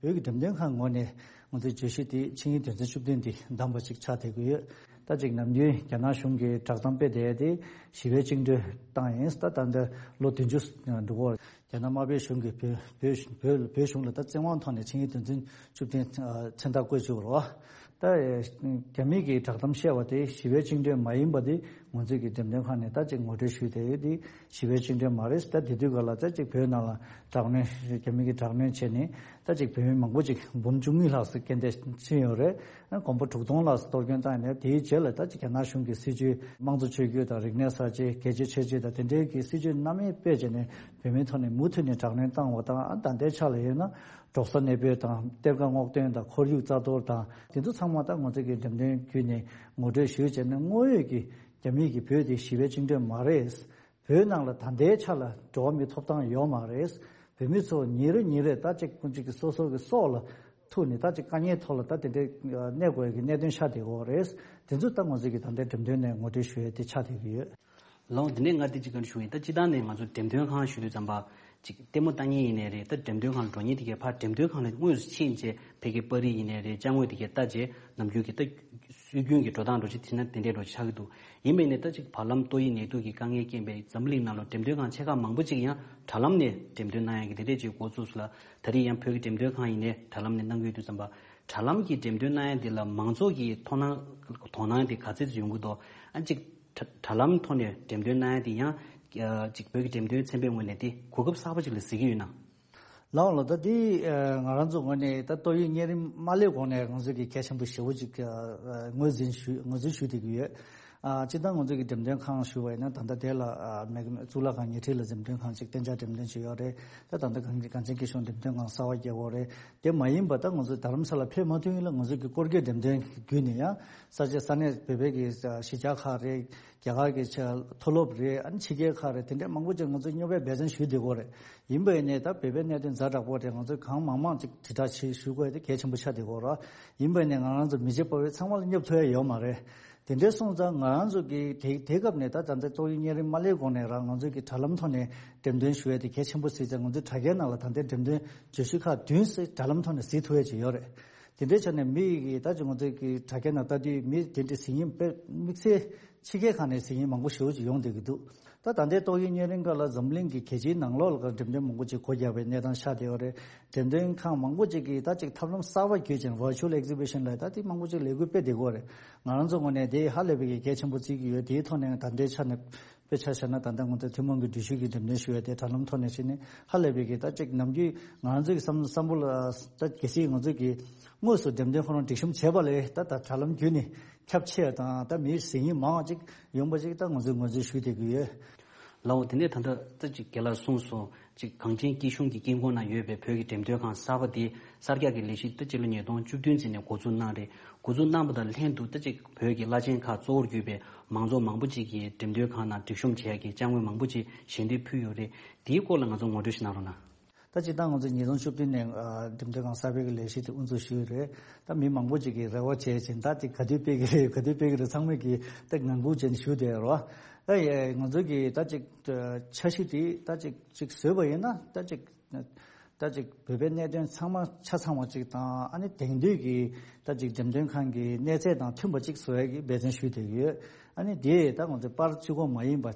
བོད་ཀྱི་འགྲེམས་སྟོན་ཁང་ངོས་ནས་ང་ཚོའི་བརྗོད་གཞི་དེ་ཆིངས་ཡིག་དོན་ཚན་བཅུ་བདུན་དེ་བདམས་པ་ཅིག་ཆགས་བསྡད་ཀྱི་ཡོད། ད་ཅིག་ནམ་རྒྱུན་རྒྱ་ནག་གཞུང་གིས་བསྒྲགས་གཏམ་སྤེལ་བསྡད་དེ་ཞི་བའི་བཅིངས་འགྲོལ་བཏང་ཡིན། ད་ད་ལྟ་ལོ་བདུན་ཅུ་འགྲོ་གི་ཡོད་རེད། རྒྱ་ནག་དམར་པོའི་གཞུང་གིས་བོད་བོད་བོད་བོད་གཞུང་ལ་ད་བཙན་དབང་ཐོག་ནས་ཆིངས་ཡིག་དོན་ཚན་བཅུ་བདུན་མཚན་རྟགས་བཀོད་བཅུག་པ་རེད་བ། ད་རྒྱ་མི་གིས་བསྒྲགས་གཏམ་བཤད་པ་དེ་ཞི་བའི་བཅིངས་འགྲོལ་མ་ཡིན་པ་དེ་ང་ཚོས་ཀྱི་འགྲེམས་སྟོན་ཁང་ནས་ད་ཅིག་ངོ་སྤྲོད་ཞུས་བསྡད་ཡོད་དེ། ཞི་བའི་བཅིངས་འགྲོལ་མ་རེད། ད་དེ་དུས་ག་ལ་ད་ཅིག་བོད་ནང་ལ་དྲག་གནོན་རྒྱ་མི་གིས་དྲག་གནོན་བྱས་ནས་ད་ཅིག་བོད་མི་མང་པོ་ཅིག་འབུམ་བཅུ་གཉིས་ལྷག་ཙམ་རྐྱེན་འདས་ཕྱིན་ཡོད་རེད། ཨ་གོང་པོ་དྲུག་སྟོང་ལྷག་ཙམ་གཏོར་སྐྱོན་བཏང་ཡོད་ནས་དེའི་རྗེས་ལ་ད་ཅིག་རྒྱ་ནག་གཞུང་གི་སྲིད་བྱུས་དམངས་གཙོ་ཆོས་བརྒྱུད་དང་རིག་གནས་གསར་བརྗེ་རྒྱལ་གཅེས་ཆོས་གཅེས་དང་དེ་འབྲེལ་གྱི་སྲིད་བྱུས་སྣ་མིན་སྤེལ་བྱས་ནས་བོད་མིའི་ཐོག་ནས་མུ་མཐུད་ནས་དྲག་གནོན་བཏང་བ་དང་། ཨ་ད་ལྟའི་ཆ་ལ་ཡིན་ན་འབྲོག་ས་གནས་སྤོས་དང་གཏེར་ཁ་སྔོག་འདོན་དང་ཁོར་ཡུག་རྩ་གཏོར་དང་དེ་ཚོ་ཚང་མ་ད་ང་ཚོ་གི་འགྲེམས་སྟོན་བརྒྱུད་ནས་ངོ་སྤྲོད་ཞུས་བྱས་ནས་དངོས་ཡོད་ཀྱི་རྒྱ་མིས་ཀྱི་བོད་དེ་ཞི་བའི་བཅིངས་འགྲོལ་མ་རེད། བོད་ནང་ལ་ད་ལྟའི་ཆ་ལ་འགྲོ་བ་མིའི་ཐོབ་ཐང་ཡོད་མ་རེད། བོད་མི་ཚོ་ཉིན་རེ་ཉིན་རེ་ད་ཅིག་ཀུན་གཅིག་གི་སོ་སོ་གི་སྲོག་ལ་ཐུག་ནས་ད་ཅིག་དཀའ་ངལ་ཐོག་ལ་ད་དེ་འདྲའི་གནས་དགོས་ཀྱི་གནད་དོན་ཆགས་བསྡད་ཡོད་རེད། དེ་ཚོ་ད་ང་ཚོ་གི་ད་ལྟའི་འགྲེམས་སྟོན་ནས་ངོ་སྤྲོད་ཞུ་ཡས་དེ་ཆགས་བསྡད་ཀྱི་ཡོད། ལགས་འོང་། དེ་ནས་ང་དེ་གཅིག་ག་རེ་ཞུ་ཡིན། ད་སྤྱིར་བཏང་ནས་ང་ཚོ་འགྲེམས་སྟོན་ཁང་ཞུ་དུས་ཙམ་པ་ཅིག་ལྟད་མོ་ལྟ་མཁན་ཡིན་ནའི་རེད། ད་འགྲེམས་སྟོན་ཁང་ལ་འགྲོ་མཁན་དེ་གས་ཕར་འགྲེམས་སྟོན་ཁང་ལ་དངོས་སུ་ཕྱིན་བྱས་ཕ་གིའི་པར་རིས་ཡིན་ནའི་རེད། ཅ་དངོས་དེ་གས་ལྟ་བྱས་ནམ་རྒྱུན་གྱི་ད་སྲོལ་རྒྱུན་གྱི་འགྲོ་སྟངས་འདྲ་ཅིག་བྱས་ན་དེ་འདྲའི་འདྲ་ཅིག་ཆགས་ཀྱི་འདུག་ཡིན་པས་ནས་ད་ཅིག་བར་ལམ་ཏོག་དབྱིབས་ནད་དུག་གི་དཀའ་ངལ་རྐྱེན་པས་འཛམ་གླིང་ནང་ལ་འགྲེམས་སྟོན་ཁང་ཆེ་ཁག་མང་པོ་ཅིག་ཡང་དྲ་ལམ་ནས་འགྲེམས་སྟོན་གནང་ཡག་གི་དེ་འདྲས་ཅིག་འགོ་བཙུགས་སོང་ལ། ད་རེས་ཡང་བོད་ཀྱི་འགྲེམས་སྟོན་ཁང་ཡིན་ནའི་དྲ་ལམ་ནས་གནང་གི་ཡོད་དུས་ཙམ་པ། དྲ་ལམ་གྱི་འགྲེམས་སྟོན་གནང་ཡག་དེ་ལ་མང་ཚོགས་ཀྱི་དོ་སྣང་དོ་སྣང་དེ་ག་ཚད་ཅིག་ཡོང་གི་འདུག་ཨ་ཅིག་དྲ་དྲ་ལམ་ཐོག་ནས་འགྲེམས་སྟོན་གནང་ཡག་དེ་ཡང་ཅིག་བོད་ཀྱི་འགྲེམས་སྟོན་ཚན་པའི་ངོས་ནས་དེ་གོ་སྐབས་གསར་པ་ཅིག་ལ་གཟིགས་ཀྱི་ཡོད་ན། ལགས་ལགས། ད་འདི་ང་རང་ཚོ་ངོས་ནས་ད་ཏོག་དབྱིབས་གཉན་རིམས་མ་སླེབས་གོང་ནས་ང་ཚོ་གི་གལ་ཆེན་པོ་ཞེ་པོ་ཅིག་ངོས་འཛིན་ཞུ་ངོས་འཛིན་ཞུ་བསྡད་ཀྱི་ཡོད། ཨ་སྤྱིར་བཏང་ང་ཚོ་གི་འགྲེམས་སྟོན་ཁང་ཞུ་བ་ཡིན་ན་ད་ལྟ་དེ་ལ་ཨ་མེག་གཙུག་ལག་ཁང་ཉེ་འཁྲིས་ལ་འགྲེམས་སྟོན་ཁང་ཅིག་གཏན་འཇགས་འགྲེམས་སྟོན་བྱས་ཡོད་རེད། ད་ད་ལྟ་གངས་གངས་ཅན་སྐྱིད་གཤོངས་འགྲེམས་སྟོན་ཁང་གསར་པ་བརྒྱབ་ཡོད་རེད། དེ་མ་ཡིན་པ་ད་ང་ཚོ་རྡ་རམ་ས་ལ་ཕེབས་མ་ཐུབ་ཡིན་ལ་ང་ཚོ་གི་སྐོར་སྐྱོད་འགྲེམས་སྟོན་བརྒྱུད་ནས་ཡང་ས་ཆ་ས་གནས་བོད་པའི་གི་གཞིས་ཆགས་ཁག་རེད། རྒྱ་གར་གྱི་ཆ་མཐོ་སློབ་རེད། ཨ་ནི་ཕྱི་རྒྱལ་ཁག་རེད། དེ་འདྲའི་མང་པོ་ཅིག་ང་ཚོས་སྨྱོ་བའི་འབད་བརྩོན་ཞུས་བསྡད་ཀྱི་ཡོད་རེད། ཡིན་པ་ཡིན་ནའི་ད་བོད་པའི་གནད་དོན་ཛ་དྲག་པོ་རེད། ང་ཚོས་གང་མང་མང་ཅིག་དྲིལ་བསྒྲགས་བྱེད་ཞུ་དགོས་དེ་གལ་ཆེན་པོ་ཆགས་བསྡད་ཀྱི་ཡོད་རེད། ཡིན་པ་ཡིན་ནའི་ང་རང་ཚོ་མི་རྗེ་པ་བས་ཚང་མ་ལ་སྙོབ་ཐུབ་ཡ་ཡོད་མ་རེད། དེ་འདྲའི་སོང་ཙང་ང་རང་ཚོ་གི་དེ་དེ་སྐབས་ནས་ད་ད་ལྟ་ཏོག་དབྱིབས་གཉན་རིམས་མ་སླེབས་གོང་ནས་རང་ང་ཚོ་གི་དྲ་ལམ་ཐོག་ནས་འགྲེམས་སྟོན་ཞུ་ཡ་དེ་གལ་ཆེན་པོ་གཟིགས་ཙང་ང་ཚོའི་དྲ་རྒྱའི་ནང་ལ་ད་ལྟའི་འགྲེམས་སྟོན་བརྗོད་གཞི་ཁག་བདུན་ཙམ་དྲ་ལམ་ཐོག་ནས་གཟིགས་ཐུབ་ཡ་ཅིག་ཡོད་རེད། དེ་འདྲའི་ཆ་ནས་མི་ཡི་གི་ད་ཅིག་ང་ཚོའི་གི་དྲ་རྒྱ་ནང་ལྟ་དུས་མི་དེ་འདྲའི་གཟིགས་མཁན་དཔེ་དམིགས་བསལ་ཕྱི་རྒྱལ་ཁག་ནས་གཟིགས་མཁན་མང་པོ་ཞེ་པོ་ཅིག་ཡོང་བསྡད་ཀྱི་འདུག་ད་ད་ལྟའི་ཏོག་དབྱིབས་གཉན་རིམས་སྐབས་ལ་འཛམ་གླིང་གི་གལ་ཆེའི་ནང་ལོགས་ལ་འགྲེམས་སྟོན་མང་པོ་ཅིག་སྒོ་བརྒྱབ་པའི་གནས་སྟངས་ཆགས་བསྡད་ཡོད་རེད། འགྲེམས་སྟོན་ཁང་མང་པོ་ཅིག་གིས་ད་ཅིག་ཐབས་ལམ་གསར་པ་བརྒྱུད་ཅིང་virtual exhibition་ལ་ད་དེ་མང་པོ་ཅིག་ལས་འགུལ་སྤེལ་བསྡད་ཀྱི་ཡོད་རེད། ང་རང་ཚོ་ངོས་ནས་དེ་ཧ་ལས་པའི་གི་གལ་ཆེན་པོ་བརྩི་གི་ཡོད། དེའི་ཐོག་ནས་ད་ལྟའི་ཆ་ནས་དཔེ་ཆ་བཞག་ན་ད་ལྟ་ང་ཚོ་ཐུན་མོང་གི་འགྲུལ་བཞུད་ཀྱི་འགྲེམས་སྟོན་ཞུ་ཡ་དེ་དྲ་ལམ་ཐོག་ནས་བྱས་ནས་ཧ་ལས་པའི་གི་ད་ཅིག་ནམ་རྒྱུན་ང་རང་ཚོ་གི་བསམ་བསམ་བློ་ལ་ད་གལ་སྲིད་ང་ཚོ་གི་དངོས་སུ་འགྲེམས་སྟོན་ཁོ་རང་སྒྲིག་གཤོམ་བྱས་པ་ལས་ད་ད་དྲ་ལམ་བརྒྱུད་ནས་ཁྱབ་ཆེ་དང་ད་མིའི་གཟིགས་མཁན་མང་བ་ཅིག་ཡོང་པ་ཅིག་ད་ང་ཚོས་ངོས་འཛིན་ཞུ་བསྡད་ཀྱི་ཡོད། ལགས་འོང་། དེ་ནས་ད་ལྟ་ད་ཅིག་རྒན་ལགས་གསུངས་སོང་། ཅིག་གངས་ཅན་སྐྱིད་གཤོངས་ཀྱི་དཀྱིལ་འཁོར་ན་ཡོད་པའི་བོད་ཀྱི་འགྲེམས་སྟོན་ཁང་གསར་པ་དེ་གསར་རྒྱག་གི་ལས་གཞི་ད་སྤྱི་ལོ་ཉིས་སྟོང་བཅུ་བདུན་ཙམ་ནས་འགོ་འཛུགས་གནང་རེད། འགོ་འཛུགས་གནང་པ་དང་ལྷན་དུ་ད་ཅིག་བོད་ཀྱི་བླ་ཆེན་ཁག་གཙོ་བོར་གྱུར་པའི་མང་ཚོགས་མང་པོ་ཅིག་གིས་འགྲེམས་སྟོན་ཁང་ནང་སྒྲིག་གཤོམ་བྱེད་ཡག་གི་ཅ་དངོས་མང་པོ་ཅིག་ཞལ་འདེབས་ཕུལ་ཡོད་རེད། དེའི་སྐོར་ལ་ང་ཚོ་ངོ་སྤྲོད་ཞིག་གནང་རོགས་གནང་། ད་སྤྱིར་བཏང་ང་ཚོ་ཉིས་སྟོང་བཅུ་བདུན་ནས་ཨ་འགྲེམས་སྟོན་ཁང་གསར་པའི་གི་ལས་གཞི་དེ་དབུ་འཛུགས་ཞུས་ཡོད་རེད། ད་མི་མང་པོ་ཅིག་གིས་རེ་བ་བྱས་ཅིང་ད་དེ་ག་དུས་སྤེལ་གི་རེད། ག་དུས་སྤེལ་གི་རེད། ཚང་མས་ཀྱིས་ད་ངང་སྒུག་བྱས་ནས་བཞུགས་བསྡད་ཡོད་རེད་བ། ད་ཡ་ང་ཚོ་གིས་ད་ཅིག་འཆར་གཞི་དེ་ད་ཅིག་ཅིག་བཟོས་པ་ཡིན་ན་ད་ཅིག་ད་ཅིག་བོད་པའི་གནད་དོན་ཚང་མ་ཆ་ཚང་བ་ཅིག་དང་། ཨ་ནི་དེང་དུས་ཀྱི་ད་ཅིག་འགྲེམས་སྟོན་ཁང་གི་གནས་ཚད་དང་མཐུན་པ་ཅིག་བཟོ་ཡ་གི་འབད་བརྩོན་ཞུས་བསྡད་ཀྱི་ཡོད། ཨ་ནི་དེ་ད་ང་ཚོ་པར་གཅིག་པོ་མ་ཡིན་པ།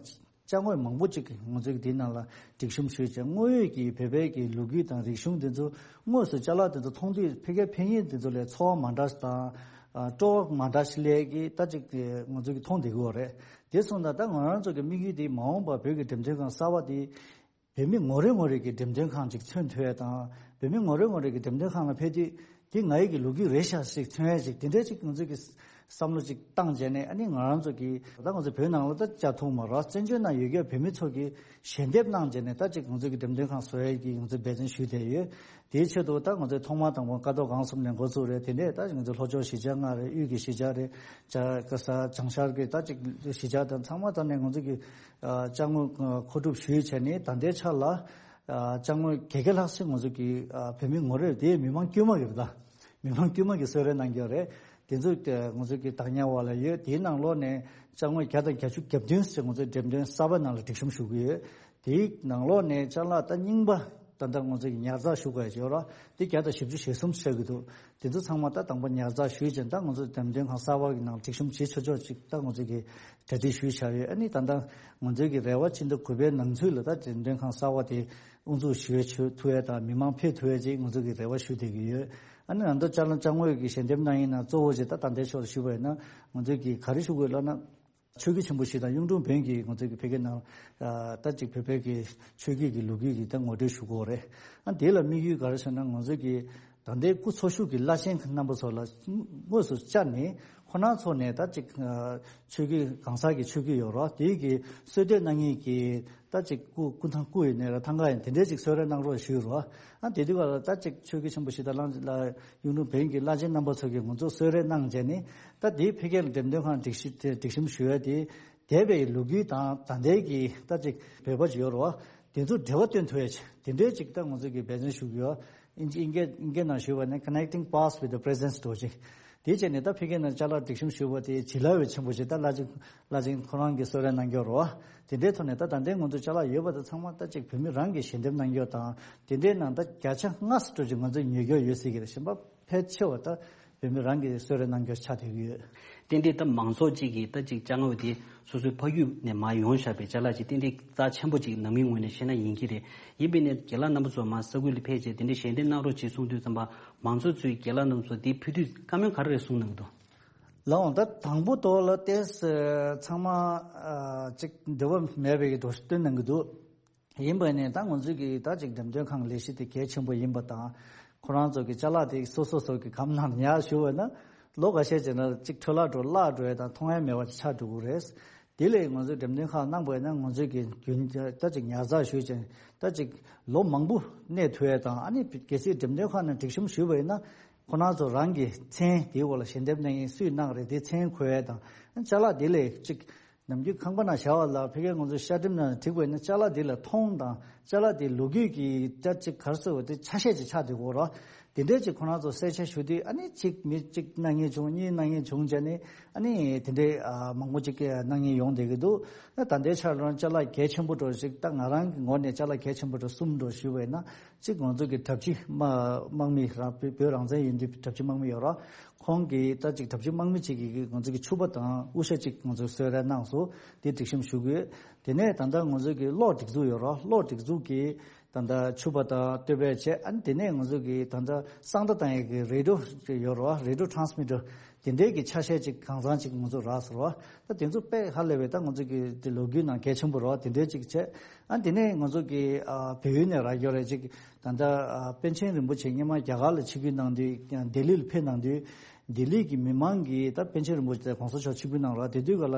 ཅ་དངོས་མང་པོ་ཅིག་ང་ཚོས་འདིའི་ནང་ལ་སྒྲིག་གཤོམ་ཞུས་བྱས། དངོས་ཡོད་ཀྱི་བོད་པའི་གི་ལོ་རྒྱུས་དང་རིག་གཞུང་དེ་ཚོ་དངོས་སུ་ཅ་ལག་དེ་ཚོ་མཐོང་དུས་ཕ་གིའི་ཕ་ཡུལ་དེ་ཚོ་ལས་ཚོར་བ་མ་འདྲ་ཞིག་དང་། ཨ་སྤྲོ་བ་མ་འདྲ་ཞིག་སླེབས་ཀྱི་ད་ཅིག་ང་ཚོས་ཀྱི་མཐོང་བསྡད་ཀྱི་ཡོད་རེད། དེ་སོང་ཙང་ད་ང་རང་ཚོ་གི་དམིགས་ཡུལ་དེ་མ་འོངས་པར་བོད་ཀྱི་འགྲེམས་སྟོན་ཁང་གསར་པ་དེ་བོད་མི་ངོ་རེ་ངོ་རེ་གི་འགྲེམས་སྟོན་ཁང་ཅིག་མཚོན་ཐུབ་ཡ་དང་། བོད་མི་ངོ་རེ་ངོ་རེ་གི་འགྲེམས་སྟོན་ཁང་ལ་ཕེབས་དུས་འདི་ང་ཡི་གི་ལོ་རྒྱུས་རེད་ཤག་ཅིག་མཚོན་ཡ་ཅིག་དེ་འདྲའི་ཅིག་ང་ཚོས་ཀྱི་ བསམ་བློ་ཅིག་བཏང་བྱས་ནས། ཨ་ནི་ང་རང་ཚོ་གི་ད་ང་ཚོ་བོད་ནང་ལ་ད་བཅར་ཐུབ་མ་རེད། བཙན་བྱོལ་ནང་ཡོད་མཁན་བོད་མི་ཚོ་གི་ཞལ་འདེབས་གནང་བྱས་ནས། ད་ཅིག་ང་ཚོ་གི་འགྲེམས་སྟོན་ཁང་བཟོ་ཡས་ཀྱི་ང་ཚོ་འབད་བརྩོན་ཞུས་བསྡད་ཡོད། དེའི་ཆེད་དུ་ད་ང་ཚོས་ཐོག་མ་དང་པོ་ཀ་རྡོར་སྒང་གསུམ་ནས་འགོ་བཙུགས་རེད། དེ་ནས་ད་ང་ཚོ་ལྷོ་ཕྱོགས་གཞིས་ཆགས་ལྔ་རེད། དབུས་ཀྱི་གཞིས་ཆགས་རེད། བྱ་ག་ས་བྱང་ཤར་གྱི་ད་ཅིག་གཞིས་ཆགས་དང་ཚང་མ་ད་ནས་ང་ཚོ་གི་ཨ་ཅ་དངོས་མཁོ་སྒྲུབ་ཞུས་བྱས་ནས། ད་ལྟའི་ཆ་ལ་ཨ་ཅ་དངོས་བརྒྱད་བརྒྱ་ལྷག་ཞིག་ང་ཚོ་གི་ཨ་བོད་མི་ངོ་རེར། དེ་མི་མང་དཀྱུས་མ་གི་རེད། ད་མི་མང་དཀྱུས་མ་གི་གསོལ་རས་གནང་གི་ཡོད་རེད། དེ་ཚོ་ང་ཚོ་གི་བདག་ཉར་འོག་ལ་ཡོད། དེའི་ནང་ལོགས་ནས་ཅ་དངོས་བརྒྱ་དང་བརྒྱད་ཅུ་གྱ་བདུན་ཞིག་ང་ཚོའི་འགྲེམས་སྟོན་གསར་པ་ནང་ལ་སྒྲིག་གཤོམ་ཞུ་གི་ཡོད། དེའི་ནང་ལོགས་ནས་ཅ་ལག་ད་རྙིང་པ་ད་ལྟ་ང་ཚོ་གི་ཉར་ཚགས་ཞུ་དགོས་ཡ་ཅིག་ཡོད་རེད། དེ་བརྒྱ་དང་བཞི་བཅུ་ཞེ་གསུམ་ཆགས་ཀྱི་འདུག། དེ་ཚོ་ཚང་མ་ད་དང་པོ་ཉར་ཚགས་ཞུས་བྱས། ད་ང་ཚོ་འགྲེམས་སྟོན་ཁང་གསར་པ་གི་ནང་སྒྲིག་གཤོམ་བྱེད་ཆོག་ཆོག་ཅིག་ད་ང་ཚོ་གི་གྲ་སྒྲིག་ཞུས་བཞག་ཡོད། ཨ་ནི་ད་ལྟ་ང་ཚོའི་གི་རེ་བ་ཕྱི་ཟླ་དགུ་པའི་ནང་ཚུད་ལ་ད་འགྲེམས་སྟོན་ཁང་གསར་པ་དེ་དབུ་འཛུགས་ཞུ་ཐུབ་ཡ་དང་། མི་མང་ཕེབས་ཐུབ་ཡ་ཅིག་ང་ཚོ་གི་རེ་བ་ཞུ་བསྡད་ཀྱི་ཡོད། ཨ་ནི་ད་ལྟ་ཅ་ལག་ཅ་དངོས་ཀྱི་ཞལ་འདེབས་གནང་མཁན་ནང་གཙོ་བོ་ཅིག་ད་ད་ལྟའི་ཆར་ཞུས་པ་ཡིན་ན། ང་ཚོས་ཀྱི་ག་རེ་ཞུ་དགོས་ལབ་ན། ཆོས་བརྒྱུད་ཆེན་པོ་བཞི་དང་གཡུང་དྲུང་བོན་གྱི་ང་ཚོའི་གི་ཕ་གི་ནང་ད་ཅིག་བོད་པའི་གི་ཆོས་བརྒྱུད་ཀྱི་ལོ་རྒྱུས་ཀྱི་ད་ངོ་སྤྲོད་ཞུ་དགོས་རེད། ཨ་དེ་ལ་དམིགས་ཡུལ་ག་རེ་ཟེར་ན། ང་ཚོའི་གི་ད་ལྟའི་སྐུ་འཚོ་བཞུགས་ཀྱི་བླ་ཆེན་རྣམ་པ་ཚོ་ལ་དངོས་སུ་བཅར་ནས། ཁོང་རྣམ་ཚོ་ནས་ད་ཅིག་ཆོས་བརྒྱུད་གང་ཟག་གི་ཆོས་བརྒྱུད་ཡོད་རེད། དེའི་གི་གསོལ་འདེབས་གནང་མཁན་གྱི་ད་ཅིག་སྐུ་སྐུ་ཐང་སྐུ་ཡིན་ནའི་ར་ཐང་ག་ཡིན། དེ་འདྲའི་ཅིག་གསོལ་རས་གནང་རོགས་ཞུས་རོགས། ཨ་དེ་དུས་ག་ལ་ད་ཅིག་ཆོས་བརྒྱུད་ཆེན་པོ་བཞི་དང་གླང་ལ་གཡུང་དྲུང་བོན་གྱི་བླ་ཆེན་རྣམ་པ་ཚོ་གིས་ང་ཚོ་གསོལ་རས་གནང་བྱས་ནས། ད་དེའི་ཕ་གིར་འགྲེམས་སྟོན་ཁང་སྒྲིག་གཞི་དེ་སྒྲིག་གཤོམ་ཞུ་ཡ་དེ། འདས་པའི་ལོ་རྒྱུས་དང་ད་ལྟའི་གི་ད་ཅིག་བོད་པ་ཅིག་ཡོད་རེད་བ། དེ་ཚོ་འབྲེལ་བ་སྟོན་ཐུབ་ཡ་ཅིག་དེ་འདྲའི་ཅིག་ད་ང་ཚོ་གི་འབད་བརྩོན་ཞུ་གི་ཡོད། ཨིན་ཇི་ཨིན་སྐད་ཨིན་སྐད་ནང་ཞུས་པ་ནི་Connecting Past with the Present འདྲ་ཅིག་དེ་བྱས་ནས་ད་ཕ་གི་ནང་ཅ་ལག་སྒྲིག་གཤོམ་ཞུས་པ་དེ་བྱིན་རླབས་ཆེན་པོ་ཞིག་ད་བླ་ཆེན་བླ་ཆེན་ཁོ་རང་གིས་གསོལ་རས་གནང་གི་ཡོད་རེད་བ། དེ་འདྲའི་ཐོག་ནས་ད་ད་ལྟའི་ང་ཚོ་ཅ་ལག་ཡོད་པ་དེ་ཚང་མ་ད་ཅིག་བོད་མི་རང་གིས་ཞལ་འདེབས་གནང་གི་ཡོད་དང་། དེ་འདྲའི་ནང་ད་བརྒྱ་ཆ་ལྔ་ཙམ་འདྲ་ཅིག་ང་ཚོས་ཉོ་གི་ཡོད་ཟེར་གི་རེད། གཞན་པ་ཕལ་ཆེ་བ་ད་བོད་མི་རང་གིས་གསོལ་རས་གནང་རྒྱུ་ཆགས་བསྡད་ཀྱི་ཡོད། ཏན་ཏན་ད་མང་ཚོགས་གཅིག་གིས་ད་ཅིག་ཅ་དངོས་དེ་སོ་སོའི་ཕ་རྒྱུད་ནས་མར་ཡོང་བཞག་པའི་ཅ་ལག་ཅིག་ཏན་ཏན་རྩ་ཆེན་པོ་ཅིག་ནང་མིའི་ངོས་ནས་བཤད་ན་ཡིན་གྱི་རེད། ཡིན་པས་ན་རྒན་ལགས་རྣམ་པ་ཚོ་མར་ས་ཁུལ་ལ་ཕེབས་བྱས་དེ་འདྲའི་ཞལ་འདེབས་གནང་རོགས་བྱེད་གསུངས་དུས་ཙམ་པ། མང་ཚོགས་ཚོས་རྒན་ལགས་རྣམ་པ་ཚོ་དེ་ཕུལ་དུས་བཀའ་མོལ་ག་རེ་རེ་གསུངས་གནང་གི་འདུག། ལགས་འོང་། ད་དང་པོ་ཐོག་ལ་ཏོག་ཙམ་ཚང་མ་ཨ་ཅིག་འདོད་པ་མེད་པའི་འགྲོ་སྟོན་གནང་གི་འདུག། ཡིན་པ་ནས་ད་ང་ཚོས་ཀྱི་ད་ཅིག་འགྲེམས་སྟོན་ཁང་ལས་གཞི་དེ་གལ་ཆེན་པོ་ཡིན་པ་དང་། ཁོ་རང་ཚོ་གི་ཅ་ལག་དེ་སོ་སོ་སོ་གི་གམ་ནང་ཉར་བཞུགས་པ་ན། ལོ་འགའ་ཤས་རྗེས་ན་ཅིག་འཕྲོ་བརླག་འགྲོ་ཡ་དང་མཐོང་ཡ་མེད་པ་ཆགས་འགྲོ་གི་རེད། དེ་ལས་ང་ཚོས་འགྲེམས་སྟོན་ཁང་གནང་པ་ཡིན་ན། ང་ཚོས་ཀྱི་རྒྱུན་ད་ཅིག་ཉར་ཚགས་ཞུས་ཅིང་ད་ཅིག་ལོ་མང་པོ་གནས་ཐུབ་ཡ་དང་། ཨ་ནི་གལ་སྲིད་འགྲེམས་སྟོན་ཁང་ནང་སྒྲིག་གཤོམ་ཞུས་པ་ཡིན་ན། ཁོ་རང་ཚོ་རང་གི་མཚན་དེའི་འོག་ལ་ཞལ་འདེབས་གནང་མཁན་སུས་གནང་རེད། དེ་མཚན་འཁོད་ཡ་དང་། ཅ་ལག་དེ་ལས་ཅིག་ནམ་རྒྱུན་ཁང་པ་ནང་བཞག་པ་ལ་ཕ་གིར་ང་ཚོ་ཤ་ཁྲིམས་ནང་བསྒྲིགས་པ་ཡིན་ན། ཅ་ལག་དེ་ལ་མཐོང་དང་། ཅ་ལག་དེ་ལོ་རྒྱུས་ཀྱི་ད་ཅིག་ག་རེ་ཟེར་བ་དེ་ཆ་ཤས་ཅིག་ཆགས་བསྡད་ཀྱི་ཡོད་རེད། དེ་འདྲས་ཅིག་ཁོ་རང་ཚོ་གསལ་ཆ་ཞུ་དུས། ཨ་ནི་གཅིག་མི་གཅིག་གནང་མཁན་བྱུང་། གཉིས་གནང་མཁན་བྱུང་བྱས་ནས། ཨ་ནི་དེ་འདྲས་ཨ་མང་པོ་ཅིག་གནང་མཁན་ཡོང་བསྡད་ཀྱི་འདུག། ད་ལྟའི་ཆར་ལ་ཅ་ལག་གལ་ཆེན་པོ་འདྲ་ཞིག་ད་ང་རང་གི་ངོས་ནས་ཅ་ལག་གལ་ཆེན་པོ་འདྲ་གསུམ་འདྲ་ཞུས་པ་ཡིན་ན། གཅིག་ང་ཚོ་གི་གྲྭ་བཞི་དམག་དམག་མི་རང་བོད་བོད་རང་བཙན་ཡིན་དུས་གྲྭ་བཞི་དམག་མི་ཡོད་རེད། ཁོང་གིས་ད་ཅིག་གྲྭ་བཞི་དམག་མི་གཅིག་གིས་ང་ཚོ་གི་ཕྱུ་པ་དང་དབུ་ཞྭ་གཅིག་ང་ཚོ་གསོལ་རས་གནང་སོང་། དེ་སྒྲིག་གཤོམ་ཞུ་དགོས། དེ་ནས་ད་ལྟ་ང་ཚོ་གི་གློག་སྒྲིག་འཛུགས་ཡོད་རེད། གློག་སྒྲིག་འཛུགས་ཀྱིས་ད་ལྟ་ཕྱུ་པ་དང་སྟོད་པ་བྱས། ཨ་ནི་དེ་ནས་ང་ཚོ་གི་ད་ལྟ་གསང་བརྡ་བཏང་ཡས་ཀྱི་རེ་ཌི་ཡོ་ཡོད་རེད། རེ་ཌི་ཡོ་ཊ་རན་སི་མི་ཊར་དེ་འདྲས་ཀྱི་ཆ་ཤས་ཅིག་གང་ཚང་ཅིག་ང་ཚོ་རག་སོང་རེད། ད་དེ་ཚོ་དཔེ་ཧ་ལས་པའི་ད་ང་ཚོ་གི་དེ་ལོ་རྒྱུས་ནང་གལ་ཆེན་པོ་རེད། དེ་འདྲས་ཅིག་བྱས། ཨ་དེ་ནས་ང་ཚོ་གི་ཨ་བལ་ཡུལ་ནས་རག་ཡོད་རེད། ཅིག་ད་ལྟ་ཨ་པཎ་ཆེན་རིན་པོ་ཆེ་སྔོན་མ་རྒྱ་གར་ལ་ཆིབས་བསྒྱུར་གནང་དུས། ལྡི་ལི་ལ་ཕེབས་གནང་དུས། ལྡི་ལི་གི་མི་མང་གིས་ད་པཎ་ཆེན་རིན་པོ་ཆེ་གོང་ས་མཆོག་ཆིབས་བསྒྱུར་གནང་རེད། དེ་དུས་ག་ལ་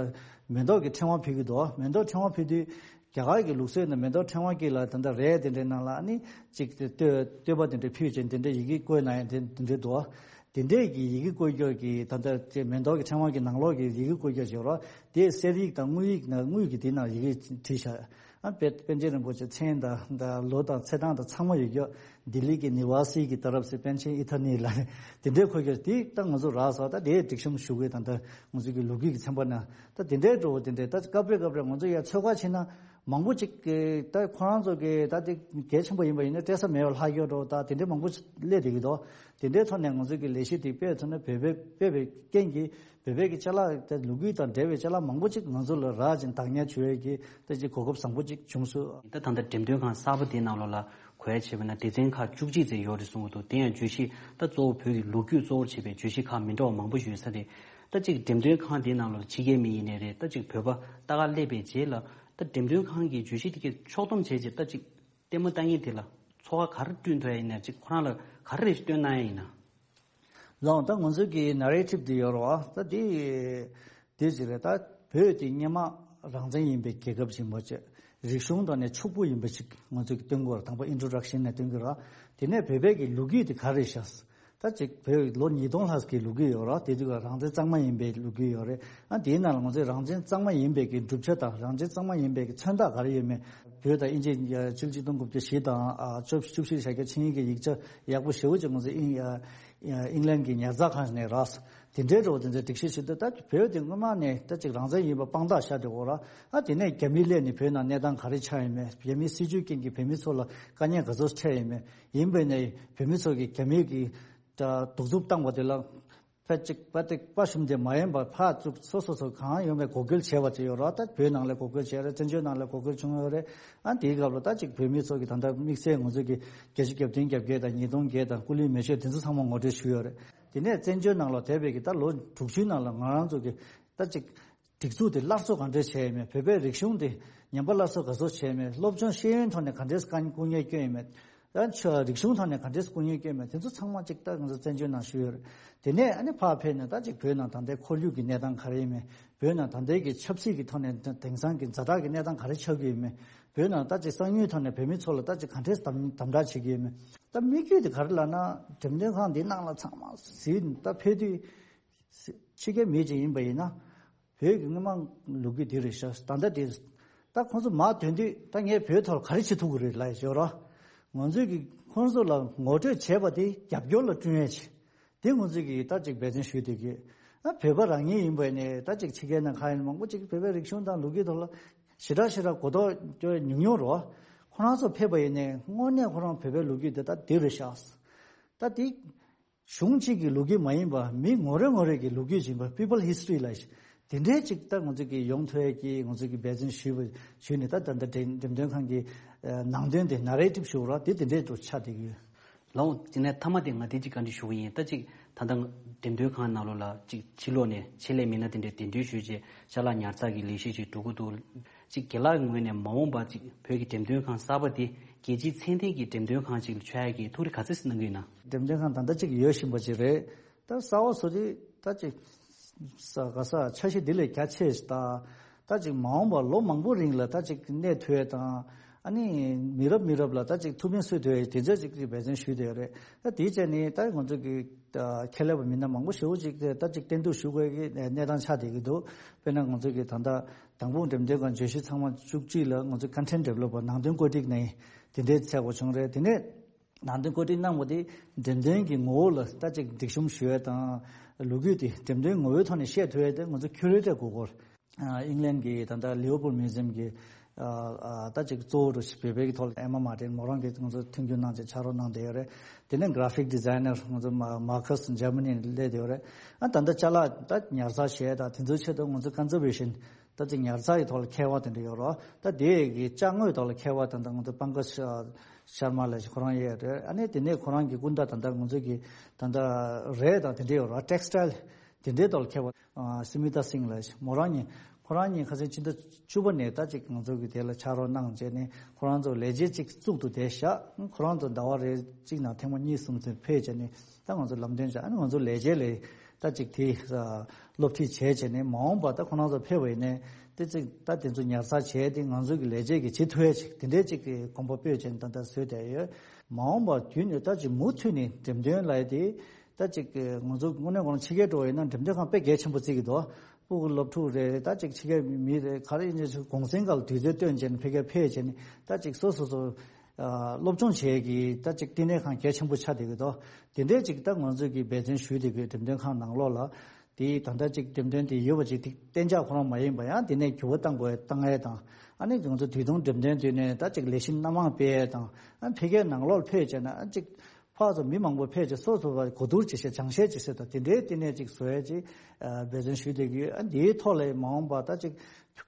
མེ་ཏོག་གི་ཕྲེང་བ་ཕུལ་གྱི་འདུག། མེ་ཏོག་ཕྲེང་བ་ཕུལ་དུས། རྒྱ་གར་གྱི་ལུགས་སྲོལ་ནང་མེ་ཏོག་ཕྲེང་བ་དཀྱིལ་ལ་ད་ལྟ་རས་དེ་འདྲའི་ནང་ལ། ཨ་ནི་གཅིག་དེ་བསྟོད་བསྟོད་པ་དེ་འདྲ་ཕུལ་ཅིང་དེ་འདྲའི་ཡི་གེ་བཀོད་གནང་ཡ་དེ་དེ་འདྲའི་འདུག། དེ་འདྲའི་གི་ཡི་གེ་བཀོད་རྒྱུ་གི་ད་ལྟ་དེ་མེ་ཏོག་གི་ཕྲེང་བ་གི་ནང་ལོགས་ཀྱི་ཡི་གེ་བཀོད་རྒྱུ་བྱེད་རོགས། དེ་གསེར་ཡིག་དང་དངུལ་ཡིག་ནང་དངུལ་གྱི་དེ་ནང་ཡི་གེ་བྲིས་བཞག། ཨ་པཎ་པཎ་ཆེན་རིན་པོ་ཆེ་མཚན་དང་དང་ལོ་དང་ཚེས་གྲངས་དང་ཚང་མ་ཡོད་རྒྱུ། ལྡི་ལི་གི་ནི་ཝ་སི་གི་ཏ་རབ་སེ་པཎ་ཆེན་ཨི་ཐ་ནི་ལ་དེ་འདྲའི་འཁོད་རྒྱུ་དེ་ད་ང་ཚོ་རག་སོང་། ད་དེ་སྒྲིག་གཤོམ་ཞུ་དགོས། ད་ལྟ་ང་ཚོ་གི་ལོ་རྒྱུས་ཀྱི་ཚན་པ་ནང་ད་དེ་འདྲའི་འགྲོ་བ་དེ་འདྲའི། ད་སྐབས་རེ་སྐབས་རེ་ང་ཚོ་ཡར་ཚོད་དཔག་བྱས་ན། མང་པོ་ཅིག་གིས་ད་ཁོ་རང་ཚོ་གི་ད་དེ་གལ་ཆེན་པོ་ཡིན་པ་ཡིན་ན་སྤྲད་ས་མེད་པ་ལྷག་ཡོད་འགྲོ། ད་དེ་འདྲའི་མང་པོ་སླེབས་བསྡད་ཀྱི་འདུག། དེ་འདྲའི་ཐོག་ནས་ང་ཚོ་གི་ལས་གཞི་དེ་སྤེལ་ཐུབ་ན། བོད་པའི་སྤེལ་བའི་རྐྱེན་གྱིས་བོད་པའི་གི་ཅ་ལག་ད་ལོ་རྒྱུས་དང་འབྲེལ་བའི་ཅ་ལག་མང་པོ་ཅིག་ང་ཚོ་ལ་རག་ཅིང་བདག་ཉར་བྱེད་ཡས་ཀྱི་ད་ཅིག་གོ་སྐབས་བཟང་པོ་ཅིག་བྱུང་སོང་། ད་ད་ལྟ་འགྲེམས་སྟོན་ཁང་གསར་པ་དེའི་ནང་ལོགས་ལ་གོ་ཡ་བྱས་པ་ན། སྡེ་ཚན་ཁག་བཅུ་གཅིག་ཙམ་ཡོད་རེད་གསུང་གི་འདུག། དེ་ཡང་བརྗོད་གཞི་ད་གཙོ་བོ་བོད་ཀྱི་ལོ་རྒྱུས་གཙོ་བོར་བྱས་པའི་བརྗོད་གཞི་ཁག་མི་འདྲ་བ་མང་པོ་ཡོད་ས་རེད། ད་ཅིག་འགྲེམས་སྟོན་ཁང་དེའི་ནང་ལོགས་ཕྱི་རྒྱལ་མི་ཡིན་ནའི་རེད། ད་ཅིག་བོད་པ་ལྟ་ག་སླེབས་པའི་རྗེས་ལ། ད་འགྲེམས་སྟོན་ཁང་གི་བརྗོད་གཞི་དེ་གའི་ཕྱོགས་བསྡོམས་བྱས་རྗེས། ད་ཅིག་ལྟད་མོ་ལྟ་མཁན་དེ་ལ་ཚོར་བ་ག་རེ་བསྐྲུན་ཐུབ་ཡ་ཡིན་ན། ཅིག་ཁོ་རང་ལ་ག་རེ་རེ་ཞིག་སྟོན་གནང་ཡ་ཡིན་ན། ལགས། ད་ང་ཚོའི་གི་ནེ་རེ་ཊིབ་འདི་ཡོད་རེད་བ། ད་འདི་འདི་ཅིག་རེད། ད་བོད་དེ་སྔོན་མ་རང་བཙན་ཡིན་པའི་རྒྱལ་ཁབ་ཅིག་མ་བྱས། རིག་གཞུང་དང་ནས་ཕྱུག་པོ་ཡིན་པ་ཅིག་ང་ཚོས་ཀྱི་སྟོན་དགོས་རེད། དང་པོ་ཨིན་ཊྲོ་ཌག་ཤན་ནས་སྟོན་གྱི་རེད། དེ་ནས་བོད་པའི་གི་ལོ་རྒྱུས་དེ་ག་རེ་བཞག་ད་ཅིག་བོད་ལོ་ཉིས་སྟོང་ལྷག་གི་ལོ་རྒྱུས་ཡོད་རེད། དེ་དུས་ཀ་རང་བཙན་གཙང་མ་ཡིན་པའི་ལོ་རྒྱུས་ཡོད་རེད། ཨ་དེའི་ནང་ལ་ང་ཚོས་རང་བཙན་གཙང་མ་ཡིན་པའི་གི་གྲུབ་ཆ་དང་རང་བཙན་གཙང་མ་ཡིན་པའི་གི་མཚོན་རྟགས་ག་རེ་ཡོད་མེད། བོད་དང་དབྱིན་ཇི་ཕྱི་ལོ་ཆིག་སྟོང་དགུ་བརྒྱ་བཞི་དང་ཨ་བཅུ་བཞི་བཅུ་བཞི་ལ་བཞག་རྒྱ་ཆིངས་ཡིག་གི་ཡིག་ཆ་ཡག་པོ་ཞེ་པོ་ཅིག་ང་ཚོས་ཨིན་ཨ་ཨིང་ལན་གྱི་ཉར་ཚགས་ཁང་ནས་རག་དེ་འདྲའི་འགྲོ་བ་དེ་ཚོའི་སྒྲིག་གཞི་ཞིག་འདུག་ད་བོད་དེ་སྔོན་མ་ནས་ད་ཅིག་རང་བཙན་ཡིན་པ་དཔང་རྟགས་བཞག་བསྡད་ཡོད་རེད། ཨ་དེ་ནས་རྒྱ་མི་སླེབས་ནས་བོད་ནང་གནས་སྟངས་ག་རེ་ཆགས་ཡོད་མེད། རྒྱ་མིའི་སྲིད་ཇུས་རྐྱེན་གྱིས་བོད་མི་ཚོ་ལ་དཀའ་ངལ་ག་ཚོད་འཕྲད་ཡོད་མེད། ཡིན་པས་ན་བོད་མི་ཚོ་གིས་རྒྱ་མི་གི་ད་གདུག་རྩུབ་བཏང་བ་དེ་ལ་ཕལ་ཅིག་པ་ཏིག་པ་ཞུམ་དེ་མ་ཡིན་པར་ཕར་ཚུར་སོ་སོ་སོ་གང་ཡོང་བའི་འགོག་རྒོལ་བྱས་པ་ཅིག་ཡོད་རེད། ད་བོད་ནང་ལ་འགོག་རྒོལ་བྱས་རེད། བཙན་བྱོལ་ནང་ལ་འགོག་རྒོལ་བྱུང་ཡོད་རེད། ཨ་དེའི་སྐབས་ལ་ད་ཅིག་བོད་མི་ཚོ་གི་ད་ལྟ་དམིགས་བསལ་ང་ཚོ་གི་བརྒྱད་ཅུ་གྱ་བདུན་གྱ་བརྒྱད་དང་ཉིས་སྟོང་བརྒྱད་དང་སྐུ་ལུས་མེ་མཆོད་དེ་ཚོ་ཚང་མ་ངོ་སྤྲོད་ཞུས་ཡོད་རེད། དེ་ནས་བཙན་བྱོལ་ནང་ལ་བསྡད་པའི་གི་ད་ལོ་དྲུག་ཅུའི་ནང་ལ་ང་རང་ཚོ་གི་ད་ཅིག་སྒྲིག་འཛུགས་དེ་སླར་གསོ་གང་འདྲས་བྱས་ཡོད་མེད། བོད་པའི་རིག་གཞུང་དེ་ཉམས་པ་སླར་གསོ་ག་ཚོད་བྱས་ཡོད་མེད། སློབ་སྦྱོང་ཤེས་ཡོན་ཐོག་ནས་ག་འདྲས་དཀའ་སྐུ་ངལ་བསྐྱོན་ཡོད་མེད། ད་ཆོས་རིག་གཞུང་ཐོག་ནས་ག་འདྲས་སྐུ་ངལ་བསྐྱོན་ཡོད་མེད། དེ་ཚོ་ཚང་མ་ཅིག་ད་ང་ཚོ་བཙན་བྱོལ་ནང་ཞུས་ཡོད་རེད། དེ་ནས་ཨ་ནི་ཕར་ཕེབས་ནས་ད་ཅིག་བོད་ནང་ད་ལྟའི་ཁོར་ཡུག་གི་གནས་སྟངས་ག་རེ་ཡིན་མེད། བོད་ནང་ད་ལྟའི་གི་ཆབ་སྲིད་ཀྱི་ཐོག་ནས་དེང་སང་གི་ཛ་དྲག་གི་གནས་སྟངས་ག་རེ་ཆགས་ཀྱི་ཡོད་མེད། བོད་ནང་ད་ཅིག་གསང་མྱུལ་ཐོག་ནས་བོད་མི་ཚོ་ལ་ད་ཅིག་ག་འདྲས་དམ་དམ་དྲག་བྱེད་ཀྱི་ཡོད་མེད། ད་དམིགས་ཡུལ་དེ་ག་རེ་ལབ་ན་འགྲེམས་སྟོན་ཁང་འདི་ནང་ལ་ཚང་མ་གཟིགས་ད་ཕེབས་དུས། ཕྱི་རྒྱལ་མི་ཅིག་ཡིན་པ་ཡིན་ན། བོད་ཀྱི་སྔོན་མ་ལོ་རྒྱུས་འདི་རེད་ཤག་ད་ལྟ་དེ། ད་ཁོང་ཚོ་མར་ཐོན་དུས་ད་ངས་བོད་ཐོག་ག་རེ་བྱེད་ཐུབ་ཀྱི་རེད་ལབ་ཡོད་རོ། ང་ཚོས་ཀྱི་ཁོང་ཚོ་ལ་ངོ་སྤྲོད་བྱས་པ་དེ་རྒྱབ་སྐྱོར་ལ་བསྐྲུན་ཡས་བྱས། དེ་ང་ཚོས་ཀྱི་ད་ཅིག་འབད་བརྩོན་ཞུས་བསྡད་ཀྱི། ཨ་བོད་པ་རང་ཉིད་ཡིན་པ་ཡིན་ནའི་ད་ཅིག་ཕྱི་རྒྱལ་ནང་ཁ་ཡིན་མང་པོ་ཅིག་བོད་པའི་རིག་གཞུང་དང་ལོ་རྒྱུས་ཐོག་ལ་ཞེ་དྲག་ཞེ་དྲག་གོ་རྟོགས་ཉུང་ཉུང་རོ། ཁོ་རང་ཚོ་ཕེབས་པ་ཡིན་ནའི་དངོས་གནས་ཁོ་རང་བོད་པའི་ལོ་རྒྱུས་དེ་ད་འདི་རེད་ཤག་ད་དེ། གཞུང་གཅིག་གི་ལོ་རྒྱུས་མ་ཡིན་པ་མི་ངོ་རེ་ངོ་རེ་གི་ལོ་རྒྱུས་ཡིན་པ། People History ལ་དེ་འདྲའི་ཅིག་ད་ང་ཚོ་གི་ཡོང་ཐུབ་ཡས་ཀྱི་ང་ཚོ་གི་འབད་བརྩོན་ཞུས་པ་ཞུས་ནས། ད་ད་ལྟ་འགྲེམས་སྟོན་ཁང་གི་ནང་དོན་དེ་ནེ་རེ་ཊིབ་ཞུ་ར་དེ་དེ་འདྲའི་འགྲོ་ཆགས་བསྡད་ཀྱི་ཡོད། ལགས། དེ་ནས་མཐའ་མ་དེ་ང་དེ་ཅིག་བཀའ་འདྲི་ཞུ་གི་ཡིན། ད་ཅིག་ད་ལྟ་འགྲེམས་སྟོན་ཁང་ནང་ལོགས་ལ་ཅིག་ཕྱི་ལོགས་ནས་ཆེད་ལས་མི་སྣ་དེ་འདྲས་གདན་འདྲེན་ཞུས་རྗེས་ཅ་ལག་ཉར་ཚགས་ཀྱི་ལས་གཞི་ཅིག་འགྲོ་གི་འདུག་ཅིག་རྒན་ལགས་ངོས་ནས་མ་འོངས་པ་ཅིག་བོད་ཀྱི་འགྲེམས་སྟོན་ཁང་གསར་པ་འདི་རྒྱལ་སྤྱིའི་ཚད་ལྡན་གྱི་འགྲེམས་སྟོན་ཁང་ཅིག་ལ་འཆར་ཡག་གི་ཐུགས་རེ་ག་ཚོད་ཅིག་གནང་གི་ཡོད་ན། འགྲེམས་སྟོན་ཁང་ད་ལྟ་ཅིག་ཡོད་བཞིན་པ་ཅིག་རེད། ད་གསར་པ་བཟོ་དུས་ད་ཅིག་ས་ག་ས་འཆར་གཞི་འདི་ལས་རྒྱ་ཆེ་ཞིག་དང་། ད་ཅིག་མ་འོངས་པར་ལོ་མང་པོ་རིང་ལ་ད་ཅིག་གནས་ཐུབ་ཡས་དང་། ཨ་ནི་མི་རབས་མི་རབས་ལ་ད་ཅིག་ཐུགས་ཕན་གསོས་ཐུབ་ཡས་དེ་ཚོ་ཅིག་འབད་བརྩོན་ཞུས་བསྡད་ཡོད་རེད། ད་དེའི་ཆ་ནས་ད་ང་ཚོ་གི་ཁྱད་ལས་པ་མི་སྣ་མང་པོ་ཞེ་པོ་ཅིག་ད་ཅིག་བསྟན་གཏུག་ཞུ་དགོས་ཀྱི་གནས་སྟངས་ཆགས་བསྡད་ཀྱི་འདུག་དཔེར་ན་ང་ཚོ་གི་ད་ལྟ་དང་པོ་འགྲེམས་སྟོན་ཁང་བརྗོད་གཞི་ཚང་མ་བཅུ་གཅིག་ལ་ང་ཚོ་Content Developer ནང་དོན་བཀོད་སྒྲིག་ནས་དེ་འདྲའི་བྱས་པ་བྱུང་རེད། དེ་ནས་ནང་དོན་བཀོད་སྒྲིག་གནང་བ་དེ་འགྲེམས་སྟོན་གྱི་ངོ་བོ་ལ་ད་ཅིག་སྒྲིག་གཤོམ་ཞུ་ཡས་དང་། ལོ་རྒྱུས་དེ་འགྲེམས་སྟོན་ངོ་བོའི་ཐོག་ནས་བཤད་ཐུབ་ཡས་དེ་ང་ཚོ་ཁྱུ་རེ་ཊར་དགོས་སྐོར། ཨིང་ལན་གྱི་ད་ལྟ་ལིའོ་པོལ་མིའུ་ཛིམ་གྱི་ད་ཅིག་གཙོ་བོ་རུ་བོད་པའི་གི་ཐོག་ལ་ཨེ་མ་མར་ཏིན་མོ་རང་གིས་ང་ཚོ་མཐུན་འགྱུར་གནང་བྱས་ཕྱག་རོགས་གནང་བསྡད་ཡོད་རེད། དེ་ནས་Graphic Designer ང་ཚོ་མ་མར་ཁ་སི་འཇར་མ་ནི་ནས་སླེབས་བསྡད་ཡོད་རེད། ཨ་ད་ལྟ་ཅ་ལག་ད་ཉར་ཚགས་བྱས་ད་དེ་ཚོའི་ཆེད་དུ་ང་ཚོ་Conservation ད་ཅིག་ཉར་ཚགས་ཀྱི་ཐོག་ལ་མཁས་པ་དེ་འདྲ་ཡོད་རེད། ད་དེ་གི་ཅ་དངོས་ཐོག་ལ་མཁས་པ་ད་ལྟ་ང་ཚོ་པང་ཀ་ཤར་མ་ལ་ཞིག་ཁོ་རང་ཡོད་རེད། ཨ་ནི་དེ་ནས་ཁོ་རང་གི་སྐུ་ཟླ་ད་ལྟ་ང་ཚོ་གི་ད་ལྟ་རས་དང་དེ་འདྲ་ཡོད་རེད། Textile དེ་འདྲའི་ཐོག་ལ་མཁས་པ་སི་མི་ཏཱ་སིང་ལ་ཞིག་མོ་རང་གཉིས་ཁོ་རང་གཉིས་ཁ་སང་ཕྱི་ཟླ་བཅུ་པ་ནས་ད་ཅིག་ང་ཚོ་གི་དེ་ལ་ཕྱག་རོགས་གནང་བྱས་ནས་ཁོ་རང་ཚོ་ལས་བྱེད་ཅིག་བཙུགས་འདུག་དེ་བཞག་ཁོ་རང་ཚོ་ཟླ་བ་རེ་གཅིག་ནང་ཐེངས་མ་གཉིས་གསུམ་ཙམ་ཕེབས་བྱས་ནས་ད་ང་ཚོ་ལམ་སྟོན་བྱས། ཨ་ནི་ང་ཚོ་ལས་བྱེད་ལས་ད་ཅིག་དེ་སློབ་ཁྲིད་བྱས་བྱས་ནས་མ་འོངས་པ་ད་ཁོ་རང་ཚོ་ཕེབས་པ་ཡིན་ནའི་དེ་ཅིག་ད་དེ་ཚོ་ཉར་ཚགས་བྱས་ཏེ་ང་ཚོ་གི་ལས་བྱེད་ཀྱི་བྱེད་ཐུབ་ཡས་ཅིག་དེ་འདྲའི་ཅིག་གི་གོམ་པ་སྤོས་བྱས་ནས་ད་ལྟ་བཟོས་བསྡད་ཡོད། མ་འོངས་པ་རྒྱུན་ནས་ད་ཅིག་མུ་མཐུད་ནས་འགྲེམས་སྟོན་ལབ་ཡས་དེ་ད་ཅིག་ང་ཚོ་དངོས་གནས་ཁོ་རང་ཕྱི་རྒྱལ་འགྲོ་བ་ཡིན་ན་འགྲེམས་སྟོན་ཁང་དཔེ་གལ་ཆེན་པོ་བརྩི་གི་འདུག་སྤུ་གུ་སློབ་ཕྲུག་རེད། ད་ཅིག་ཕྱི་རྒྱལ་མི་རེད། ག་རེ་ཡིན་ནའི་གུང་སེང་སྐབས་ལ་དུས་ཚོད་བཏོན་བྱས་ནས་ཕ་གིར་ཕེབས་བྱས་ནས་ད་ཅིག་སོ་སོ་སོ་སློབ་སྦྱོང་བྱེད་ཀྱི་ད་ཅིག་བསྟི་གནས་ཁང་གལ་ཆེན་པོ་ཆགས་བསྡད་ཀྱི་འདུག་དེ་འདྲའི་ཅིག་ད་ང་ཚོས་ཀྱི་འབད་བརྩོན་ཞུས་བསྡད་ཀྱི་འགྲེམས་སྟོན་ཁང་ནང་ལོགས་ལ་དེ་ད་ལྟ་ཅིག་འགྲེམས་སྟོན་དེ་ཡོད་པ་ཅིག་དེ་གཏན་འཇགས་ཁོ་རང་མ་ཡིན་པ་ཡང་དེ་ནས་འགྱུར་བ་གཏང་དགོས་གཏང་ཡས་དང་། ཨ་ནི་ང་ཚོ་དུས་ཐུང་འགྲེམས་སྟོན་དུས་ནས་ད་ཅིག་ལས་གཞི་སྣ་མང་སྤེལ་ཡས་དང་། ཨ་ཕ་གིའི་ནང་ལོགས་ཕེབས་བྱས་ན་ཨ་ཅིག་ཕར་ཚུར་མི་མང་པོ་ཕེབས་བྱས་སོ་སོ་བ་གོ་བསྡུར་བྱེད་ཤེས་སྦྱང་ཤེས་བྱེད་ཤེས་དང་དེ་འདྲའི་བསྟི་གནས་ཅིག་བཟོ་ཡས་ཅིག་འབད་བརྩོན་ཞུས་བསྡད་ཀྱི་ཡོད། ཨ་འདིའི་ཐོག་ལ་མ་འོངས་པ་ད་ཅིག་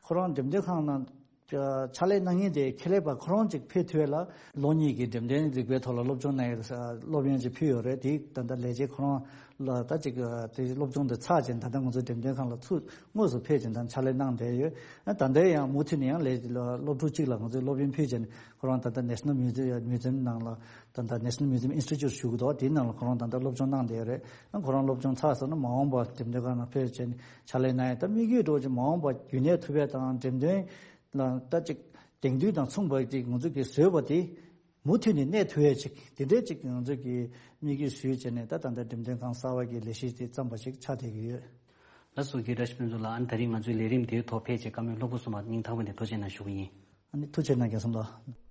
ཁོ་རང་འགྲེམས་སྟོན་ཁང་ནང་ ཕྱག་ལས་གནང་མཁན་དེ་ཁེ་ལས་པ་ཁོ་རང་ཅིག་ཕེབས་ཐུབ་ཡས་ལ་ལོ་གཉིས་ཀྱི་འགྲེམས་སྟོན་རིག་པའི་ཐོག་ལ་སློབ་སྦྱོང་གནང་ཡས་སློབ་ཡོན་ཅིག་ཕུལ་ཡོད་རེད། དེ་ད་ལྟ་ལས་བྱེད་ཁོ་རང་ལ་ད་ཅིག་དེ་སློབ་སྦྱོང་དེ་ཚར་བྱས་ད་ལྟ་ང་ཚོ་འགྲེམས་སྟོན་ཁང་ལ་ཚུར་དངོས་སུ་ཕེབས་བྱས་ད་ཕྱག་ལས་གནང་བསྡད་ཡོད། ད་ལྟ་ཡང་མུ་མཐུད་ནས་ཡང་ལས་སློབ་ཕྲུག་གཅིག་ལ་ང་ཚོས་སློབ་ཡོན་ཕུལ་བྱས་ནས་ཁོ་རང་ད་ལྟ་National Museum Museum ནང་ལ་ད་ལྟ་National Museum Institute ཞུ་གི་འདུག་དེའི་ནང་ལ་ཁོ་རང་ད་ལྟ་སློབ་སྦྱོང་གནང་བསྡད་ཡོད་རེད། ཁོ་རང་སློབ་སྦྱོང་ཚར་སོང་ན་མ་འོངས་པ་འགྲེམས་སྟོན་ཁང་ནང་ཕེབས་བྱས་ནས་ཕྱག་ལས་གནང་ཡས། ད་དམིགས་ཡུལ་འདྲ་བོ་ཅིག་མ་འོངས་པ་རྒྱུན་གནས་ཐུབ་ཡས་དང་འགྲེམས་སྟོན་ལ་ད་ཅིག་དེང་དུས་དང་མཚུངས་པ་ཅིག་ང་ཚོ་གིས་བཟོས་པ་དེ་མུ་མཐུད་ནས་གནས་ཐུབ་ཡས་ཅིག་དེ་འདྲའི་ཅིག་ང་ཚོ་གིས་དམིགས་ཡུལ་བཟོས་བྱས་ནས་ད་ད་ལྟ་འགྲེམས་སྟོན་ཁང་གསར་བ་གི་ལས་གཞི་དེ་བརྩམས་པ་ཞིག་ཆགས་བསྡད་ཀྱི་ཡོད། ལགས་སོ། རྒན་བཀྲ་ཤིས་ཕུན་ཚོགས་ལགས། ཨ་ནི་ད་རིང་ང་ཚོའི་ལས་རིམ་དེའི་ཐོག་ཕེབས་བྱས་བཀའ་མོལ་སློབ་གསོ་གསུངས་པར་སྙིང་ཐག་པ་ནས་ཐུགས་རྗེ་གནང་ཞུ་གི་ཡིན། ཨ་ནི་ཐུགས་རྗེ་གནང་རྒན་ཚང་ལགས།